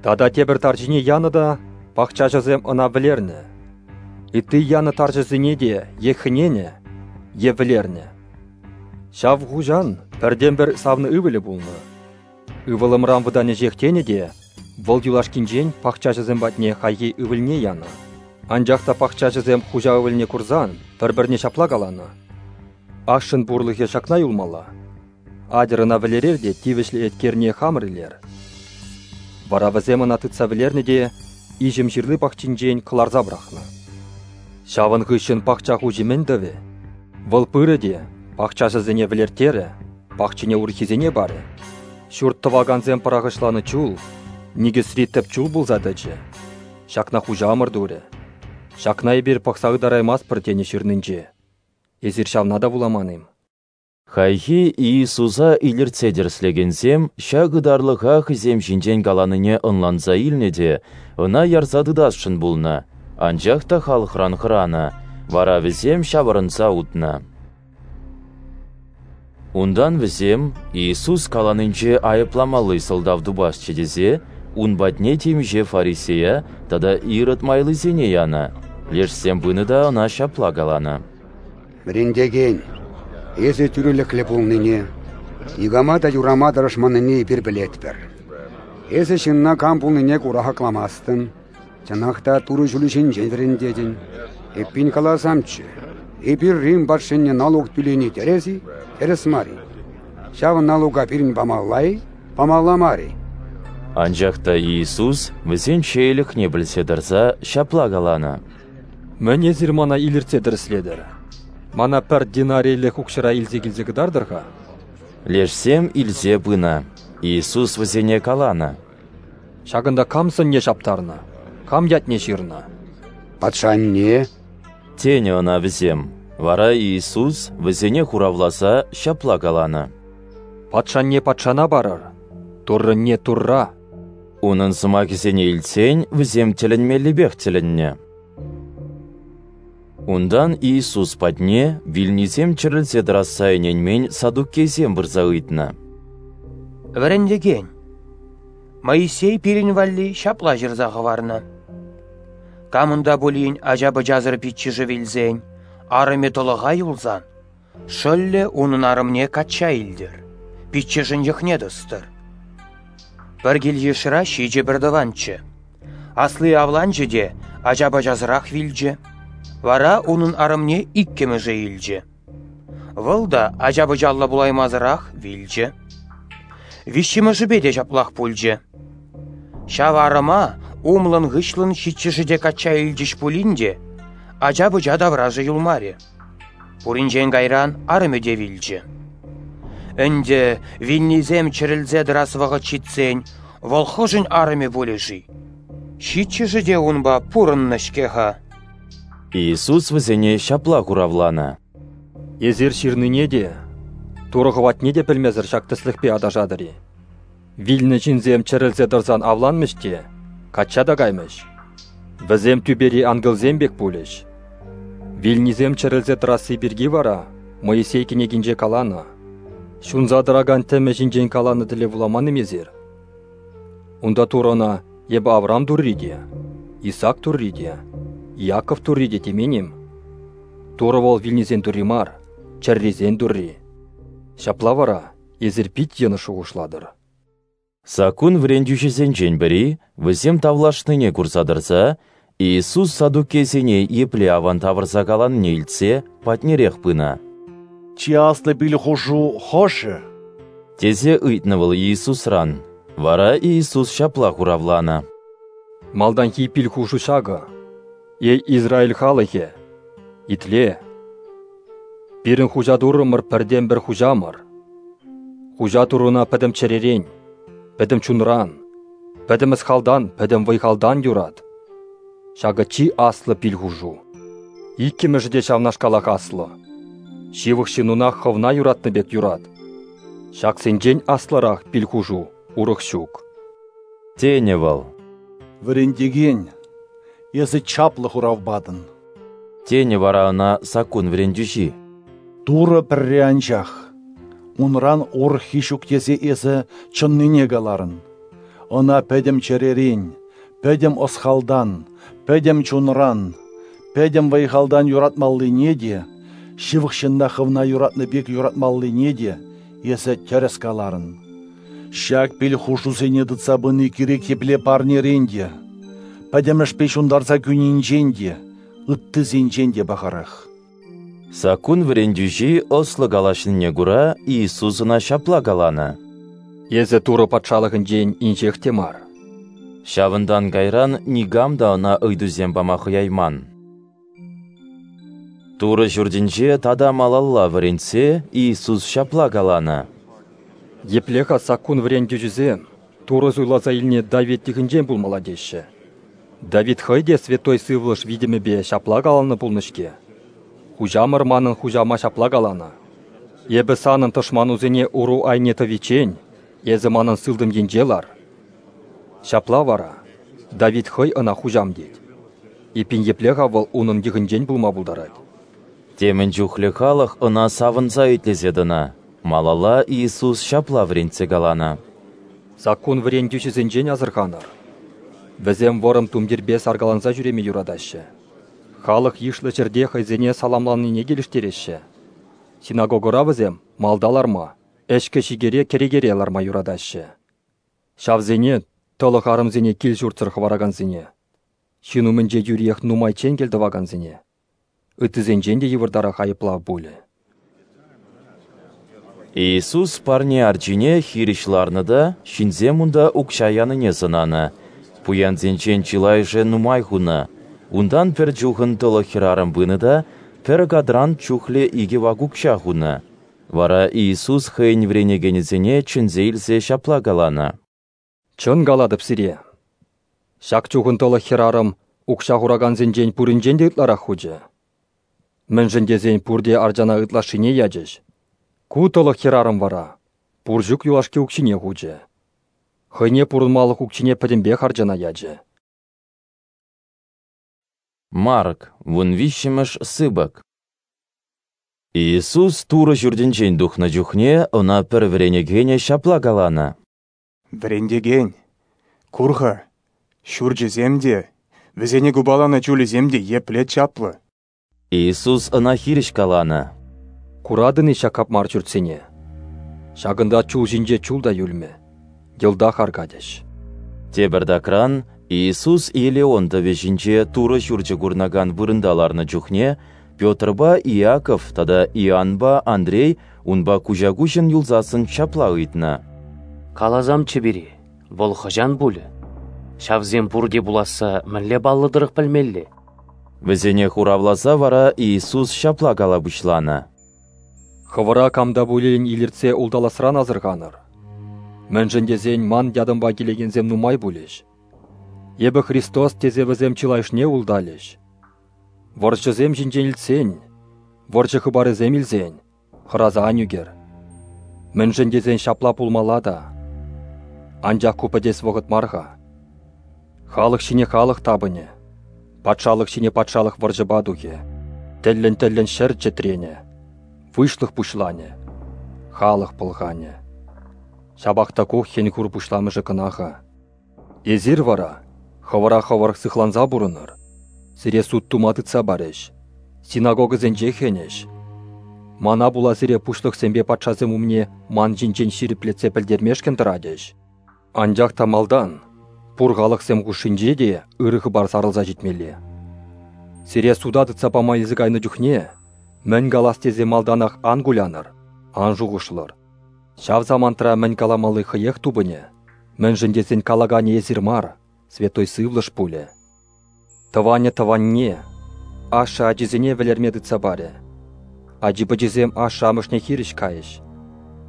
Тата тепӗр тарҫине янӑ та пахчаҫӑсем ӑна вӗлернӗ. Ытти янӑ тарҫӑсене те е хӗненӗ, е вӗлернӗ. Ҫав хуҫан пӗртен-пӗр савнӑ ывӑлӗ пулнӑ. Ывӑлӑмран вӑтанӗҫех тенӗ те вӑл юлашкинчен пахчаҫӑсем патне хайхи ывӑлне янӑ. Анчах та пахчаҫӑсем хуҫа ывӑлне курсан пӗр-пӗрне ҫапла каланӑ: Ашшӗн пурлӑхӗ ҫакна юлмалла. Атьӑр ӑна вӗлерер те тивӗҫлӗ еткерне хамӑр илер. Вара вӗсем ӑна тытса вӗлернӗ те иҫӗм ҫырли пахчинчен кӑларса пӑрахнӑ. Ҫавӑн хыҫҫӑн пахча хуҫи мӗн тӑвӗ? Вӑл пырӗ те Пахчаҫӑсене вӗлерттерӗ, пахчине урӑххисене парӗ. Ҫурт тӑвакансем пӑрахӑҫланӑ чул никӗсри тӗп чул пулса тӑчӗ. Ҫакна Хуҫамӑр турӗ. Ҫакна эпир пӑхса ытараймастпӑр тенӗ ҫырнинче. Эсир ҫавна та вуламан-им? Хайхи Иисуса илӗртсе тӗрӗслекенсем ҫак ытарлӑха хӑйсем ҫинчен каланине ӑнланса илнӗ те ӑна ярса тытасшӑн пулнӑ, анчах та халӑхран хӑранӑ, вара вӗсем ҫавӑрӑнса утнӑ. Унтан вӗсем Иисус каланинче айӑпламалли сӑлтав тупасчӗ тесе ун патне темиҫе фарисея тата Ирод майлисене янӑ. Лешсем пынӑ та ӑна ҫапла каланӑ: Вӗрентекен, эсӗ тӳрӗлӗхлӗ пулнине, никама та юрама тӑрӑшманнине эпир пӗлетпӗр. Эсӗ ҫынна кам пулнине кура хакламастӑн, чӑнах та Турӑ ҫулӗ ҫинчен вӗрентетӗн. Эппин каласамччӗ, эпир Рим патшине налук тӳлени тӗрӗс-и, тӗрӗс мар-и? Ҫав налука пирӗн памалла-и, памалла мар-и? Анчах та Иисус вӗсен чеелӗхне пӗлсе тӑрса ҫапла каланӑ: Мӗн эсир мана илӗртсе тӗрӗслетӗр? Мана пӗр динарийлӗх укҫӑра илсе килсе кӑтартӑр-ха. Лешсем илсе пынӑ. Иисус вӗсене каланӑ: Ҫакӑнта кам сӑнне ҫаптарнӑ, кам ятне ҫырнӑ? Патшанне. Тенӗ ӑна вӗсем. Вара Иисус вӗсене хуравласа ҫапла каланӑ: Патшанне патшана парӑр, Туррӑнне Турра. Унӑн сӑмахӗсене илтсен вӗсем тӗлӗнмеллипех тӗлӗннӗ. Унтан Иисус патне вилнисем чӗрӗлсе тӑрасса ӗненмен саддукейсем пырса ыйтнӑ: Вӗрентекен, Моисей пирӗн валли ҫапла ҫырса хӑварнӑ: камӑн та пулин ача-пӑчасӑр пиччӗшӗ вилсен, арӑмӗ тӑлӑха юлсан, шӑллӗ унӑн арӑмне качча илтӗр, пиччӗшӗн йӑхне тӑстӑр. Пӗр кил-йышра 7 пӗртӑванччӗ. Асли авланчӗ те ача-пӑчасӑрах вилчӗ. Вара унӑн арӑмне иккӗмӗшӗ илчӗ. Вӑл та ача-пӑчаллӑ пулаймасӑрах вилчӗ. Виҫҫӗмӗшӗпе те ҫаплах пулчӗ. Ҫав арӑма умлӑн-хыҫлӑн 7-шӗ те качча илчӗҫ пулин те ача-пӑча таврашӗ юлмарӗ. Пуринчен кайран арӑмӗ те вилчӗ. Ӗнтӗ вилнисем чӗрӗлсе тӑрас вӑхӑт ҫитсен вӑл хӑшӗн арӑмӗ пулӗ-ши? 7-шӗ те унпа пурӑннӑ-ҫке-ха. Иисус вӗсене ҫапла хуравланӑ: Эсир ҫырнине те, Турӑ хӑватне те пӗлмесӗр ҫак тӗслӗхпе аташатӑр-и? Вилнӗ ҫынсем чӗрӗлсе тӑрсан авланмӗҫ те, качча та каймӗҫ. Вӗсем тӳпери ангелсем пек пулӗҫ. Вилнисем чӗрӗлсе тӑрасси пирки вара Моисей кӗнекинче каланӑ. Ҫунса тӑракан тӗмӗ ҫинчен каланӑ тӗле вуламан-им эсир? Унта Турӑ ӑна эпӗ Авраам Турри те, Исаак Турри те, Иаков Турри те темен-им? Турӑ вӑл вилнисен Турри мар, чӗррисен Турри. Ҫапла вара эсир пит йӑнӑш шухӑшлатӑр. Саккун вӗрентӳҫӗсенчен пӗри, вӗсем тавлашнине курса тӑрса, Иисус саддукейсене епле аван тавӑрса каланине илтсе патнерех пынӑ. Чи аслӑ пил хушу хӑшӗ? Тесе ыйтнӑ вӑл Иисусран. Вара Иисус ҫапла хуравланӑ: Малтанхи пил хушу ҫакӑ: эй Израиль халӑхӗ, итле! Пирӗн Хуҫа Туррӑмӑр пӗртен-пӗр Хуҫамӑр. Хуҫа Турруна пӗтӗм чӗререн, пӗтӗм чунран, пӗтӗм ӑс-халтан, пӗтӗм вӑй-халтан юрат. Ҫакӑ чи аслӑ пил хушу. Иккӗмӗшӗ те ҫавнашкалах аслӑ. Ҫывӑх ҫыннуна хӑвна юратнӑ пек юрат. Ҫаксенчен аслӑрах пил хушу урӑх ҫук. Тенӗ вӑл. Вӗрентекен, эсӗ чаплӑ хурав патӑн. Тенӗ вара ӑна саккун вӗрентӳҫи. Турӑ пӗрре анчах, унран урӑххи ҫук тесе эсӗ чӑннине каларӑн. Ӑна пӗтӗм чӗререн, пӗтӗм ӑс-халтан, пӗтӗм чунран, пӗтӗм вӑй-халтан юратмаллине те, ҫывӑх ҫынна хӑвна юратнӑ пек юратмаллине те эсӗ тӗрӗс каларӑн. Ҫак пил хушусене тытса пыни кирек епле парнерен те, пӗтӗмӗшпе ҫунтарса кӳнинчен те, ыттисенчен те пахарах. Саккун вӗрентӳҫи ӑслӑ калаҫнине кура Иисус ӑна ҫапла каланӑ: Эсӗ Турӑ патшалӑхӗнчен инҫех те мар. Ҫавӑнтан кайран никам та ӑна ыйтусем пама хӑяйман. Турӑ Ҫуртӗнче тата малалла вӗрентсе Иисус ҫапла каланӑ: Епле-ха саккун вӗрентӳҫисем Турӑ суйласа илнӗ Давид йӑхӗнчен пулмалла теҫҫӗ? Давид хӑй те Святой Сывлӑш витӗмӗпе ҫапла каланӑ пулнӑ-ҫке: Хуҫамӑр манӑн хуҫама ҫапла каланӑ: Эпӗ санӑн тӑшманусене уру айне тӑвиччен эсӗ манӑн сылтӑм енче лар. Ҫапла вара Давид хӑй ӑна хуҫам тет. Эппин епле-ха вӑл унӑн йӑхӗнчен пулма пултарать? Темӗн чухлӗ халӑх ӑна савӑнса итлесе тӑнӑ. Малалла Иисус ҫапла вӗрентсе каланӑ: Саккун вӗрентӳҫӗсенчен асӑрханӑр. Вӗсем вӑрӑм тумтирпе саркаланса ҫӳреме юратаҫҫӗ. Халӑх йышлӑ ҫӗрте хӑйсене саламланине килӗштереҫҫӗ. Синагогӑра вӗсем малта ларма, ӗҫкӗ-ҫикӗре кӗрекере ларма юратаҫҫӗ. Ҫавсене, тӑлӑх арӑмсене кил-ҫуртсӑр хӑваракансене, ҫын умӗнче юриех нумайччен кӗл тӑвакансене, ыттисенчен те йывӑртарах айӑплав пулӗ. Иисус парне арчине хирӗҫ ларнӑ та ҫынсем унта укҫа янине сӑнанӑ. Пуянсенчен чылайӑшӗ нумай хунӑ. Унтан пӗр чухӑн тӑлӑх хӗрарӑм пынӑ та пӗр кадрант чухлӗ 2 вак укҫа хунӑ. Вара Иисус хӑйӗн вӗренекенӗсене чӗнсе илсе ҫапла каланӑ: Чӑн калатӑп сире, ҫак чухӑн тӑлӑх хӗрарӑм укҫа хуракансенчен пуринчен те ытларах хучӗ. Мӗншӗн тесен пурте арчана ытлашшине ячӗҫ. Ку тӑлӑх хӗрарӑм вара пур-ҫук юлашки укҫине хучӗ. Хӑйне пурӑнмалӑх укҫине пӗтӗмпех арчана ячӗ. Марк, 13-мӗш сыпӑк. Иисус Турӑ Ҫуртӗнчен тухнӑ чухне ӑна пӗр вӗренекенӗ ҫапла каланӑ: Вӗрентекен, кур-ха, ҫурчӗсем те, вӗсене купаланӑ чулӗсем те епле чаплӑ. Иисус ӑна хирӗҫ каланӑ: Куратӑн-и ҫак капмар ҫуртсене? Ҫакӑнта чул ҫинче чул та юлмӗ, йӑлтах аркатӗҫ. Тепӗртакран Иисус Елеон тӑвӗ ҫинче Турӑ Ҫурчӗ курӑнакан вырӑнта ларнӑ чухне Петрпа Иаков тата Иоаннпа Андрей унпа куҫа-куҫӑн юлсассӑн ҫапла ыйтнӑ: Каласамччӗ пире, вӑл хӑҫан пулӗ? Ҫавсем пурте пуласса мӗнле паллӑ тӑрӑх пӗлмелле? Вӗсене хуравласа вара Иисус ҫапла кала пуҫланӑ: Хӑвӑра кам та пулин илӗртсе улталасран асӑрханӑр. Мӗншӗн тесен ман ятӑмпа килекенсем нумай пулӗҫ. Эпӗ Христос тесе вӗсем чылайӑшне улталӗҫ. Вӑрҫӑсем ҫинчен илтсен, вӑрҫӑ хыпарӗсем илсен, хӑраса ан ӳкӗр. Мӗншӗн тесен ҫапла пулмалла та. Анчах ку пӗтес вӑхӑт мар-ха. Халӑх ҫине халӑх тапӑнӗ, патшалӑх ҫине патшалӑх вӑрҫӑпа тухӗ, тӗллӗн-тӗллӗн ҫӗр чӗтренӗ, выҫлӑх пуҫланӗ, халӑх пӑлханӗ. Ҫапах та ку хӗн-хур пуҫламӑшӗ кӑна-ха. Эсир вара хӑвӑра хӑвӑр сыхланса пурӑнӑр. Сире суд тума тытса парӗҫ, синагогӑсенче хӗнӗҫ. Мана пула сире пуҫлӑхсемпе патшасем умне ман ҫинчен ҫирӗплетсе пӗлтермешкӗн тӑратӗҫ. Анчах та малтан пур халӑхсем хушшинче те ырӑ хыпар сарӑлса ҫитмелле. Сире суда тытса пама илсе кайнӑ чухне мӗн калас тесе малтанах ан кулянӑр, ан шухӑшлӑр. Ҫав самантра мӗн каламалли хӑех тупӑнӗ, мӗншӗн тесен калаканӗ эсир мар, Святой Сывлӑш пулӗ. Тӑванӗ тӑванне, ашшӗ ачисене вӗлерме тытса парӗ. Ачи-пӑчисем ашшӗ-амӑшне хирӗҫ кайӗҫ,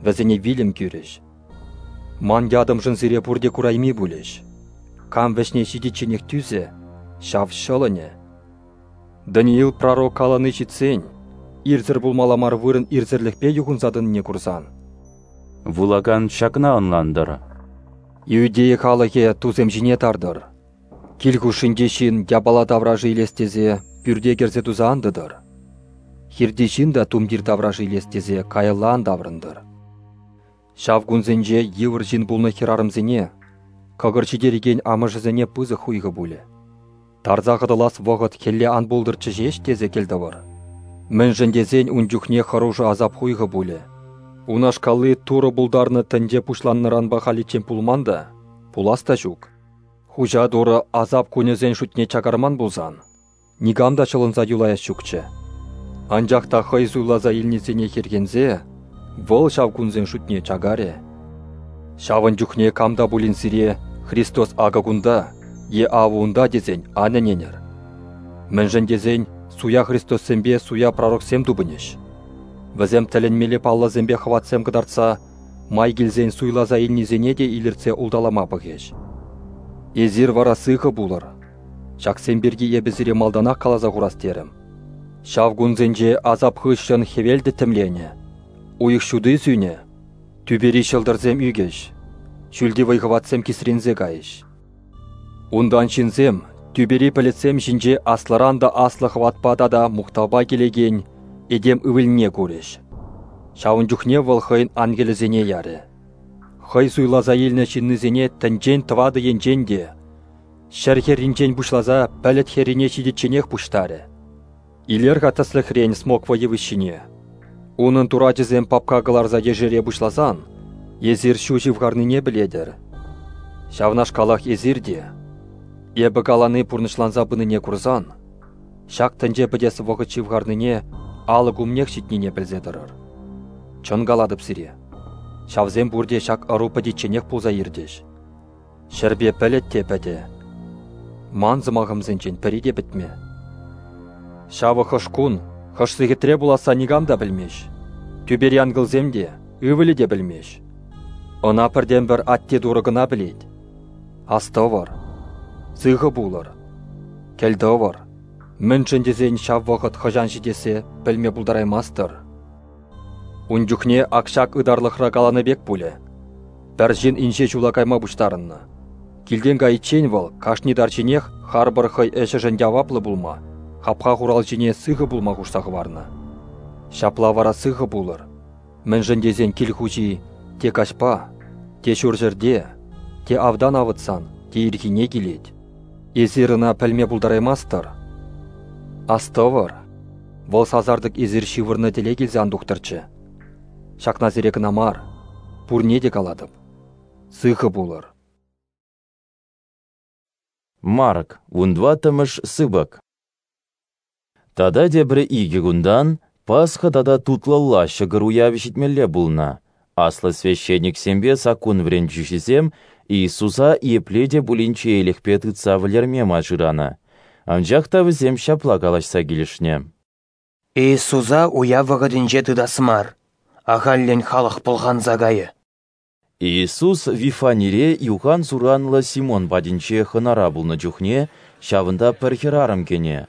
вӗсене вилӗм кӳрӗҫ. Ман ятӑмшӑн сире пурте курайми пулӗҫ. Кам вӗҫне ҫитичченех тӳсӗ, ҫав ҫӑлӑнӗ. Даниил пророк калани ҫитсен, ирсӗр пулмалла мар вырӑн ирсӗрлӗхпе юхӑнса тӑнине курсан. Вулакан ҫакна ӑнлантӑр. Иудея халӑхӗ тусем ҫине тартӑр. Кил хушшинче ҫын япала таврашӗ илес тесе пӳрте кӗрсе туса ан тӑтӑр. Хирти ҫын та тумтир таврашӗ илес тесе каялла ан таврӑнтӑр. Ҫав кунсенче йывӑр ҫын пулнӑ хӗрарӑмсене, кӑкӑр ҫитерекен амӑшӗсене пысӑк хуйхӑ пулӗ. Тарса хӑтӑлас вӑхӑт хӗлле ан пултӑрччӗ ҫеҫ тесе кӗлтӑвӑр. Мӗншӗн тесен ун чухне хӑрушӑ асап хуйхӑ пулӗ. Унашкалли Турӑ пултарнӑ тӗнче пуҫланнӑранпа халиччен пулман та, пулас та ҫук. Хуҫа Турӑ асап кунӗсен шутне чакарман пулсан, никам та ҫӑлӑнса юлаяс ҫукчӗ. Анчах та хӑй суйласа илнисене хӗрхенсе, вӑл ҫав кунсен шутне чакарӗ. Ҫавӑн чухне кам та пулин сире Христос акӑ кунта е авӑ унта тесен ан ӗненӗр. Мӗншӗн тесен суя христоссемпе суя пророксем тупӑнӗҫ. Вӗсем тӗлӗнмелле паллӑсемпе хӑватсем кӑтартса май килсен суйласа илнисене те илӗртсе улталама пӑхӗҫ. Эсир вара сыхӑ пулӑр. Ҫаксем пирки эпӗ сире малтанах каласа хурас терӗм. Ҫав кунсенче асап хыҫҫӑн хӗвел тӗттӗмленӗ, уйӑх ҫути сӳнӗ, тӳпери ҫӑлтӑрсем ӳкӗҫ, ҫӳлти вӑй-хӑватсем кисренсе кайӗҫ. Унтан ҫынсем тӳпери пӗлӗтсем ҫинче аслӑран та аслӑ хӑватпа тата мухтавпа килекен этем ывӑлне курӗҫ. Ҫавӑн чухне вӑл хӑйӗн ангелӗсене ярӗ. Хӑй суйласа илнӗ ҫыннисене тӗнчен тӑватӑ енчен те, ҫӗр хӗрринчен пуҫласа пӗлӗт хӗррине ҫитичченех пуҫтарӗ. Илер-ха тӗслӗхрен смоква йывӑҫҫине. Унӑн турачӗсем папка кӑларса ешере пуҫласан, эсир ҫу ҫывхарнине пӗлетӗр. Ҫавнашкалах эсир те, эпӗ калани пурнӑҫланса пынине курсан, ҫак тӗнче пӗтес вӑхӑт ҫывхарнине алӑк умнех ҫитнине пӗлсе тӑрӑр. Чӑн калатӑп сире, ҫавсем пурте ҫак ӑру пӗтичченех пулса иртӗҫ. Ҫӗрпе пӗлӗт те пӗтӗ. Ман сӑмахӑмсенчен пӗри те пӗтмӗ. Ҫавӑ хӑш кун, хӑш сехетре пуласса никам та пӗлмест. Тӳпери ангелсем те, ывӑлӗ те пӗлмест. Ӑна пӗртен-пӗр Атте Турӑ кӑна пӗлет. Астӑвӑр, сыхӑ пулӑр, кӗлтӑвӑр. Мӗншӗн тесен ҫав вӑхӑт хӑҫан ҫитессе пӗлме пултараймастӑр. Ун чухне ак ҫак ытарлӑхра каланӑ пек пулӗ. Пӗр ҫын инҫе ҫула кайма пуҫтарӑннӑ. Килтен кайиччен вӑл кашни тарҫинех харпӑр хӑй ӗҫӗшӗн яваплӑ пулма, хапха хуралҫине сыхӑ пулма хушса хӑварнӑ. Ҫапла вара сыхӑ пулӑр. Мӗншӗн тесен кил хуҫи те каҫпа, те ҫурҫӗрте, те автан авӑтсан, те ирхине килет. Эсир ӑна пӗлме пултараймастӑр. Астӑвӑр, вӑл сасартӑк эсир ҫывӑрнӑ тӗле килсе ан тухтӑрччӗ. Ҫакна сире кӑна мар, пурне те калатӑп. Сыхӑ пулӑр. Марк, вунтӑваттӑмӗш сыпӑк. Тата тепӗр икӗ кунтан Пасха тата тутлӑлла ҫӑкӑр уявӗ ҫитмелле пулнӑ. Аслӑ священниксемпе саккун вӗрентӳҫисем Иисуса епле те пулин чеелӗхпе тытса вӗлерме май шыранӑ. Анчах та вӗсем ҫапла калаҫса килӗшнӗ. Иисуса уяв вӑхӑтӗнче тытас мар, ахальлӗн халӑх пӑлханса кайӗ. Иисус Вифанире юхан-суранлӑ Симон патӗнче хӑнара пулнӑ чухне ҫавӑнта пӗр хӗрарӑм кӗнӗ.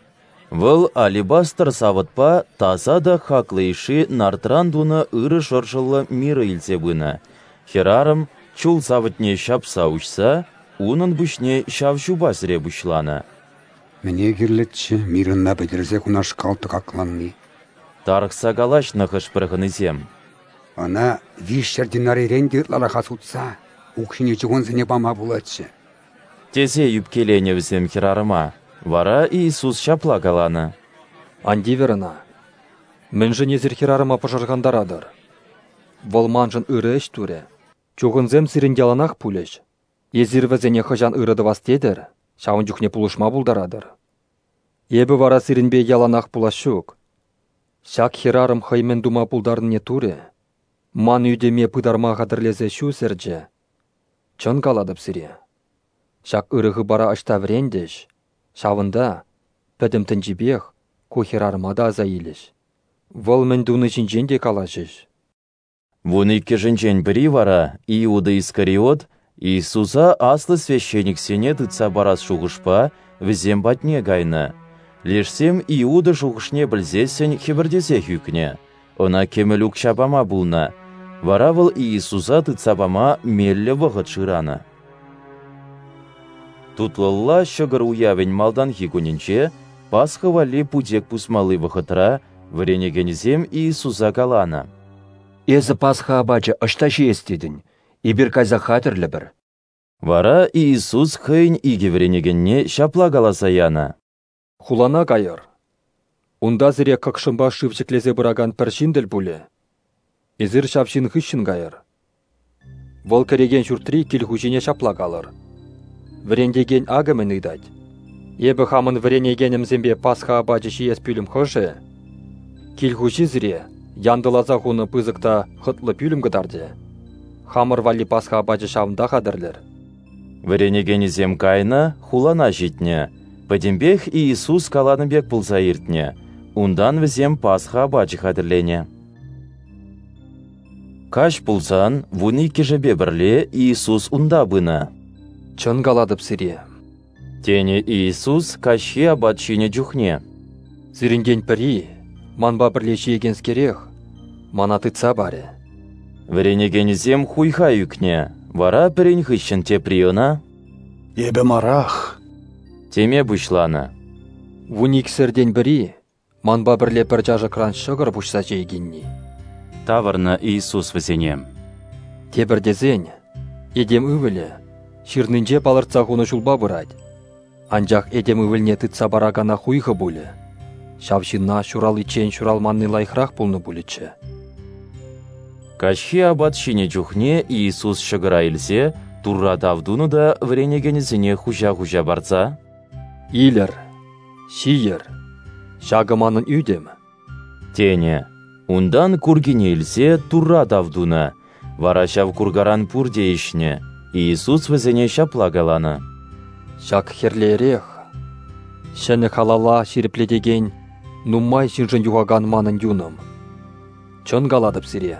Вӑл алебастр савӑтпа таса та хаклӑ йышши нардран тунӑ ырӑ шӑршӑллӑ мирӑ илсе пынӑ. Хӗрарӑм, чул савӑтне ҫапса уҫса, унӑн пуҫне ҫав ҫупа сӗре пуҫланӑ. Мӗне кирлӗччӗ мирӑна пӗтерсе кунашкал тӑкакланни? Тарӑхса калаҫнӑ хӑш-пӗр хӑнисем. Ӑна 300 динарирен те ытлараха сутса укҫине чухӑнсене пама пулатчӗ. Тесе ӳпкеленӗ вӗсем хӗрарӑма. Вара Иисус ҫапла каланӑ. Ан тивӗр ӑна. Мӗншӗн эсир хӗрарӑма пӑшӑрхантаратӑр? Вӑл маншӑн ырӑ ӗҫ турӗ. Чухӑнсем сирӗн яланах пулӗҫ. Эсир вӗсене хӑҫан ырӑ тӑвас тетӗр, ҫавӑн чухне пулӑшма пултаратӑр. Эпӗ вара сирӗнпе яланах пулас ҫук. Ҫак хӗрарӑм хӑй мӗн тума пултарнине турӗ, ман ӳтӗме пытарма хатӗрлесе ҫу сӗрчӗ. Чӑн калатӑп сире, ҫак ырӑ хыпара ӑҫта вӗрентӗҫ, ҫавӑнта, пӗтӗм тӗнчипех, ку хӗрарӑма та аса илӗҫ. Вӑл мӗн туни ҫинчен те калаҫӗҫ. Вуниккӗшӗнчен пӗри вара, Иуда Искариот, Иисуса аслӑ священниксене тытса парас шухӑшпа вӗсем патне кайнӑ. Лешсем Иуда шухӑшне пӗлсессӗн хӗпӗртесех ӳкнӗ, ӑна кӗмӗл укҫа пама пулнӑ. Вара вӑл Иисуса тытса пама меллӗ вӑхӑт шыранӑ. Тутлӑлла ҫӑкӑр уявӗн малтанхи кунӗнче, Пасха валли путек пусмалли вӑхӑтра, вӗренекенӗсем Иисуса каланӑ: Эсӗ Пасха апачӗ ӑҫта ҫиес тетӗн? Эпир кайса хатӗрлӗпӗр. Вара Иисус хӑйӗн икӗ вӗренекенне ҫапла каласа янӑ: Хулана кайӑр. Унта сире кӑкшӑмпа шыв ҫӗклесе пыракан пӗр ҫын тӗл пулӗ. Эсир ҫав ҫын хыҫҫӑн кайӑр. Вӑл кӗрекен ҫуртри кил хуҫине ҫапла калӑр: Вӗрентекен акӑ мӗн ыйтать. Эпӗ хамӑн вӗренекенӗмсемпе Пасха апачӗ ҫиес пӳлӗм хӑшӗ? Кил хуҫи сире янтӑласа хунӑ пысӑк та хӑтлӑ пӳлӗм кӑтартӗ. Хамӑр валли Пасха апачӗ ҫавӑнта хатӗрлӗр. Вӗренекенӗсем кайнӑ, хулана ҫитнӗ. Пӗтӗмпех Иисус каланӑ пек пулса иртнӗ. Унтан вӗсем Пасха апачӗ хатӗрленӗ. Каҫ пулсан 12-шӗпе пӗрле Иисус унта пынӑ. «Чӑн калатӑп сире», тенӗ Иисус каҫхи апат ҫинӗ чухне. «Сирӗнтен пӗри, манпа пӗрле ҫиекенскерех, мана тытса парӗ». Вӗренекенӗсем хуйха ӳкнӗ, вара пӗрин хыҫҫӑн тепри ӑна «Эпӗ марах» теме пуҫланӑ. 12-сӗртен пӗри, манпа пӗрле пӗр чашӑкран ҫӑкӑр пуҫса ҫиекенни, тавӑрнӑ Иисус вӗсене. Тепӗр тесен, Этем Ывӑлӗ ҫырнинче палӑртса хунӑ ҫулпа пырать, анчах Этем Ывӑлне тытса паракана хуйхӑ пулӗ. Ҫав ҫынна ҫураличчен ҫуралманни лайӑхрах пулнӑ пулӗччӗ. Каҫхи апат ҫинӗ чухне Иисус ҫӑкӑра илсе Турра тав тунӑ та вӗренекенӗсене хуҫа-хуҫа парса: «Илӗр, ҫийӗр, ҫакӑ манӑн ӳтӗм», тенӗ. Унтан куркине илсе Турра тав тунӑ, вара ҫав куркаран пурте ӗҫнӗ. Иисус вӗсене ҫапла каланӑ: «Ҫак хӗрлӗ эрех ҫӗнӗ халала ҫирӗплетекен нумай ҫыншӑн юхакан манӑн юнӑм. Чӑн калатӑп сире,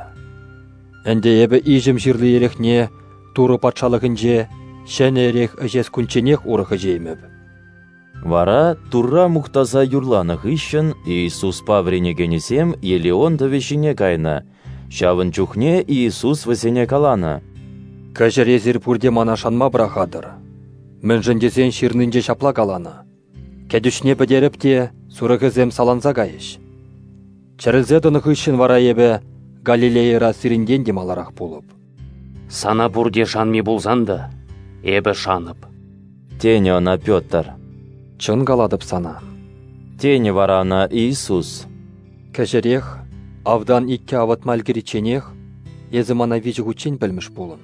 ӗнтӗ эпӗ иҫӗм ҫырли эрехне Турӑ патшалӑхӗнче ҫӗнӗ эрех ӗҫес кунчченех урӑх ӗҫеймӗп». Вара Турра мухтаса юрланӑ хыҫҫӑн Иисуспа вӗренекенӗсем Елеон тӑвӗ ҫине кайнӑ. Ҫавӑн чухне Иисус вӗсене каланӑ: «Кӗҫӗр эсир пурте мана шанма пӑрахатӑр. Мӗншӗн тесен ҫырнинче ҫапла каланӑ: кӗтӳҫне пӗтерӗп те сурӑхӗсем саланса кайӗҫ. Чӗрӗлсе тӑнӑ хыҫҫӑн вара эпӗ Галилейӑра сирӗнтен те маларах пулӑп». «Сана пурте шанми пулсан та, эпӗ шанӑп», тенӗ ӑна Петр. «Чӑн калатӑп сана», тенӗ вара ӑна Иисус. «Кӗҫӗрех, автан иккӗ авӑтма ӗлкӗричченех, эсӗ мана 3 хутчен пӗлмӗш пулӑн».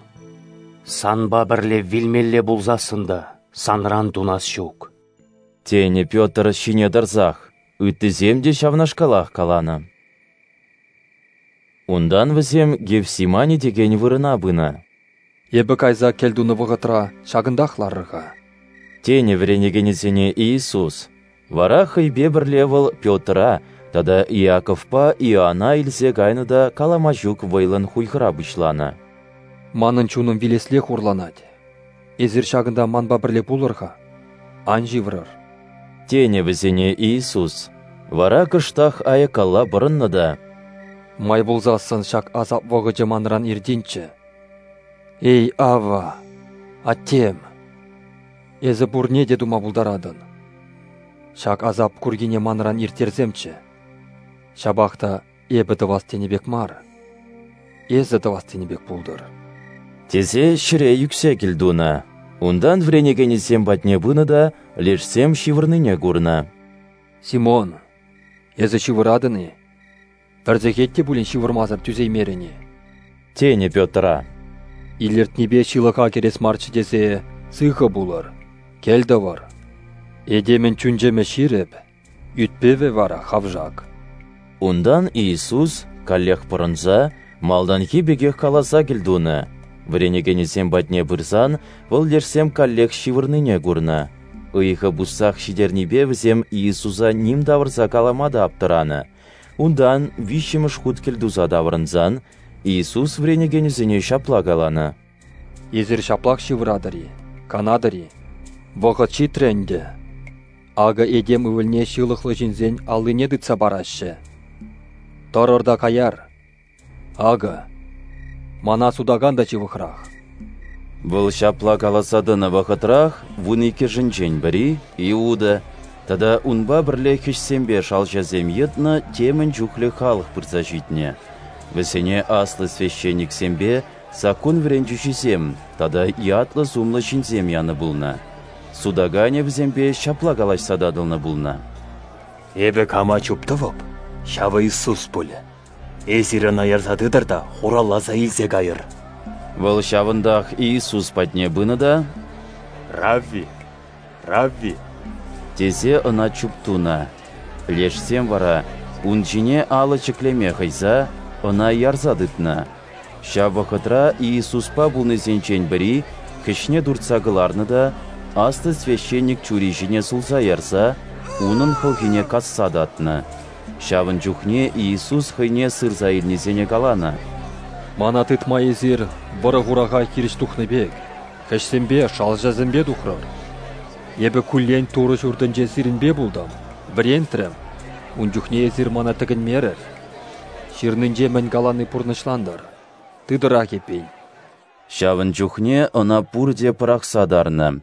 «Санпа пӗрле вилмелле пулсассӑн та санран тунас ҫук», тенӗ Петр ҫине тӑрсах. Ыттисем те ҫавнашкалах каланӑ. Унтан вӗсем Гефсимани текен вырӑна пынӑ. «Эпӗ кайса кӗлтунӑ вӑхӑтра ҫакӑнтах ларӑр-ха», тенӗ вӗренекенӗсене Иисус. Вара хӑйпе пӗрле вӑл Петра тата Иаковпа Иоанна илсе кайнӑ та калама ҫук вӑйлӑн хуйхӑра пуҫланӑ. «Манӑн чунӑм вилесле хурланать. Эсир ҫакӑнта манпа пӗрле пулӑр-ха, ан ҫыврӑр», тенӗ вӗсене Иисус. Вара кӑштах аяккалла пӑрӑннӑ та: «Май пулсассӑн ҫак асап вӑхӑчӗ манран иртинччӗ. Эй, Авва, Аттем, эсӗ пурне те тума пултаратӑн. Ҫак асап куркине манран ирттерсемччӗ. Ҫапах та эпӗ тӑвас тенӗ пек мар, эсӗ тӑвас тенӗ пек пултӑр», тесе ҫӗре ӳксе кӗлтунӑ. Унтан вӗренекенӗсем патне пынӑ та лешсем ҫывӑрнине курнӑ. «Симон, эсӗ ҫывӑратӑн-и? Пӗр сехет те пулин ҫывӑрмасӑр тӳсеймерӗн-и?» тенӗ Петра. «Илӗртнипе ҫылӑха кӗрес марччӗ тесе сыхӑ пулӑр, кӗлтӑвӑр. Этемӗн чун-чӗмӗ ҫирӗп, ӳт-пӗвӗ вара хавшак». Унтан Иисус, каллех пӑрӑнса, малтанхи пекех каласа кӗлтунӑ. Вӗренекенӗсем патне пырсан, вӑл лешсем каллех ҫывӑрнине курнӑ. Ыйхӑ пуссах ҫитернипе вӗсем Иисуса ним тавӑрса калама та аптӑранӑ. Унтан 3-мӗш хут кӗлтуса таврӑнсан, Иисус вӗренекенӗсене ҫапла каланӑ: «Эсир ҫаплах ҫывӑратӑр-и, канатӑр-и? Вӑхӑт ҫитрӗ ӗнтӗ. Акӑ Этем Ывӑлне ҫылӑхлӑ ҫынсен аллине тытса параҫҫӗ. Тӑрӑр та каяр. Акӑ, мана сутакан та ҫывӑхрах». Вӑл ҫапла каласа тӑнӑ вӑхӑтрах 12-шӗнчен пӗри, Иуда, тата унпа пӗрле хӗҫсемпе шалҫасем йӑтнӑ темӗн чухлӗ халӑх пырса ҫитнӗ. Вӗсене аслӑ священниксемпе саккун вӗрентӳҫисем тата ятлӑ-сумлӑ ҫынсем янӑ пулнӑ. Сутаканӗ вӗсемпе ҫапла калаҫса татӑлнӑ пулнӑ: «Эпӗ кама чуптӑвӑп, ҫавӑ Иисус пулӗ. Эсир ӑна ярса тытӑр та хуралласа илсе кайӑр». Вӑл ҫавӑнтах Иисус патне пынӑ та: «Равви, Равви», тесе ӑна чуптунӑ. Лешсем вара ун ҫине алӑ ҫӗклеме хӑйса ӑна ярса тытнӑ. Ҫав вӑхӑтра Иисуспа пулнисенчен пӗри хӗҫне туртса кӑларнӑ та аслӑ священник чури ҫине сулса ярса унӑн хӑлхине касса татнӑ. Ҫавӑн чухне Иисус хӑйне сырса илнисене каланӑ: «Мана тытма эсир вӑрӑ-хураха хирӗҫ тухнӑ пек, хӗҫсемпе, шалҫасемпе тухрӑр. Эпӗ куллен Турӑ ҫуртӗнче сирӗнпе пултӑм, вӗрентрӗм. Ун чухне эсир мана тӗкӗнмерӗр. Ҫырнинче мӗн калани пурнӑҫлантӑр. Тытӑрах эппин». Ҫавӑн чухне ӑна пурте пӑрахса тарнӑ.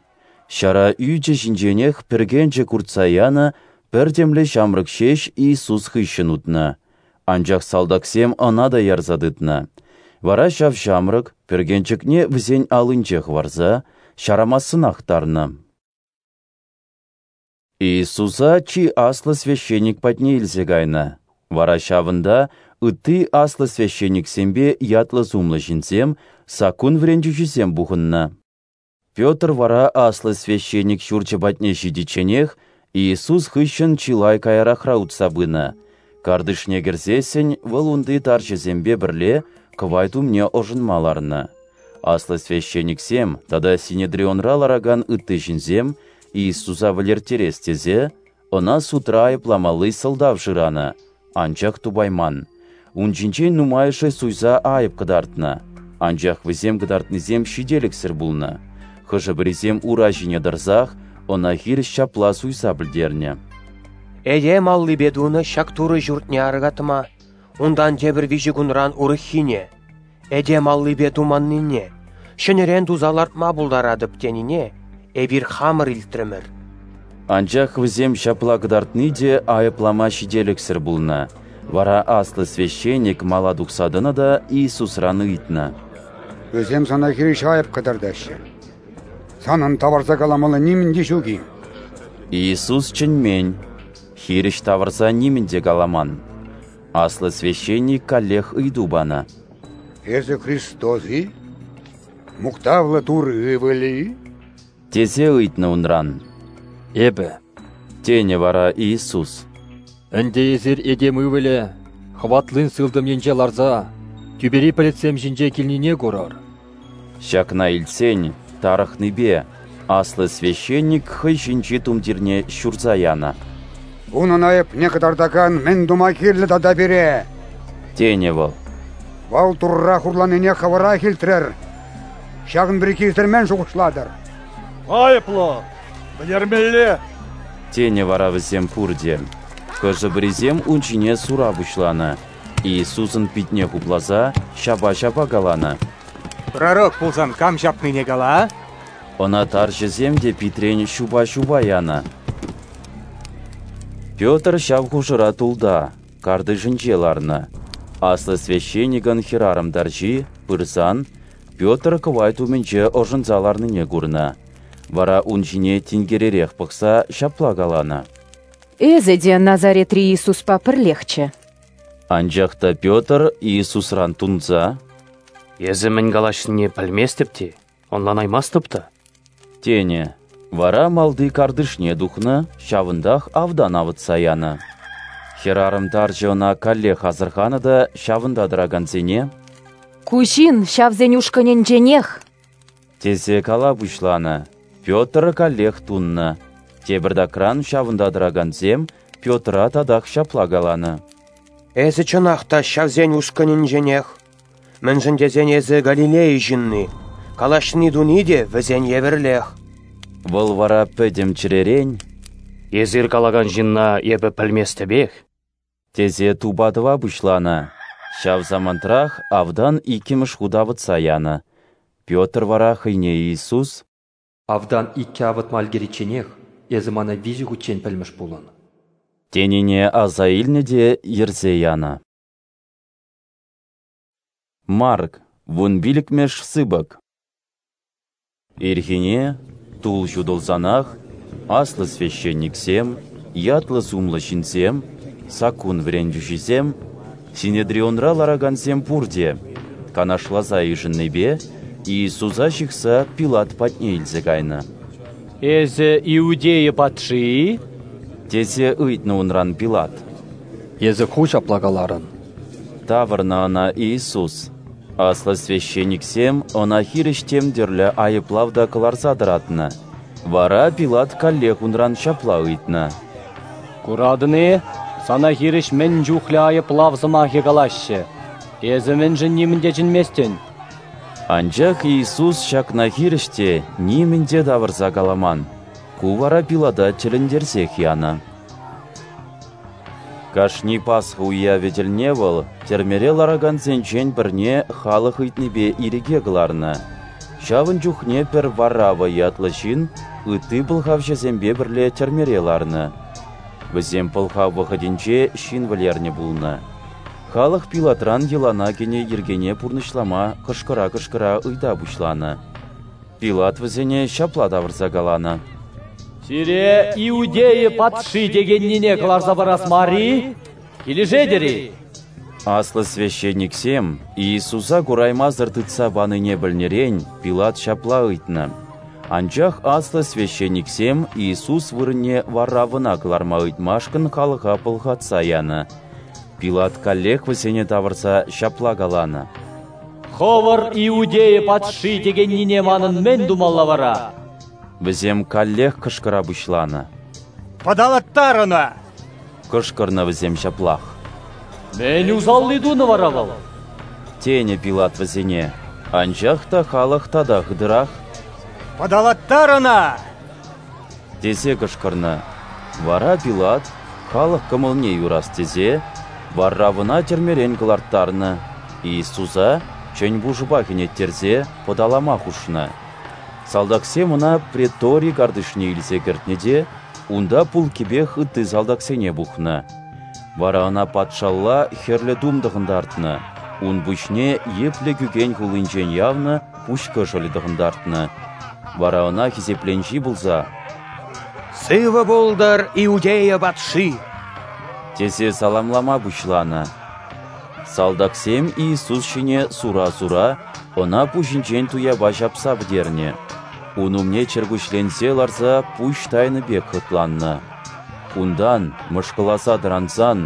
Ҫара ӳчӗ ҫинченех пӗркенчӗк уртса янӑ пӗр темле ҫамрӑк ҫеҫ Иисус хыҫҫӑн утнӑ. Анчах салтаксем ӑна та ярса тытнӑ. Вара ҫав ҫамрӑк, пӗркенчӗкне вӗсен аллинче хӑварса, ҫарамассӑнах тарнӑ. Иисуса чи аслӑ священник патне илсе кайнӑ. Вара ҫавӑнта ытти аслӑ священниксемпе ятлӑ-сумлӑ ҫынсем, саккун вӗрентӳҫисем пухӑннӑ. Петр вара аслӑ священник ҫурчӗ патне ҫитичченех Иисус хыҫҫӑн чылай каярахра утса пынӑ. Картишне кӗрсессӗн вӑл унти тарҫӑсемпе пӗрле кӑвайт умне ӑшӑнма ларнӑ. Аслӑ священниксем тата Синедрионра ларакан ытти ҫынсем Иисуса вӗлерттерес тесе ӑна судра айӑпламалли сӑлтав шыранӑ, анчах тупайман. Ун ҫинчен нумайӑшӗ суйса айӑп кӑтартнӑ, анчах вӗсем кӑтартнисем ҫителӗксӗр пулнӑ. Хӑшӗ-пӗрисем ура ҫине тӑрсах ӑна хирӗҫ ҫапла суйса пӗлтернӗ: «Этем аллипе тунӑ ҫак Турӑ ҫуртне аркатма, унтан тепӗр 3 кунран урӑххине, этем аллипе туманнине, ҫӗнӗрен туса лартма пултаратӑп тенине эпир хамӑр илтрӗмӗр». Анчах вӗсем ҫапла кӑтартни те айӑплама ҫителӗксӗр пулнӑ. Вара аслӑ священник мала тухса тӑнӑ та Иисусран ыйтнӑ: «Вӗсем сана хирӗҫ айӑп кӑтартаҫҫӗ. Санӑн тавӑрса каламалли нимӗн те ҫук-и?» Иисус чӗнмен, хирӗҫ тавӑрса нимӗн те каламан. Аслӑ священник каллех ыйту панӑ: «Эсӗ Христос-и? Мухтавлӑ Турӑ ывӑлӗ-и?» тесе ыйтнӑ унран. «Эпӗ», тенӗ вара Иисус. «Ӗнтӗ эсир Этем Ывӑлӗ хӑватлин сылтӑм енче ларса тӳпери пӗлӗтсем ҫинче килнине курӑр». Ҫакна илтсен, тарӑхнипе аслӑ священник хӑй ҫинчи тумтирне ҫурса янӑ. «Унӑн айӑпне кӑтартакан мӗн тума кирлӗ тата пире?» тенӗ вӑл. «Вӑл Турра хурланине хӑвӑрах илтрӗр. Ҫакӑн пирки эсир мӗн шухӑшлатӑр?» «Айӑплӑ! Вӗлермелле!» тенӗ вара вӗсем пурте. Хӑшӗ-пӗрисем ун ҫине сура пуҫланӑ, Иисусӑн питне хупласа ҫапа-ҫапа каланӑ: «Пророк пулсан кам ҫапнине кала?» Ӑна тарҫӑсем те питрен ҫупа-ҫупа янӑ. Петр ҫав хушӑра тулта, картишӗнче ларнӑ. Аслӑ священникӑн хӗрарӑм тарҫи, пырсан, Петр кӑвайт умӗнче ӑшӑнса ларнине курнӑ. Вара ун ҫине тинкеререх пӑхса ҫапла каланӑ: «Эсӗ те Назаретри Иисуспа пӗрлехчӗ». Анчах та Петр Иисусран тунса: «Эсӗ мӗн калаҫнине пӗлместӗп те, ӑнланаймастӑп та», тенӗ. Вара малти картишне тухнӑ, ҫавӑнтах автан авӑтса янӑ. Хӗрарӑм тарҫӑ ӑна каллех асӑрханӑ та ҫавӑнта тӑракансене: «Ку ҫын ҫавсен ушкӑнӗнченех», тесе кала пуҫланӑ. Петр каллех туннӑ. Тепӗртакран ҫавӑнта тӑракансем Петра татах ҫапла каланӑ: «Эсӗ чӑнах та ҫавсен ушкӑнӗнченех, мӗншӗн тесен эсӗ Галилея ҫынни, калаҫни-туни те вӗсен евӗрлех». Вӑл вара пӗтӗм чӗререн: «Эсир калакан ҫынна эпӗ пӗлместӗпех», тесе тупа тӑва пуҫланӑ. Ҫав самантрах автан иккӗмӗш хут авӑтса янӑ. Петр вара хӑйне Иисус: «Автан иккӗ авӑтма ӗлкӗричченех эсӗ мана 3 хутчен пӗлмӗш пулӑн», тенине аса илнӗ те йӗрсе янӑ. Марк, 15-мӗш сыпӑк. Ирхине, тул ҫутӑлсанах, аслӑ священниксем, ятлӑ-сумлӑ ҫынсем, саккун вӗрентӳҫисем, Синедрионра ларакансем пурте, канашласа йышӑннипе, Иисуса ҫыхса Пилат патне илсе кайнӑ. «Эсӗ Иудея патши-и?» тесе ыйтнӑ унран Пилат. «Эсӗ ху ҫапла каларӑн», тавӑрнӑ ӑна Иисус. Аслӑ священниксем ӑна хирӗҫ тем тӗрлӗ айӑплав та кӑларса тӑратнӑ. Вара Пилат каллех унран ҫапла ыйтнӑ: «Куратӑн-и, сана хирӗҫ мӗн чухлӗ айӑплав сӑмахӗ калаҫҫӗ. Эсӗ мӗншӗн нимӗн те чӗнместӗн?» Анчах Иисус ҫакна хирӗҫ те нимӗн те тавӑрса каламан. Ку вара Пилата тӗлӗнтерсех янӑ. Кашни Пасха уявӗ тӗлне вӑл тӗрмере ларакансенчен пӗрне халӑх ыйтнипе ирӗке кӑларнӑ. Ҫавӑн чухне пӗр Варрава ятлӑ ҫын ытти пӑлхавҫӑсемпе пӗрле тӗрмере ларнӑ. Вӗсем пӑлхав вӑхӑтӗнче ҫын вӗлернӗ пулнӑ. Халӑх Пилатран йӑлана кӗнӗ йӗркене пурнӑҫлама кӑшкӑра-кӑшкӑра ыйта пуҫланӑ. Пилат вӗсене ҫапла тавӑрса каланӑ: «Сире Иудея патши текеннине кӑларса парас мар-и? Килӗшетӗр-и?» Аслӑ священниксем Иисуса кураймасӑр тытса панине пӗлнӗрен Пилат ҫапла ыйтнӑ. Анчах аслӑ священниксем Иисус вырӑнне Варравӑна кӑларма ыйтмашкӑн халӑха пӑлхатса янӑ. Пилат каллех вӗсене тавӑрса ҫапла каланӑ: «Хӑвӑр Иудея патши текеннине манӑн мӗн тумалла вара?» Вӗсем каллех кӑшкӑра пуҫланӑ: «Пӑталаттар ӑна!» Кӑшкӑрнӑ вӗсем ҫаплах. «Мӗн усалли тунӑ вара вӑл?» тенӗ Пилат вӗсене. Анчах та халӑх тата хытӑрах: «Пӑталаттар ӑна!» тесе кӑшкӑрнӑ. Вара Пилат, халӑх кӑмӑлне юрас тесе, Варравӑна тӗрмерен кӑларттарнӑ, Иисуса чӗн пушӑпа хӗнеттерсе пӑталама хушнӑ. Салтаксем ӑна претори картишне илсе кӗртнӗ те унта пулккипех ытти салтаксене пухнӑ. Вара ӑна патшалла хӗрлӗ тум тӑхӑнтартнӑ, ун пуҫне йӗплӗ кӳкен хуллинчен явнӑ пуҫ кӑшӑлӗ тӑхӑнтартнӑ. Вара ӑна хисепленҫи пулса: «Сывӑ пултӑр Иудея патши!» тесе саламлама пуҫланӑ. Салтаксем Иисус ҫине сура-сура ӑна пуҫӗнчен туяпа ҫапса пӗтернӗ. Ун умне чӗркуҫленсе ларса пуҫ тайнӑ пек хӑтланнӑ. Унтан, мӑшкӑласа тӑрансан,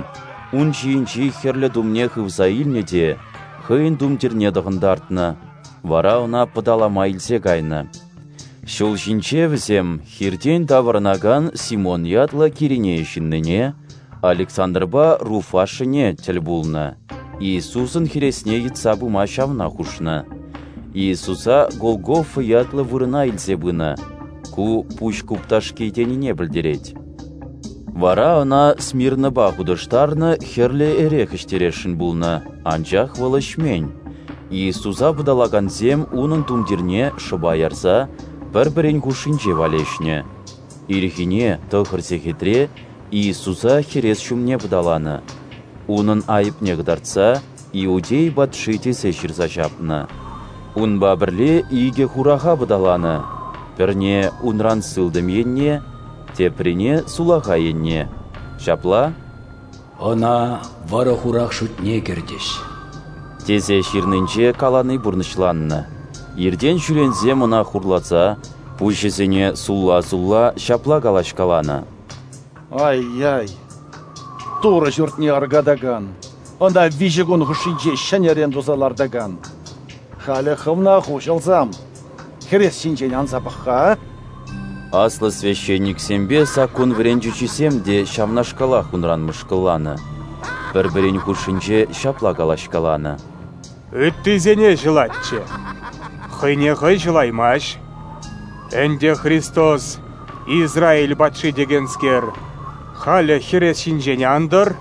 ун ҫийӗнчи хӗрлӗ тумне хывса илнӗ те хӑйӗн тумтирне тӑхӑнтартнӑ, вара ӑна пӑталама илсе кайнӑ. Ҫул ҫинче вӗсем хиртен таврӑнакан Симон ятлӑ Киринея ҫыннине, Александрпа Руф ашшӗне, тӗл пулнӑ. Иисусӑн хӗресне йӑтса пыма ҫавна хушнӑ. Иисуса Голгофа ятлӑ вырӑна илсе пынӑ. Ку пуҫ купташки тенине пӗлтерет. Вара ӑна смирнӑпа хутӑштарнӑ хӗрлӗ эрех ӗҫтересшӗн пулнӑ, анчах вӑл ӗҫмен. Иисуса пӑталакансем унӑн тумтирне шӑпа ярса пӗр-пӗрин хушшинче валеҫнӗ. Ирхине 9 сехетре Иисуса хӗрес ҫумне пӑталанӑ. Унӑн айӑпне кӑтартса «Иудей патши» тесе ҫырса ҫапнӑ. Унпа пӗрле 2 хураха пӑталанӑ, пӗрне унран сылтӑм енне, теприне сулахай енне. Ҫапла: «Ӑна вӑрӑ-хурах шутне кӗртӗҫ» тесе ҫырнинче калани пурнӑҫланнӑ. Иртен-ҫӳренсем ӑна хурласа, пуҫӗсене сулла-сулла ҫапла калаҫкаланӑ: «Ай-яй! Турӑ ҫуртне аркатакан, ӑна 3 кун хушшинче ҫӗнӗрен туса лартакан! Халӗ хӑвна хуҫӑлсам, хӗрес ҫинчен анса пӑх-ха!» Аслӑ священниксемпе саккун вӗрентӳҫисем те ҫавнашкалах унран мӑшкӑлланӑ. Пӗр-пӗрин хушшинче ҫапла калаҫкаланӑ: «Ыттисене ҫӑлатчӗ, хӑйне хӑй ҫӑлаймасть. Ӗнтӗ Христос, Израиль патши текенскер, халӗ хӗрес ҫинчен антӑр,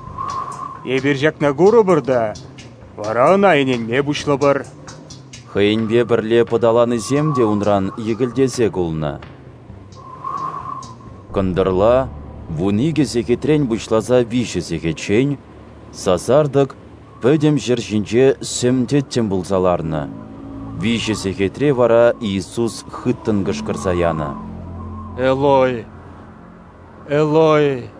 эпир ҫакна курӑпӑр та, вара ӑна ӗненме пуҫлӑпӑр». Хӑйӗнпе пӗрле пӑталанисем те унран йӗкӗлтесе кулнӑ. Кӑнтӑрла 12 сехетрен пуҫласа 3 сехетчен сасартӑк пӗтӗм ҫӗр ҫинче сӗм тӗттӗм пулса ларнӑ. 3 сехетре вара Иисус хыттӑн кӑшкӑрса янӑ: «Элой, Элой,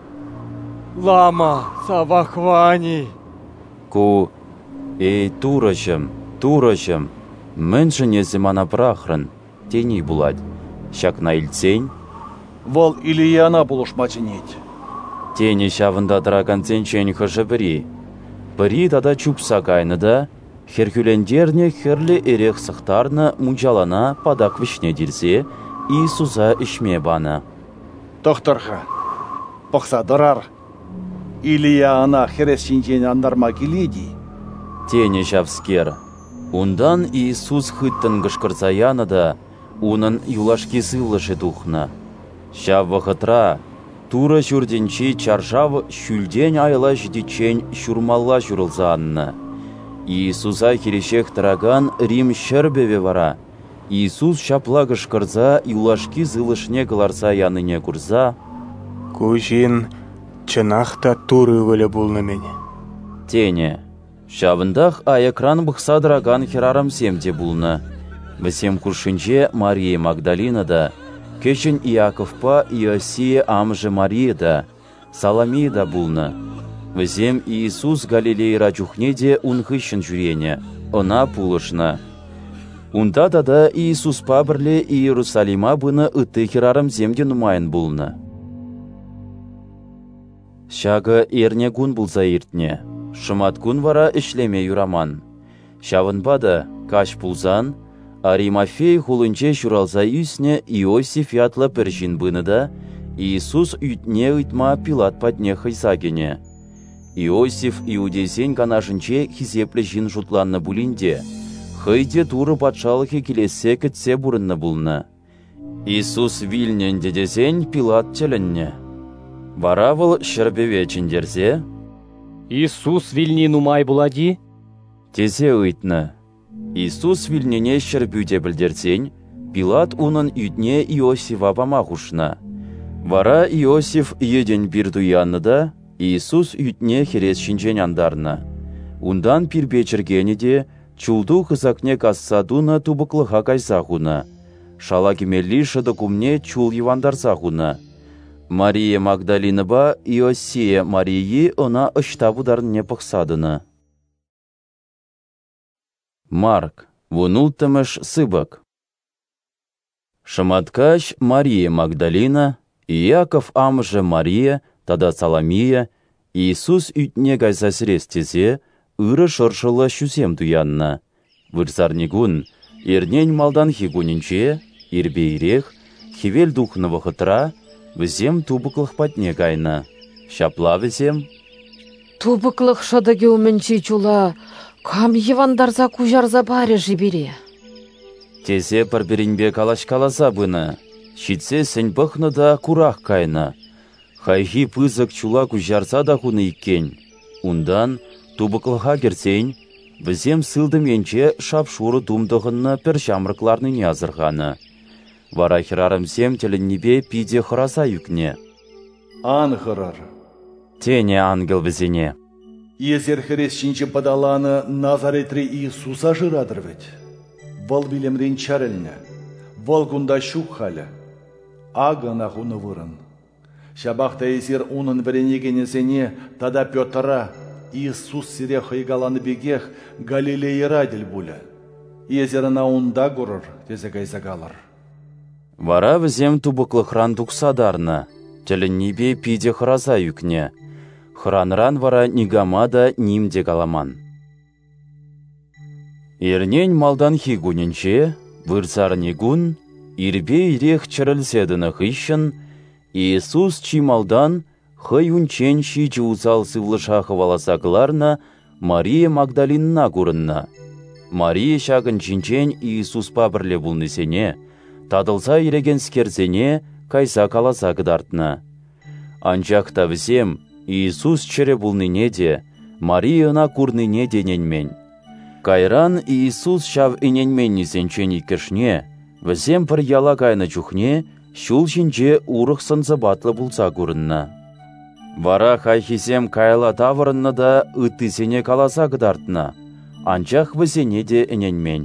лама савахвани?» Ку: «Эй, Турӑҫӑм, Турӑҫӑм, мӗншӗн эсӗ мана пӑрахрӑн?» тени пулать. Ҫакна илтсен: «Вӑл Илияна пулӑшма чӗнет», тенӗ ҫавӑнта тӑракансенчен хӑшӗ-пӗри. Пӗри тата чупса кайнӑ та хӗрхӳлентернӗ хӗрлӗ эрех сӑхтарнӑ мунчалана патак вӗҫне тирсе Иисуса ӗҫме панӑ. Тӑхтӑр-ха, пӑхса тӑрар. Илия ӑна хӗрес ҫинчен антарма килет-и? Тенӗ ҫавскер. Унтан Иисус хыттӑн кӑшкӑрса янӑ та унӑн юлашки сывлӑшӗ тухнӑ. Ҫав вӑхӑтра Турӑ Ҫуртӗнчи чаршав ҫӳлтен аяла ҫитиччен ҫурмалла ҫурӑлса аннӑ. Иисуса хирӗҫех тӑракан Рим ҫӗрпӗвӗ вара Иисус ҫапла кӑшкӑрса юлашки сывлӑшне кӑларса янине курса: «Ку ҫын чӑнах та Турӑ Ывӑлӗ пулнӑ-мӗн», тенӗ. Ҫавӑнтах аякран пӑхса тӑракан хӗрарӑмсем те пулнӑ. Вӗсем хушшинче Мария Магдалина та, кӗҫӗн Иаковпа Иосия амӑшӗ Мария та, Саломия та пулнӑ. Вӗсем Иисус Галилейӑра чухне те ун хыҫҫӑн ҫӳренӗ, ӑна пулӑшнӑ. Унта тата Иисуспа пӗрле Иерусалима пынӑ ытти хӗрарӑмсем те нумайӑн пулнӑ. Ҫакӑ эрнекун пулса иртнӗ, шӑматкун вара ӗҫлеме юраман. Ҫавӑнпа та, каҫ пулсан, Аримафей хулинче ҫуралса ӳснӗ Иосиф ятлӑ пӗр ҫын пынӑ та Иисус ӳтне ыйтма Пилат патне хӑйса кӗнӗ. Иосиф иудейсен канашӗнче хисеплӗ ҫын шутланнӑ пулин те, хӑй те Турӑ патшалӑхӗ килессе кӗтсе пурӑннӑ пулнӑ. Иисус вилнӗ ӗнтӗ тесен Пилат тӗлӗннӗ. Вара вӑл ҫӗрпӗве чӗнтерсе: «Иисус вилни нумай пулать-и?» тесе ыйтнӑ. Иисус вилнине ҫӗрпӳ те пӗлтерсен, Пилат унӑн ӳтне Иосифа пама хушнӑ. Вара Иосиф йӗтӗн пир туяннӑ та Иисус ӳтне хӗрес ҫинчен антарнӑ. Унтан пирпе чӗркенӗ те чул ту хысакне касса тунӑ тупӑклӑха кайса хунӑ. Шала кӗмелли шӑтӑк умне чул йӑвантарса хунӑ. Мария Магдалинӑпа Иосия Марийи ӑна ӑҫта пытарнине пӑхса тӑнӑ. Марк, 16-мӗш сыпӑк. Шӑматкаҫ Мария Магдалина, Иаков амӑшӗ Мария тата Саломия Иисус ӳтне кайса сӗрес тесе ырӑ шӑршӑллӑ ҫусем туяннӑ. Вырсарникун, эрнен малтанхи кунӗнче, ирпе ирех, хӗвел тухнӑ вӑхӑтра, вӗсем тупӑклӑх патне кайнӑ. Ҫапла вӗсем: «Тупӑклӑх шӑтӑкӗ умӗнчи чула кам йӑвантарса куҫарса парӗ-ши пире?» тесе пӗр-пӗринпе калаҫкаласа пынӑ. Ҫитсессӗн пӑхнӑ та курах кайнӑ. Хайхи пысӑк чула куҫарса та хунӑ иккен. Унтан, тупӑклӑха кӗрсен, вӗсем сылтӑм енче шап-шурӑ тум тӑхӑннӑ пӗр ҫамрӑк ларнине асӑрханӑ. Вара хӗрарӑмсем тӗлӗннипе питӗ хӑраса ӳкнӗ. «Ан хӑрӑр», тенӗ ангел вӗсене. «Эсир хӗрес ҫинче пӑталанӑ Назаретри Иисуса шыратӑр вӗт. Вӑл вилӗмрен чӗрӗлнӗ, вӑл кунта ҫук халӗ. Акӑ ӑна хунӑ вырӑн. Ҫапах та эсир унӑн вӗренекенӗсене тата Петра Иисус сире хӑй каланӑ пекех Галилейӑра тӗл пулӗ. Эсир ӑна унта курӑр, тесе кайса калӑр». Вара вӗсем тупӑклӑхран тухса тарнӑ, тӗлӗннипе питӗ хӑраса ӳкнӗ. Хӑранӑран вара никама та ним те каламан. Эрнен малтанхи кунӗнче, вырсарникун, ирпе ирех чӗрӗлсе тӑнӑ хыҫҫӑн Иисус чи малтан хӑй унччен 7 усал сывлӑша хӑваласа кӑларнӑ Мария Магдалинӑна курӑннӑ. Мария ҫакӑн ҫинчен Иисуспа пӗрле пулнисене, татӑлса йӗрекенскерсене, кайса каласа кӑтартнӑ. Анчах та вӗсем Иисус чӗрӗ пулнине те, Мария ӑна курнине те ӗненмен. Кайран Иисус ҫав ӗненменнисенчен иккӗшне, вӗсем пӗр яла кайнӑ чухне ҫул ҫинче урӑх сӑн-сӑпатлӑ пулса курӑннӑ. Вара хайхисем каялла таврӑннӑ та ыттисене каласа кӑтартнӑ, анчах вӗсене те ӗненмен.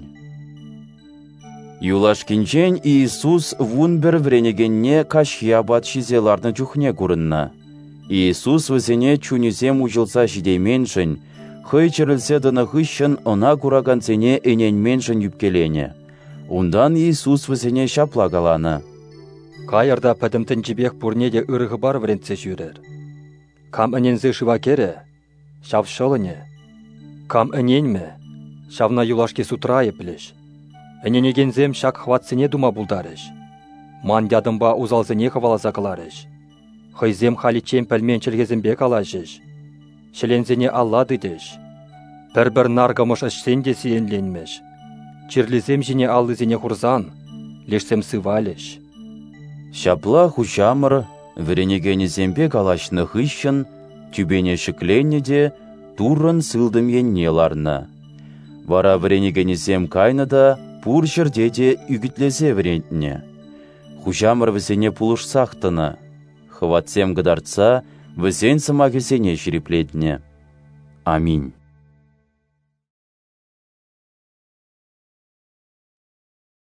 Юлашкинчен Иисус 11 вӗренекенне каҫхи апат ҫисе ларнӑ чухне курӑннӑ. Иисус вӗсене чунӗсем уҫӑлса ҫитейменшӗн, хӑй чӗрӗлсе тӑнӑ хыҫҫӑн ӑна куракансене ӗненменшӗн ӳпкеленӗ. Унтан Иисус вӗсене ҫапла каланӑ: «Кайӑр та пӗтӗм тӗнчипех пурне те ырӑ хыпар вӗрентсе ҫӳрӗр. Кам ӗненсе шыва кӗрӗ, ҫав ҫӑлӑнӗ. Кам ӗненмӗ, ҫавна юлашки судра айӑплӗҫ. Ӗненекенсем ҫак хӑватсене тума пултарӗҫ. Ман ятӑмпа усалсене хӑваласа кӑларӗҫ, хӑйсем халиччен пӗлмен чӗлхесемпе калаҫӗҫ, ҫӗленсене алла тытӗҫ, пӗр-пӗр наркӑмӑш ӗҫсен те сиенленмӗҫ, чирлисем ҫине аллисене хурсан, лешсем сывалӗҫ. Ҫапла Хуҫамӑр вӗренекенӗсемпе калаҫнӑ хыҫҫӑн тӳпене ҫӗкленнӗ те Туррӑн сылтӑм енне ларнӑ. Вара вӗренекенӗсем кайнӑ та пур ҫӗрте те ӳкӗтлесе вӗрентнӗ. Хуҫамӑр вӗсене пулӑшсах тӑнӑ, хӑватсем кӑтартса вӗсен сӑмахӗсене ҫирӗплетнӗ. Аминь.